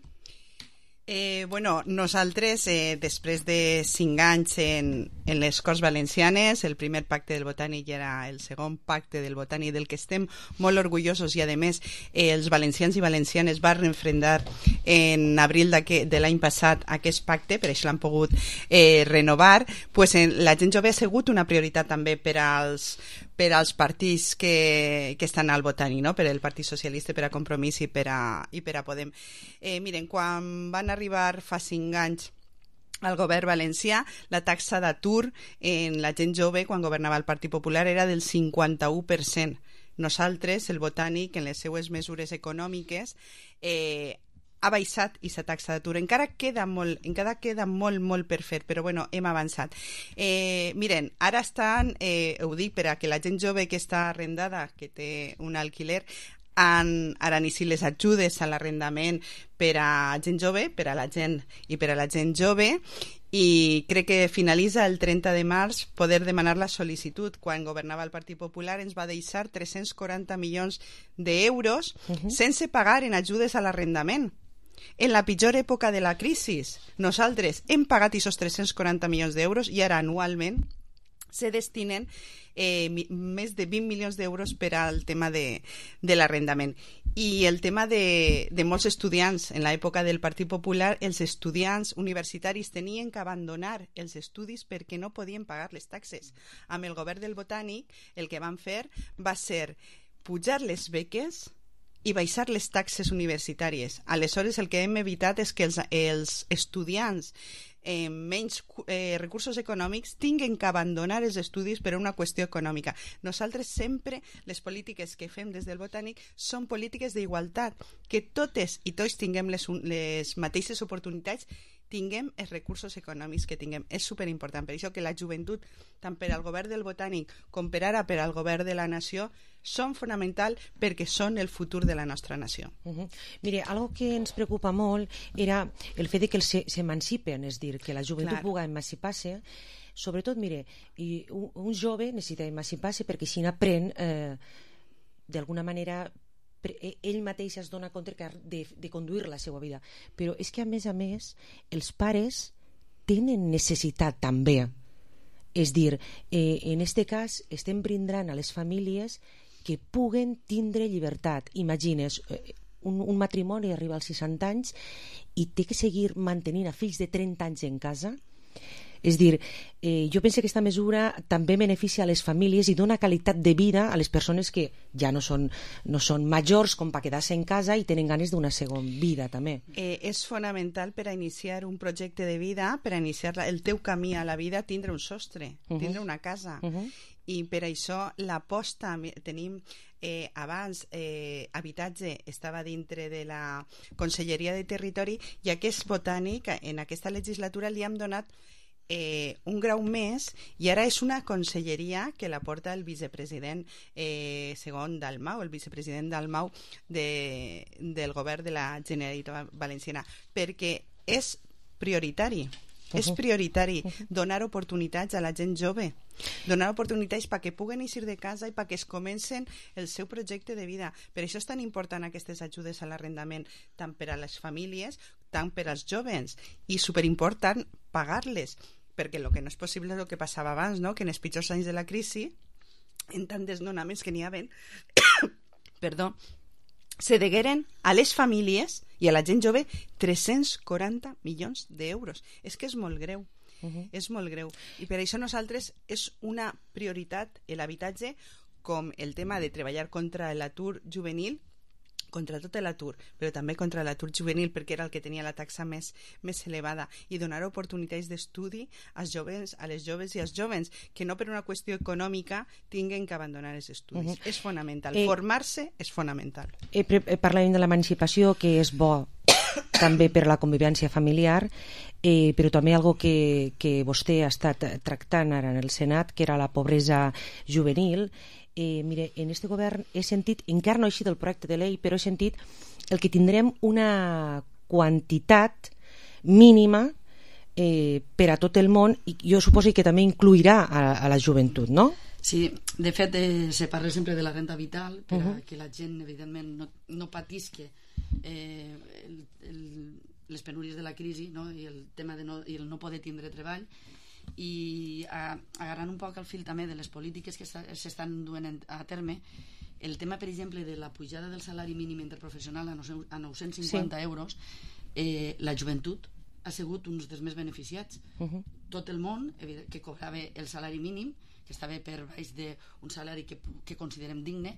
Eh, bueno, nosaltres, eh, després de cinc anys en, en les Corts Valencianes, el primer pacte del Botànic era el segon pacte del Botànic, del que estem molt orgullosos, i a més eh, els valencians i valencianes van refrendar en abril de l'any passat aquest pacte, per això l'han pogut eh, renovar, pues, eh, la gent jove ha sigut una prioritat també per als per als partits que, que estan al Botànic, no? Per el Partit Socialista, per a Compromís i per a, i per a Podem. Eh, miren, quan van arribar fa cinc anys al govern valencià, la taxa d'atur en la gent jove, quan governava el Partit Popular, era del cinquanta-u per cent. Nosaltres, el Botànic, en les seues mesures econòmiques, eh, ha baixat aquesta taxa d'atur. Encara queda molt, encara queda molt, molt per fer, però bueno, hem avançat. Eh, miren, ara estan, eh, ho dic per a que la gent jove que està arrendada, que té un alquiler, han ara iniciat les ajudes a l'arrendament per a gent jove, per a la gent i per a la gent jove, i crec que finalitza el trenta de març poder demanar la sol·licitud. Quan governava el Partit Popular ens va deixar tres-cents quaranta milions d'euros uh-huh. sense pagar en ajudes a l'arrendament. En la pitjor època de la crisi, nosaltres hem pagat aquests tres-cents quaranta milions d'euros i ara anualment se destinen eh, més de vint milions d'euros per al tema de, de l'arrendament. I el tema de, de molts estudiants, en l'època del Partit Popular, els estudiants universitaris tenien que abandonar els estudis perquè no podien pagar les taxes. Amb el govern del Botànic el que van fer va ser pujar les beques i baixar les taxes universitàries. Aleshores, el que hem evitat és que els, els estudiants eh, menys eh, recursos econòmics tinguen que abandonar els estudis per una qüestió econòmica. Nosaltres sempre, les polítiques que fem des del Botànic són polítiques d'igualtat, que totes i tots tinguem les, les mateixes oportunitats, tinguem els recursos econòmics que tinguem. És superimportant. Per això que la joventut, tant per al govern del Botànic com per ara per al govern de la nació, són fonamental perquè són el futur de la nostra nació. Uh-huh. Mire, algo que ens preocupa molt era el fet de que s'emancipen, és dir, que la joventut Clar. pugui emancipar-se. Sobretot, mire, i un, un jove necessita emancipar-se perquè si n'aprèn, eh, d'alguna manera, ell mateix es dona compte de, de conduir la seva vida. Però és que, a més a més, els pares tenen necessitat també. És dir, eh, en aquest cas estem brindant a les famílies que puguen tindre llibertat. Imagines, eh, un, un matrimoni arriba als seixanta anys i té que seguir mantenint a fills de trenta anys en casa. És dir, eh, jo penso que aquesta mesura també beneficia a les famílies i dona qualitat de vida a les persones que ja no són, no són majors com per quedar-se en casa i tenen ganes d'una segona vida també. Eh, és fonamental per a iniciar un projecte de vida, per a iniciar el teu camí a la vida, tindre un sostre, uh-huh. tindre una casa. Uh-huh. I per això l'aposta, tenim eh, abans eh, habitatge estava dintre de la Conselleria de Territori, i aquest Botànic en aquesta legislatura li hem donat Eh, un grau més, i ara és una conselleria que la porta el vicepresident eh, segon Dalmau, el vicepresident Dalmau de, del govern de la Generalitat Valenciana, perquè és prioritari. Uh-huh. És prioritari donar oportunitats a la gent jove, donar oportunitats perquè puguen eixir de casa i perquè es comencen el seu projecte de vida. Per això és tan important aquestes ajudes a l'arrendament, tant per a les famílies, tant per als joves, i superimportant pagar-les, perquè el que no és possible és el que passava abans, no? Que en els pitjors anys de la crisi, en tant desnonaments que n'hi havia, perdó, se degueren a les famílies i a la gent jove tres-cents quaranta milions d'euros. És que és molt greu. Uh-huh. És molt greu. I per això nosaltres és una prioritat l'habitatge, com el tema de treballar contra l'atur juvenil, contra tot l'atur, però també contra l'atur juvenil, perquè era el que tenia la taxa més, més elevada, i donar oportunitats d'estudi als joves, a les joves i als joves, que no per una qüestió econòmica tinguen que abandonar els estudis. Uh-huh. És fonamental. Eh, Formar-se és fonamental. Eh, parlàvem de l'emancipació, que és bo també per la convivència familiar, eh, però també algo que, que vostè ha estat tractant ara en el Senat, que era la pobresa juvenil. Eh, mire, en este govern he sentit, encara no he eixit el projecte de llei, però he sentit el que tindrem una quantitat mínima eh, per a tot el món, i jo suposo que també incluirà a, a la joventut, no? Sí, de fet eh, se parla sempre de la renta vital per Uh-huh. a que la gent evidentment no, no patisque eh, el, el, les penúries de la crisi, no? I el tema de no, i el no poder tindre treball, i a, agarrant un poc el fil també de les polítiques que s'estan duent a terme, el tema per exemple de la pujada del salari mínim interprofessional a nou-cents cinquanta sí. euros, eh, la joventut ha sigut uns dels més beneficiats. Uh-huh. Tot el món que cobrava el salari mínim, que estava per baix d'un salari que, que considerem digne,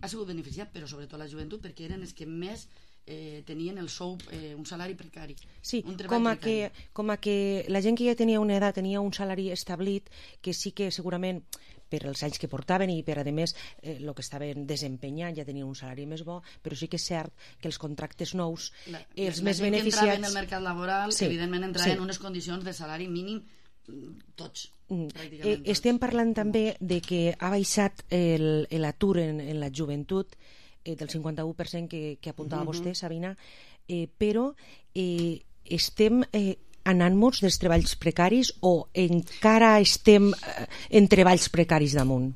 ha sigut beneficiat, però sobretot la joventut, perquè eren els que més eh, tenien el sou, eh, un salari precari. Sí, un com a, precari. que, com a que la gent que ja tenia una edat tenia un salari establit, que sí que segurament per els anys que portaven i per, a més, eh, el que estaven desempenyant ja tenien un salari més bo, però sí que és cert que els contractes nous, la, els la més gent beneficiats... que entrava en el mercat laboral, sí, evidentment entrava sí. en unes condicions de salari mínim tots, mm. pràcticament eh, tots. Estem parlant també de que ha baixat l'atur en, en la joventut eh, del cinquanta-u per cent que, que apuntava Mhm. vostè, Sabina, eh, però eh, estem... Eh, anant molts dels treballs precaris o encara estem eh, en treballs precaris damunt?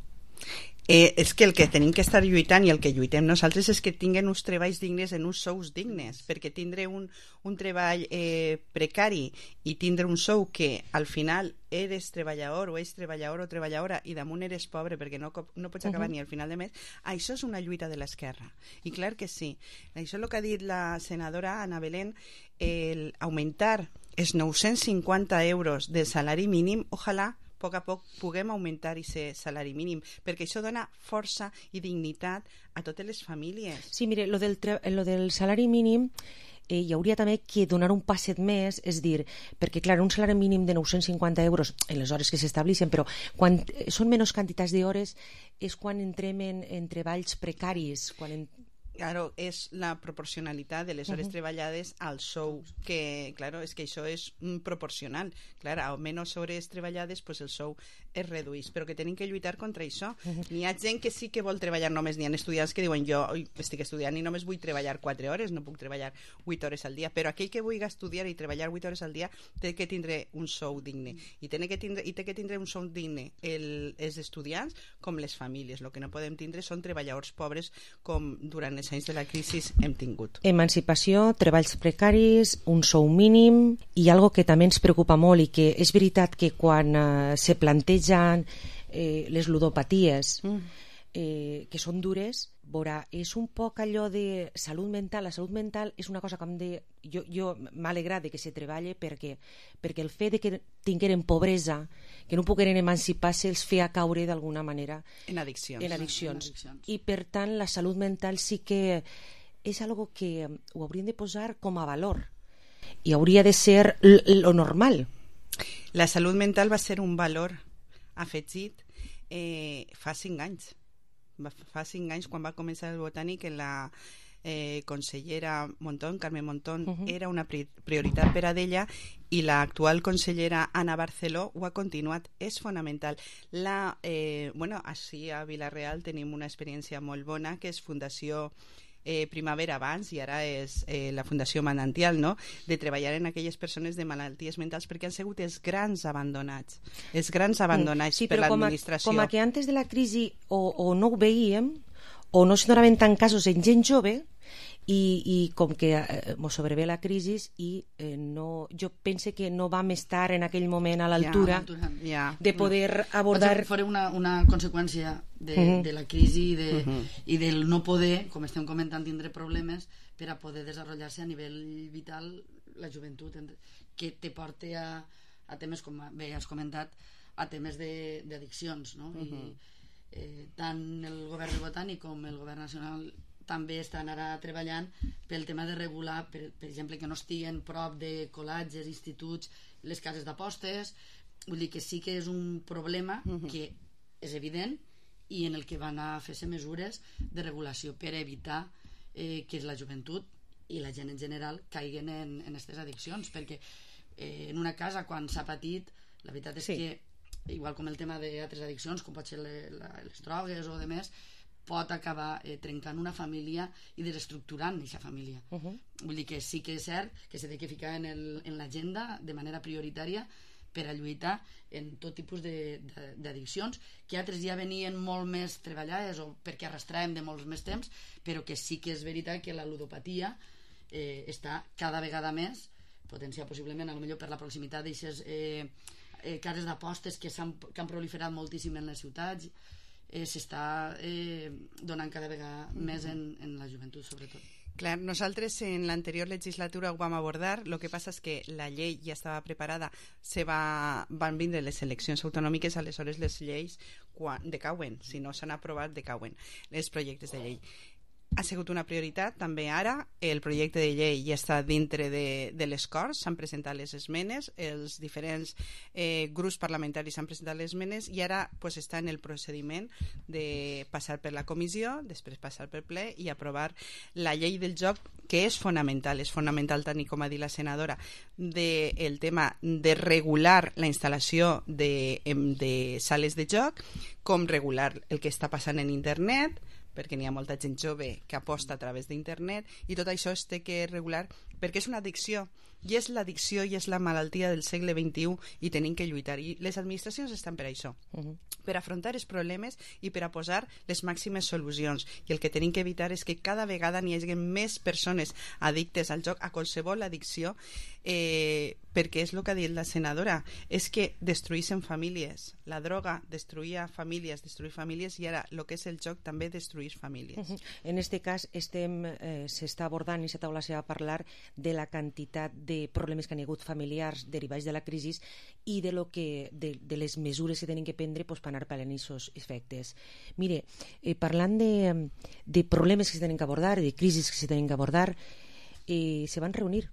Eh, és que el que tenim que estar lluitant i el que lluitem nosaltres és que tinguen uns treballs dignes en uns sous dignes, perquè tindre un, un treball eh, precari i tindre un sou que al final eres treballador o és treballador o treballadora i damunt eres pobre perquè no, no pots acabar Uh-huh. ni al final de mes, això és una lluita de l'esquerra. I clar que sí. Això és el que ha dit la senadora Ana Belén, el augmentar els nou-cents cinquanta euros del salari mínim, ojalà a poc a poc puguem augmentar aquest salari mínim, perquè això dona força i dignitat a totes les famílies. Sí, mire, lo del, lo del salari mínim eh, hi hauria també que donar un passet més, és dir, perquè clar, un salari mínim de nou-cents cinquanta euros en les hores que s'estableixen, però quan són menys quantitats d'hores és quan entrem en, en treballs precaris, quan en... Claro, és la proporcionalitat de les hores Uh-huh. treballades al sou, que, claro, és que això és mm, proporcional. Clar, a menys hores treballades, pues el sou es redueix, però que tenim que lluitar contra això. Uh-huh. N'hi ha gent que sí que vol treballar només, n'hi ha estudiants que diuen jo oi, estic estudiant i només vull treballar quatre hores, no puc treballar vuit hores al dia, però aquell que vulgui estudiar i treballar vuit hores al dia té que tindre un sou digne, i té que tindre, i té que tindre un sou digne el, els estudiants com les famílies. El que no podem tindre són treballadors pobres com durant els anys de la crisi hem tingut. Emancipació, treballs precaris, un sou mínim i algo que també ens preocupa molt i que és veritat que quan eh, se plantegen eh, les ludopaties mm. eh, que són dures, veurà, és un poc allò de salut mental. La salut mental és una cosa que em de... jo, jo m'ha alegrat de que se treballe perquè, perquè el fet de que tingueren pobresa, que no pogueren emancipar-se, els feia caure d'alguna manera en addiccions. En addiccions. En addiccions. I per tant la salut mental sí que és algo que ho hauríem de posar com a valor i hauria de ser lo normal. La salut mental va ser un valor afegit eh, fa cinc anys. Fa cinc anys, quan va començar el Botànic, en la eh, consellera Montón, Carmen Montón, uh-huh. era una pri prioritat per a d'ella, i l'actual consellera Ana Barceló ho ha continuat. És fonamental. La, eh, bueno, així a Vila-real tenim una experiència molt bona, que és Fundació Eh, Primavera abans i ara és eh, la Fundació Manantial, no? De treballar en aquelles persones de malalties mentals, perquè han sigut els grans abandonats, els grans abandonats sí, per Com l'administració. a que antes de la crisi o, o no ho veiem o no se donaven tant casos en gent jove i, i com que eh, mos sobrevé la crisi i eh, no, jo pense que no vam estar en aquell moment a l'altura ja, ja. de poder abordar... Fora una, una conseqüència de, uh-huh. de la crisi i, de, uh-huh. i del no poder, com estem comentant, tindre problemes per a poder desenvolupar-se a nivell vital la joventut, que te porta a, a temes, com bé has comentat, a temes d'addiccions, no? Uh-huh. I eh, tant el govern botànic com el govern nacional també estan ara treballant pel tema de regular, per, per exemple, que no estiguen prop de col·legis, instituts, les cases d'apostes. Vull dir que sí que és un problema uh-huh. que és evident i en el que van a fer-se mesures de regulació per evitar eh, que la joventut i la gent en general caiguen en aquestes addiccions, perquè eh, en una casa quan s'ha patit, la veritat és sí. que igual com el tema d'altres addiccions, com pot ser le, la, les drogues o de més, pot acabar eh, trencant una família i desestructurant aquesta família. Uh -huh. Vull dir que sí que és cert que s'ha de ficar en, el, en l'agenda de manera prioritària per a lluitar en tot tipus d'addiccions, que altres ja venien molt més treballades o perquè arrastràvem de molts més temps, però que sí que és veritat que la ludopatia eh, està cada vegada més potenciada possiblement, potser per la proximitat d'aixes eh, eh, cases d'apostes que, que han proliferat moltíssim en les ciutats, eh, s'està eh, donant cada vegada més en, en la joventut, sobretot. Clar, nosaltres en l'anterior legislatura ho vam abordar, el que passa és que la llei ja estava preparada, se va, van vindre les eleccions autonòmiques, aleshores les lleis quan, decauen, si no s'han aprovat decauen els projectes de llei. Ha sigut una prioritat, també ara el projecte de llei ja està dintre de, de les Corts, s'han presentat les esmenes, els diferents eh, grups parlamentaris han presentat les esmenes i ara pues, està en el procediment de passar per la comissió, després passar per ple i aprovar la llei del joc, que és fonamental, és fonamental tant com ha dit la senadora, del de tema de regular la instal·lació de, de sales de joc, com regular el que està passant en internet, perquè n'hi ha molta gent jove que aposta a través d'internet i tot això es té que regular perquè és una addicció i és l'addicció i és la malaltia del segle vint-i-u i tenim que lluitar i les administracions estan per això, uh -huh. per afrontar els problemes i per a posar les màximes solucions i el que tenim que evitar és que cada vegada n'hi hagi més persones addictes al joc, a qualsevol addicció, eh, perquè és el que ha dit la senadora, és que destruïssin famílies, la droga destruïa famílies, destruïa famílies i ara el que és el joc també destruïs famílies. Uh -huh. En este cas estem, eh, s'està abordant i s'ha taula a parlar de la quantitat de problemes que han hagut familiars derivats de la crisi i de, lo que, de, de les mesures que tenen que prendre pues, per anar pal·liant aquests efectes. Mire, eh, parlant de, de problemes que se tenen que abordar, de crisis que se tenen que abordar, eh, se van reunir.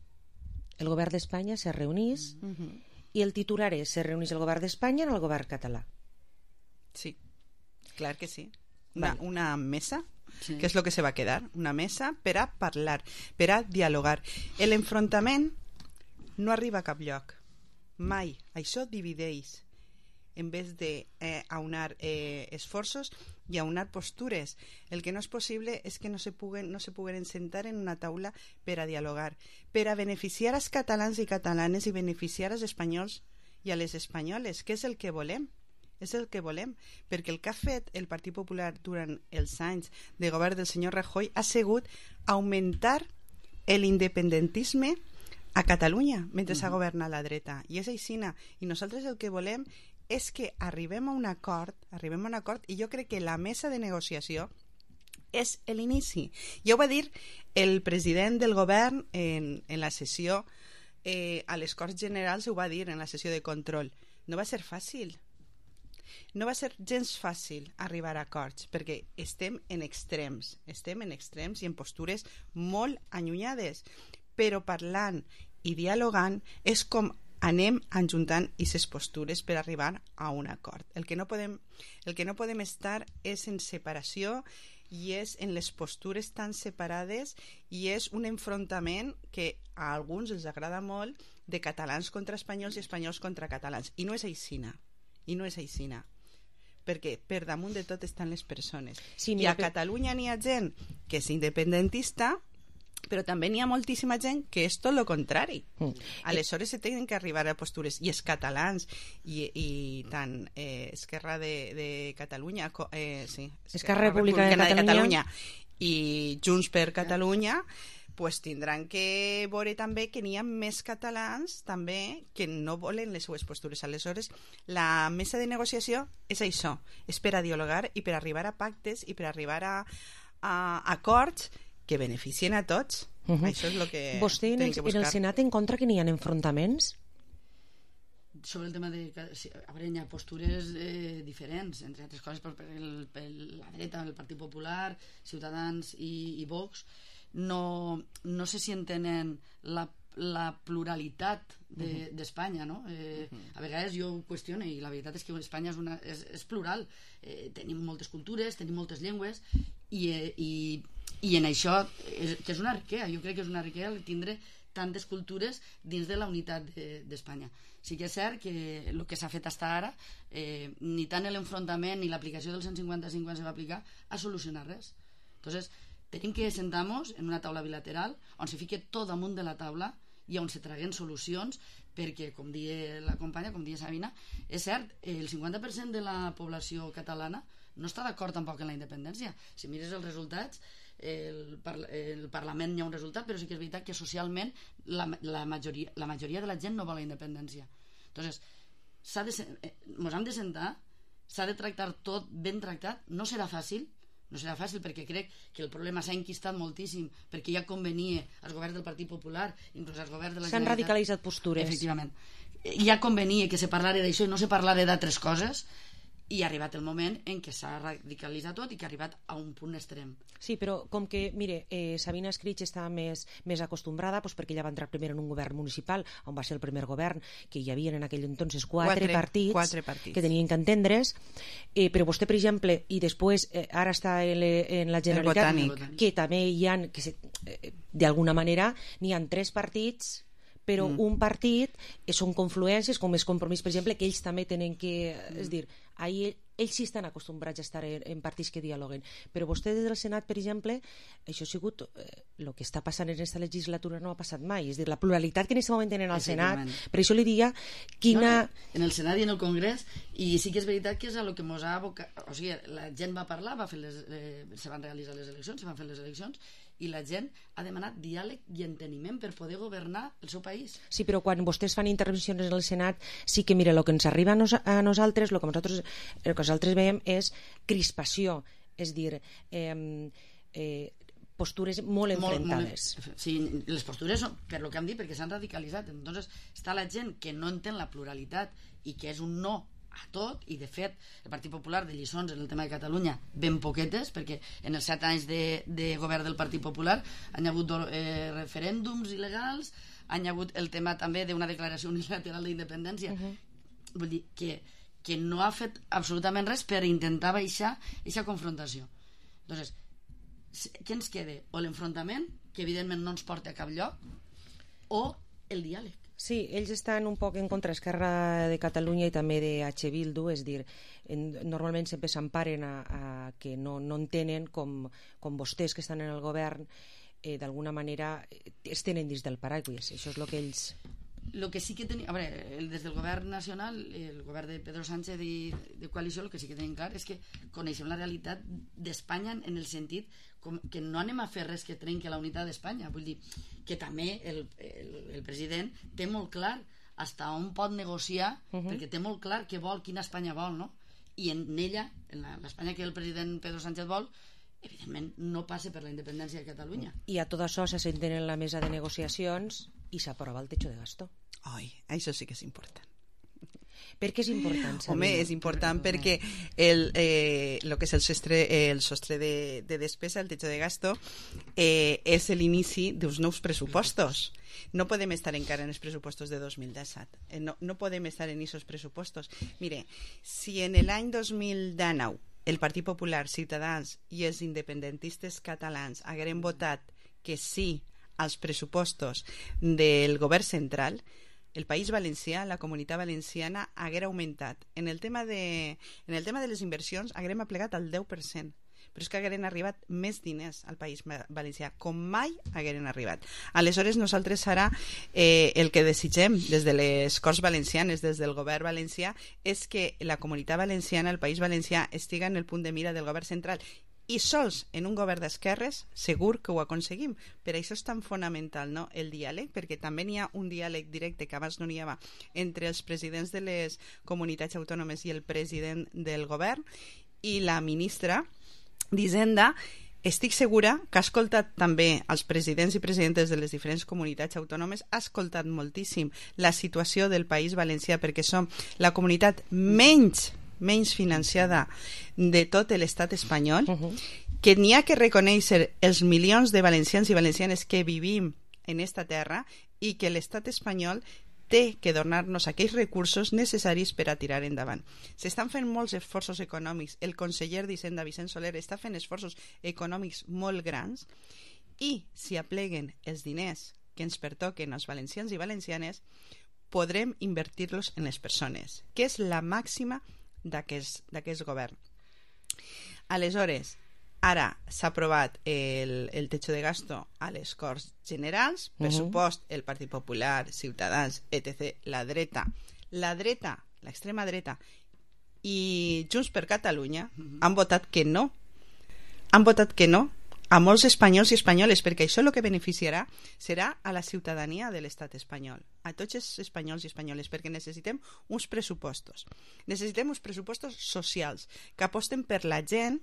El govern d'Espanya se reunís uh -huh. i el titular és se reunís el govern d'Espanya amb el govern català. Sí, clar que sí. Una, vale. una mesa, sí. que és el que se va quedar, una mesa per a parlar, per a dialogar. L'enfrontament no arriba a cap lloc, mai. Això divideix. En vez de eh, aunar eh, esforços i aunar postures. El que no és possible és que no se puguen, no se puguen sentar en una taula per a dialogar, per a beneficiar als catalans i catalanes i beneficiar als espanyols i a les espanyoles, que és el que volem. És el que volem, perquè el que ha fet el Partit Popular durant els anys de govern del senyor Rajoy ha sigut augmentar l'independentisme a Catalunya mentre s'ha uh -huh. governat la dreta. I és aixina. I nosaltres el que volem és que arribem a un acord, arribem a un acord i jo crec que la mesa de negociació és l'inici. Ja ho va dir el president del govern en, en la sessió eh, a les Corts Generals, ho va dir en la sessió de control. No va ser fàcil. No va ser gens fàcil arribar a acords perquè estem en extrems, estem en extrems i en postures molt allunyades, però parlant i dialogant és com anem ajuntant aquestes postures per arribar a un acord. El que no podem, el que no podem estar és en separació i és en les postures tan separades i és un enfrontament que a alguns els agrada molt de catalans contra espanyols i espanyols contra catalans. I no és aixina. I no és aixina. Perquè per damunt de tot estan les persones. Sí, I a Catalunya n'hi ha gent que és independentista, però també n'hi ha moltíssima gent que és tot el contrari. Mm. Aleshores se tenen que arribar a postures i els catalans i, i tant eh, Esquerra de, de Catalunya eh, sí, Esquerra, Esquerra Republicana, Republicana de, Catalunya. de Catalunya i Junts per Catalunya pues tindran que veure també que n'hi ha més catalans també que no volen les seues postures. Aleshores la mesa de negociació és això, és per a dialogar i per a arribar a pactes i per a arribar a, a acords que beneficien a tots. Uh -huh. Això és el que vostè en el, que en el Senat en contra que n'hi ha enfrontaments? Sobre el tema de... A veure, hi ha postures eh, diferents, entre altres coses per, per, el, per la dreta, el Partit Popular, Ciutadans i, i Vox. No, no sé si entenen la, la pluralitat d'Espanya, de, no? Eh, uh -huh. A vegades jo ho qüestiono i la veritat és que Espanya és, una, és, és plural. Eh, tenim moltes cultures, tenim moltes llengües i... Eh, i i en això, és, que és una riquesa, jo crec que és una riquesa tindre tantes cultures dins de la unitat d'Espanya. Sí que és cert que el que s'ha fet fins ara, eh, ni tant l'enfrontament ni l'aplicació del cent cinquanta-cinc quan se va aplicar ha solucionat res. Entonces, tenim que sentar-nos en una taula bilateral on se fique tot damunt de la taula i on se traguen solucions, perquè, com dia la companya, com dia Sabina, és cert, el cinquanta per cent de la població catalana no està d'acord tampoc en la independència. Si mires els resultats, el, parla el Parlament hi ha un resultat, però sí que és veritat que socialment la, la, majoria, la majoria de la gent no vol la independència. Entonces, s'ha de, eh, mos hem de sentar, s'ha de tractar tot ben tractat. No serà fàcil, no serà fàcil perquè crec que el problema s'ha enquistat moltíssim, perquè ja convenia als governs del Partit Popular, inclús als governs de la Generalitat. S'han radicalitzat postures. Efectivament. Ja convenia que se parlara d'això i no se parlara d'altres coses, i ha arribat el moment en què s'ha radicalitzat tot i que ha arribat a un punt extrem. Sí, però com que, mire, eh, Sabina Escrig està més, més acostumbrada, doncs perquè ella va entrar primer en un govern municipal, on va ser el primer govern, que hi havia en aquell entonces quatre, quatre, partits, quatre partits que tenien que entendre's, eh, però vostè, per exemple, i després eh, ara està en, le, en la Generalitat, que també hi ha, que se, eh, d'alguna manera, n'hi ha tres partits, però mm. un partit són confluències, com és Compromís, per exemple, que ells també tenen que... Mm. És dir, ahir, ells sí estan acostumbrats a estar en, en partits que dialoguen, però vostè des del Senat, per exemple, això ha sigut el eh, que està passant en aquesta legislatura no ha passat mai, és dir, la pluralitat que en aquest moment tenen al Senat, per això li diria quina... No, en el Senat i en el Congrés, i sí que és veritat que és a lo que mos ha abocat, o sigui, la gent va parlar, va fer les, eh, se van realitzar les eleccions, se van fer les eleccions, i la gent ha demanat diàleg i enteniment per poder governar el seu país. Sí, però quan vostès fan intervencions en el Senat, sí que, mira, el que ens arriba a, nos a nosaltres, el que nosaltres, el que nosaltres veiem és crispació, és dir, eh, eh, postures molt enfrontades. Molt, molt, sí, les postures són, per lo que hem dit, perquè s'han radicalitzat. Entonces, està la gent que no entén la pluralitat i que és un no a tot, i de fet el Partit Popular de lliçons en el tema de Catalunya ben poquetes, perquè en els set anys de, de govern del Partit Popular han hagut eh, referèndums il·legals, han hagut el tema també d'una declaració unilateral d'independència. Uh-huh. Vull dir que, que no ha fet absolutament res per intentar baixar aquesta confrontació. Entonces, què ens queda? O l'enfrontament, que evidentment no ens porta a cap lloc, o el diàleg. Sí, ells estan un poc en contra d'Esquerra de Catalunya i també de H. Bildu, és dir, en, normalment sempre s'emparen a, a que no, no entenen com, com vostès que estan en el govern eh, d'alguna manera es tenen dins del paraigua. Això és el que ells... Lo que sí que tenim, a veure, el, des del govern nacional, el govern de Pedro Sánchez i de coalició, el que sí que tenim clar és que coneixem la realitat d'Espanya en el sentit com que no anem a fer res que trenqui la unitat d'Espanya. Vull dir que també el, el, el president té molt clar fins on pot negociar, uh -huh. perquè té molt clar què vol, quina Espanya vol, no? I en ella, en l'Espanya que el president Pedro Sánchez vol, evidentment no passa per la independència de Catalunya. I a tot això se senten en la mesa de negociacions i s'aprova el techo de gasto. Ai, això sí que és important. Per què és important? Sabina? Home, és important perquè el, eh, lo que és el sostre, el sostre de, de despesa, el techo de gasto, eh, és l'inici d'uns nous pressupostos. No podem estar encara en els pressupostos de dos mil disset. Eh, no, no podem estar en aquests pressupostos. Mire, si en l'any dos mil dinou el Partit Popular, Ciutadans i els independentistes catalans hagueren votat que sí als pressupostos del govern central, el País Valencià, la Comunitat Valenciana, haguera augmentat. En el tema de, en el tema de les inversions haguerem aplegat al deu per cent, però és que hagueren arribat més diners al País Valencià, com mai hagueren arribat. Aleshores, nosaltres serà eh, el que desitgem des de les Corts Valencianes, des del govern valencià, és que la Comunitat Valenciana, el País Valencià, estiga en el punt de mira del govern central. I sols en un govern d'esquerres segur que ho aconseguim. Per això és tan fonamental, no?, el diàleg, perquè també n'hi ha un diàleg directe que abans no n'hi havia entre els presidents de les comunitats autònomes i el president del govern, i la ministra d'Hisenda estic segura que ha escoltat també els presidents i presidentes de les diferents comunitats autònomes, ha escoltat moltíssim la situació del País Valencià, perquè som la comunitat menys menys financiada de tot l'estat espanyol, uh-huh. que n'hi ha que reconèixer els milions de valencians i valencianes que vivim en esta terra i que l'estat espanyol té que donar-nos aquells recursos necessaris per a tirar endavant. S'estan fent molts esforços econòmics. El conseller d'Hisenda, Vicent Soler, està fent esforços econòmics molt grans, i si apleguen els diners que ens pertoquen als valencians i valencianes, podrem invertir-los en les persones, que és la màxima d'aquest d'aquest govern. Aleshores, ara s'ha aprovat el, el techo de gasto a les Corts Generals, pressupost, el Partit Popular, Ciutadans, etcètera, la dreta, la dreta, l'extrema dreta i Junts per Catalunya han votat que no. Han votat que no a molts espanyols i espanyoles, perquè això el que beneficiarà serà a la ciutadania de l'estat espanyol, a tots els espanyols i espanyoles, perquè necessitem uns pressupostos. Necessitem uns pressupostos socials que aposten per la gent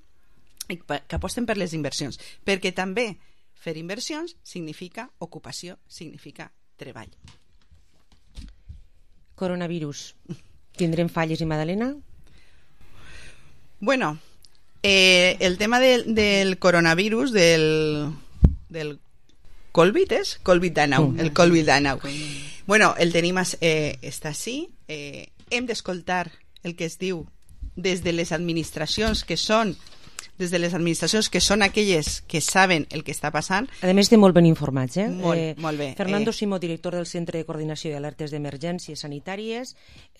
i que aposten per les inversions, perquè també fer inversions significa ocupació, significa treball. Coronavirus. Tindrem falles i Madalena? Bueno, eh, el tema del, del coronavirus, del, del Covid, és? Covid dinou, el Covid dinou. Bueno, el tenim, eh, està així. Eh, hem d'escoltar el que es diu des de les administracions que són des de les administracions que són aquelles que saben el que està passant. A més, estem molt ben informats, eh? Molt, eh, molt bé. Fernando eh... Simó, director del Centre de Coordinació i Alertes d'Emergències Sanitàries,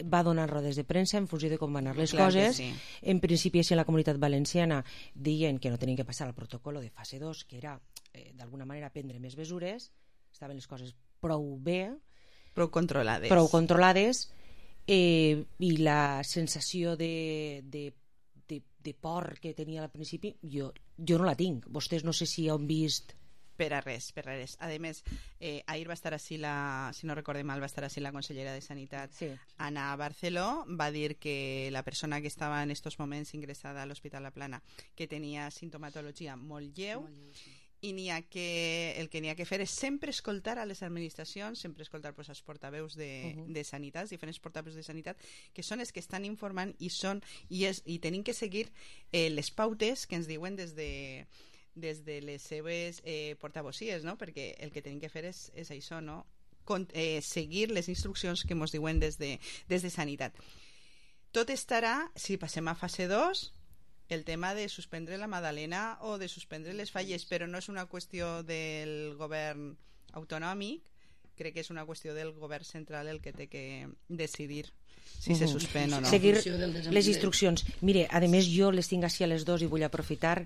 va donar rodes de premsa en funció de com van anar les Clar coses. sí. En principi, si en la Comunitat Valenciana deien que no tenien que passar al protocol de fase dos, que era, eh, d'alguna manera, prendre més mesures, estaven les coses prou bé, prou controlades, prou controlades eh, i la sensació de, de De, de por que tenia al principi jo, jo no la tinc. Vostès no sé si han vist per a res, per a res. A més, eh, ahir va estar així la, si no recorde mal, va estar així la consellera de Sanitat, sí. Ana Barceló, va dir que la persona que estava en estos moments ingressada a l'Hospital La Plana, que tenia sintomatologia molt lleu, molt lleu sí. I n'hi ha que, el que n'hi ha que fer és sempre escoltar a les administracions, sempre escoltar pues, els portaveus de, uh -huh. de sanitat, diferents portaveus de sanitat, que són els que estan informant i són i, és, i tenim que seguir eh, les pautes que ens diuen des de, des de les seves eh, portavocies, no? Perquè el que tenim que fer és, és això, no? Con, eh, seguir les instruccions que ens diuen des de, des de sanitat. Tot estarà, si passem a fase dos, el tema de suspendre la Madalena o de suspendre les falles, però no és una qüestió del govern autonòmic, crec que és una qüestió del govern central el que té que decidir si uh -huh. se suspèn o no. Seguir les instruccions. Mire, a més jo les tinc així a les dos i vull aprofitar.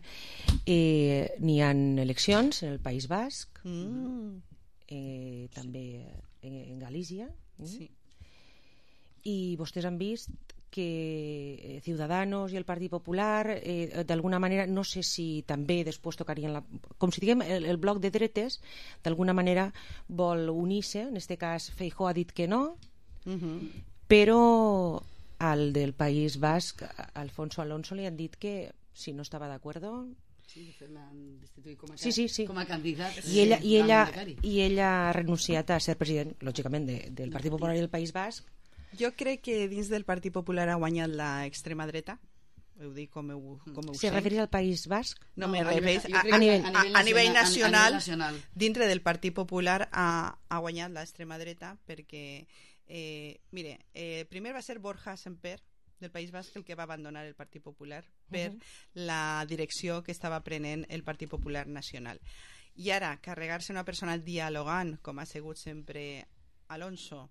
Eh, n'hi ha eleccions en el País Basc, mm. eh, també en, en Galícia. Mm. Sí. I vostès han vist que Ciudadanos i el Partit Popular eh, d'alguna manera, no sé si també després tocarien la, com si diguem el, el bloc de dretes d'alguna manera vol unir-se, en aquest cas Feijóo ha dit que no, uh -huh. però al del País Basc, Alfonso Alonso, li han dit que si no estava d'acord sí, l'han destituït com a, sí, sí, sí. com a candidat i ella, i, ella, i ella ha renunciat a ser president, lògicament, de, del Partit Popular i del País Basc. Jo crec que dins del Partit Popular ha guanyat l'extrema dreta, ho dic com ho, com ho sé. Se refereix al País Basc? No, no me refereix a, a, a, a, nivell, a, a, a nivell nacional, a, a nacional. Dintre del Partit Popular ha, ha guanyat l'extrema dreta perquè, eh, mire, eh, primer va ser Borja Semper del País Basc el que va abandonar el Partit Popular per uh -huh. la direcció que estava prenent el Partit Popular Nacional. I ara, carregar-se una persona dialogant, com ha sigut sempre Alonso,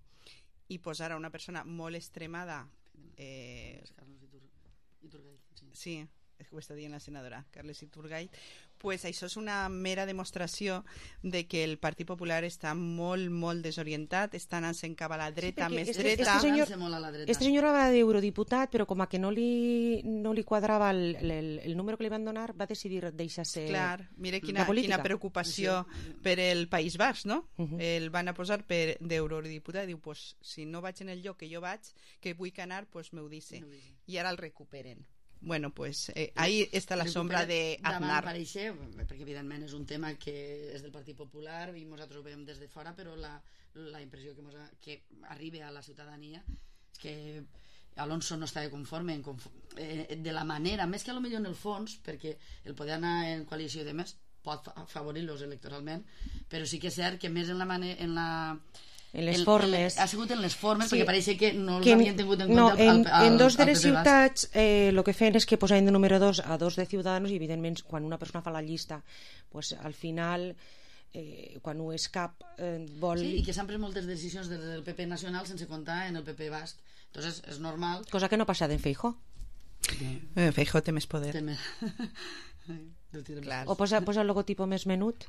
i posar a una persona molt extremada eh, Iturgaiz, sí. sí, és que ho està dient la senadora Carles Iturgaiz, pues això és una mera demostració de que el Partit Popular està molt, molt desorientat, està anant-se'n cap a la dreta, sí, més este, dreta. Este senyor, este senyor va d'eurodiputat, però com a que no li, no li quadrava el, el, el número que li van donar, va decidir deixar-se Clar, mire quina, quina preocupació sí. per el País Basc, no? Uh -huh. El van a posar per d'eurodiputat i diu, pues, si no vaig en el lloc que jo vaig, que vull anar, pues m'ho dice. No I ara el recuperen. Bueno, pues eh, ahí està la sombra d'Aznar. Aparèixer, perquè evidentment és un tema que és del Partit Popular i nosaltres ho veiem des de fora, però la, la impressió que, mos ha, que arriba a la ciutadania és que Alonso no estava conforme en conforme, eh, de la manera, més que a lo millor en el fons, perquè el poder anar en coalició de més pot afavorir-los electoralment, però sí que és cert que més en la manera, en la en les el, formes. El, ha sigut en les formes, sí, perquè pareix que no els que havien tingut en no, compte en, al, al, en dos de les P P ciutats el eh, que feien és que posaven de número dos a dos de Ciudadanos i evidentment quan una persona fa la llista pues, al final eh, quan ho és cap eh, vol... Sí, i que s'han pres moltes decisions del P P nacional sense comptar en el P P basc. Entonces és normal... Cosa que no ha passat en Feijóo. Eh, Feijóo té més poder. Té més... Clar. O posa, posa el logotipo més menut,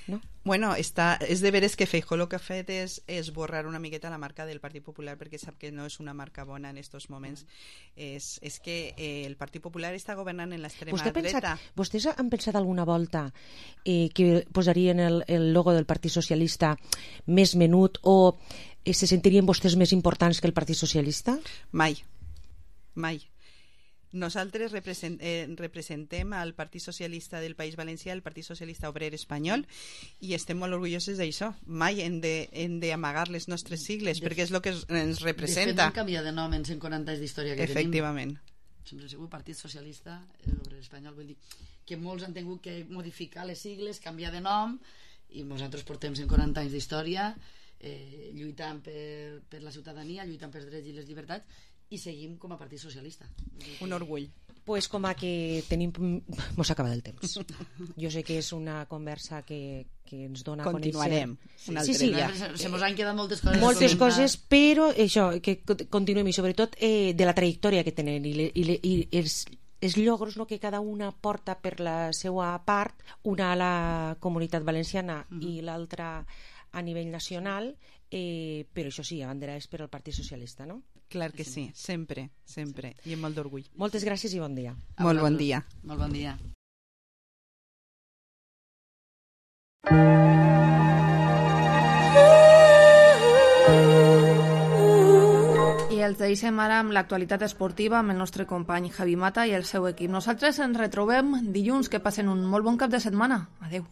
no? Bueno, està, és de veres que Feijóo el que ha fet és esborrar una miqueta la marca del Partit Popular perquè sap que no és una marca bona en estos moments. És, és que eh, el Partit Popular està governant en l'extrema Vostè dreta. pensat, vostès han pensat alguna volta eh, que posarien el, el logo del Partit Socialista més menut o eh, se sentirien vostès més importants que el Partit Socialista? Mai, mai. Nosaltres represent, eh, representem al Partit Socialista del País Valencià, el Partit Socialista Obrer Espanyol, i estem molt orgullosos d'això. Mai hem de, hem de amagar les nostres sigles, de, perquè és el que ens representa. De fet, hem canviat de nom en cent quaranta anys d'història que Efectivament. tenim. Sempre ha sigut Partit Socialista Obrer Espanyol. Vull dir que molts han tingut que modificar les sigles, canviar de nom, i nosaltres portem cent quaranta anys d'història eh, lluitant per, per la ciutadania, lluitant pels drets i les llibertats, i seguim com a Partit Socialista. Un orgull. Pues com a que tenim... Mos acaba el temps. Jo sé que és una conversa que, que ens dona Continuarem. a conèixer. Sí, sí, ja. Se mos han quedat moltes coses. Moltes coses, però això, que continuem, i sobretot eh, de la trajectòria que tenen i, le, i, le, i els, els llogros, no, que cada una porta per la seva part, una a la Comunitat Valenciana mm-hmm. i l'altra a nivell nacional, eh, però això sí, abanderades per al Partit Socialista, no? Clar que sí, sempre, sempre, i amb molt d'orgull. Moltes gràcies i bon dia. Molt bon dia. Molt bon dia. I els deixem ara amb l'actualitat esportiva amb el nostre company Javi Mata i el seu equip. Nosaltres ens retrobem dilluns. Que passen un molt bon cap de setmana. Adeu.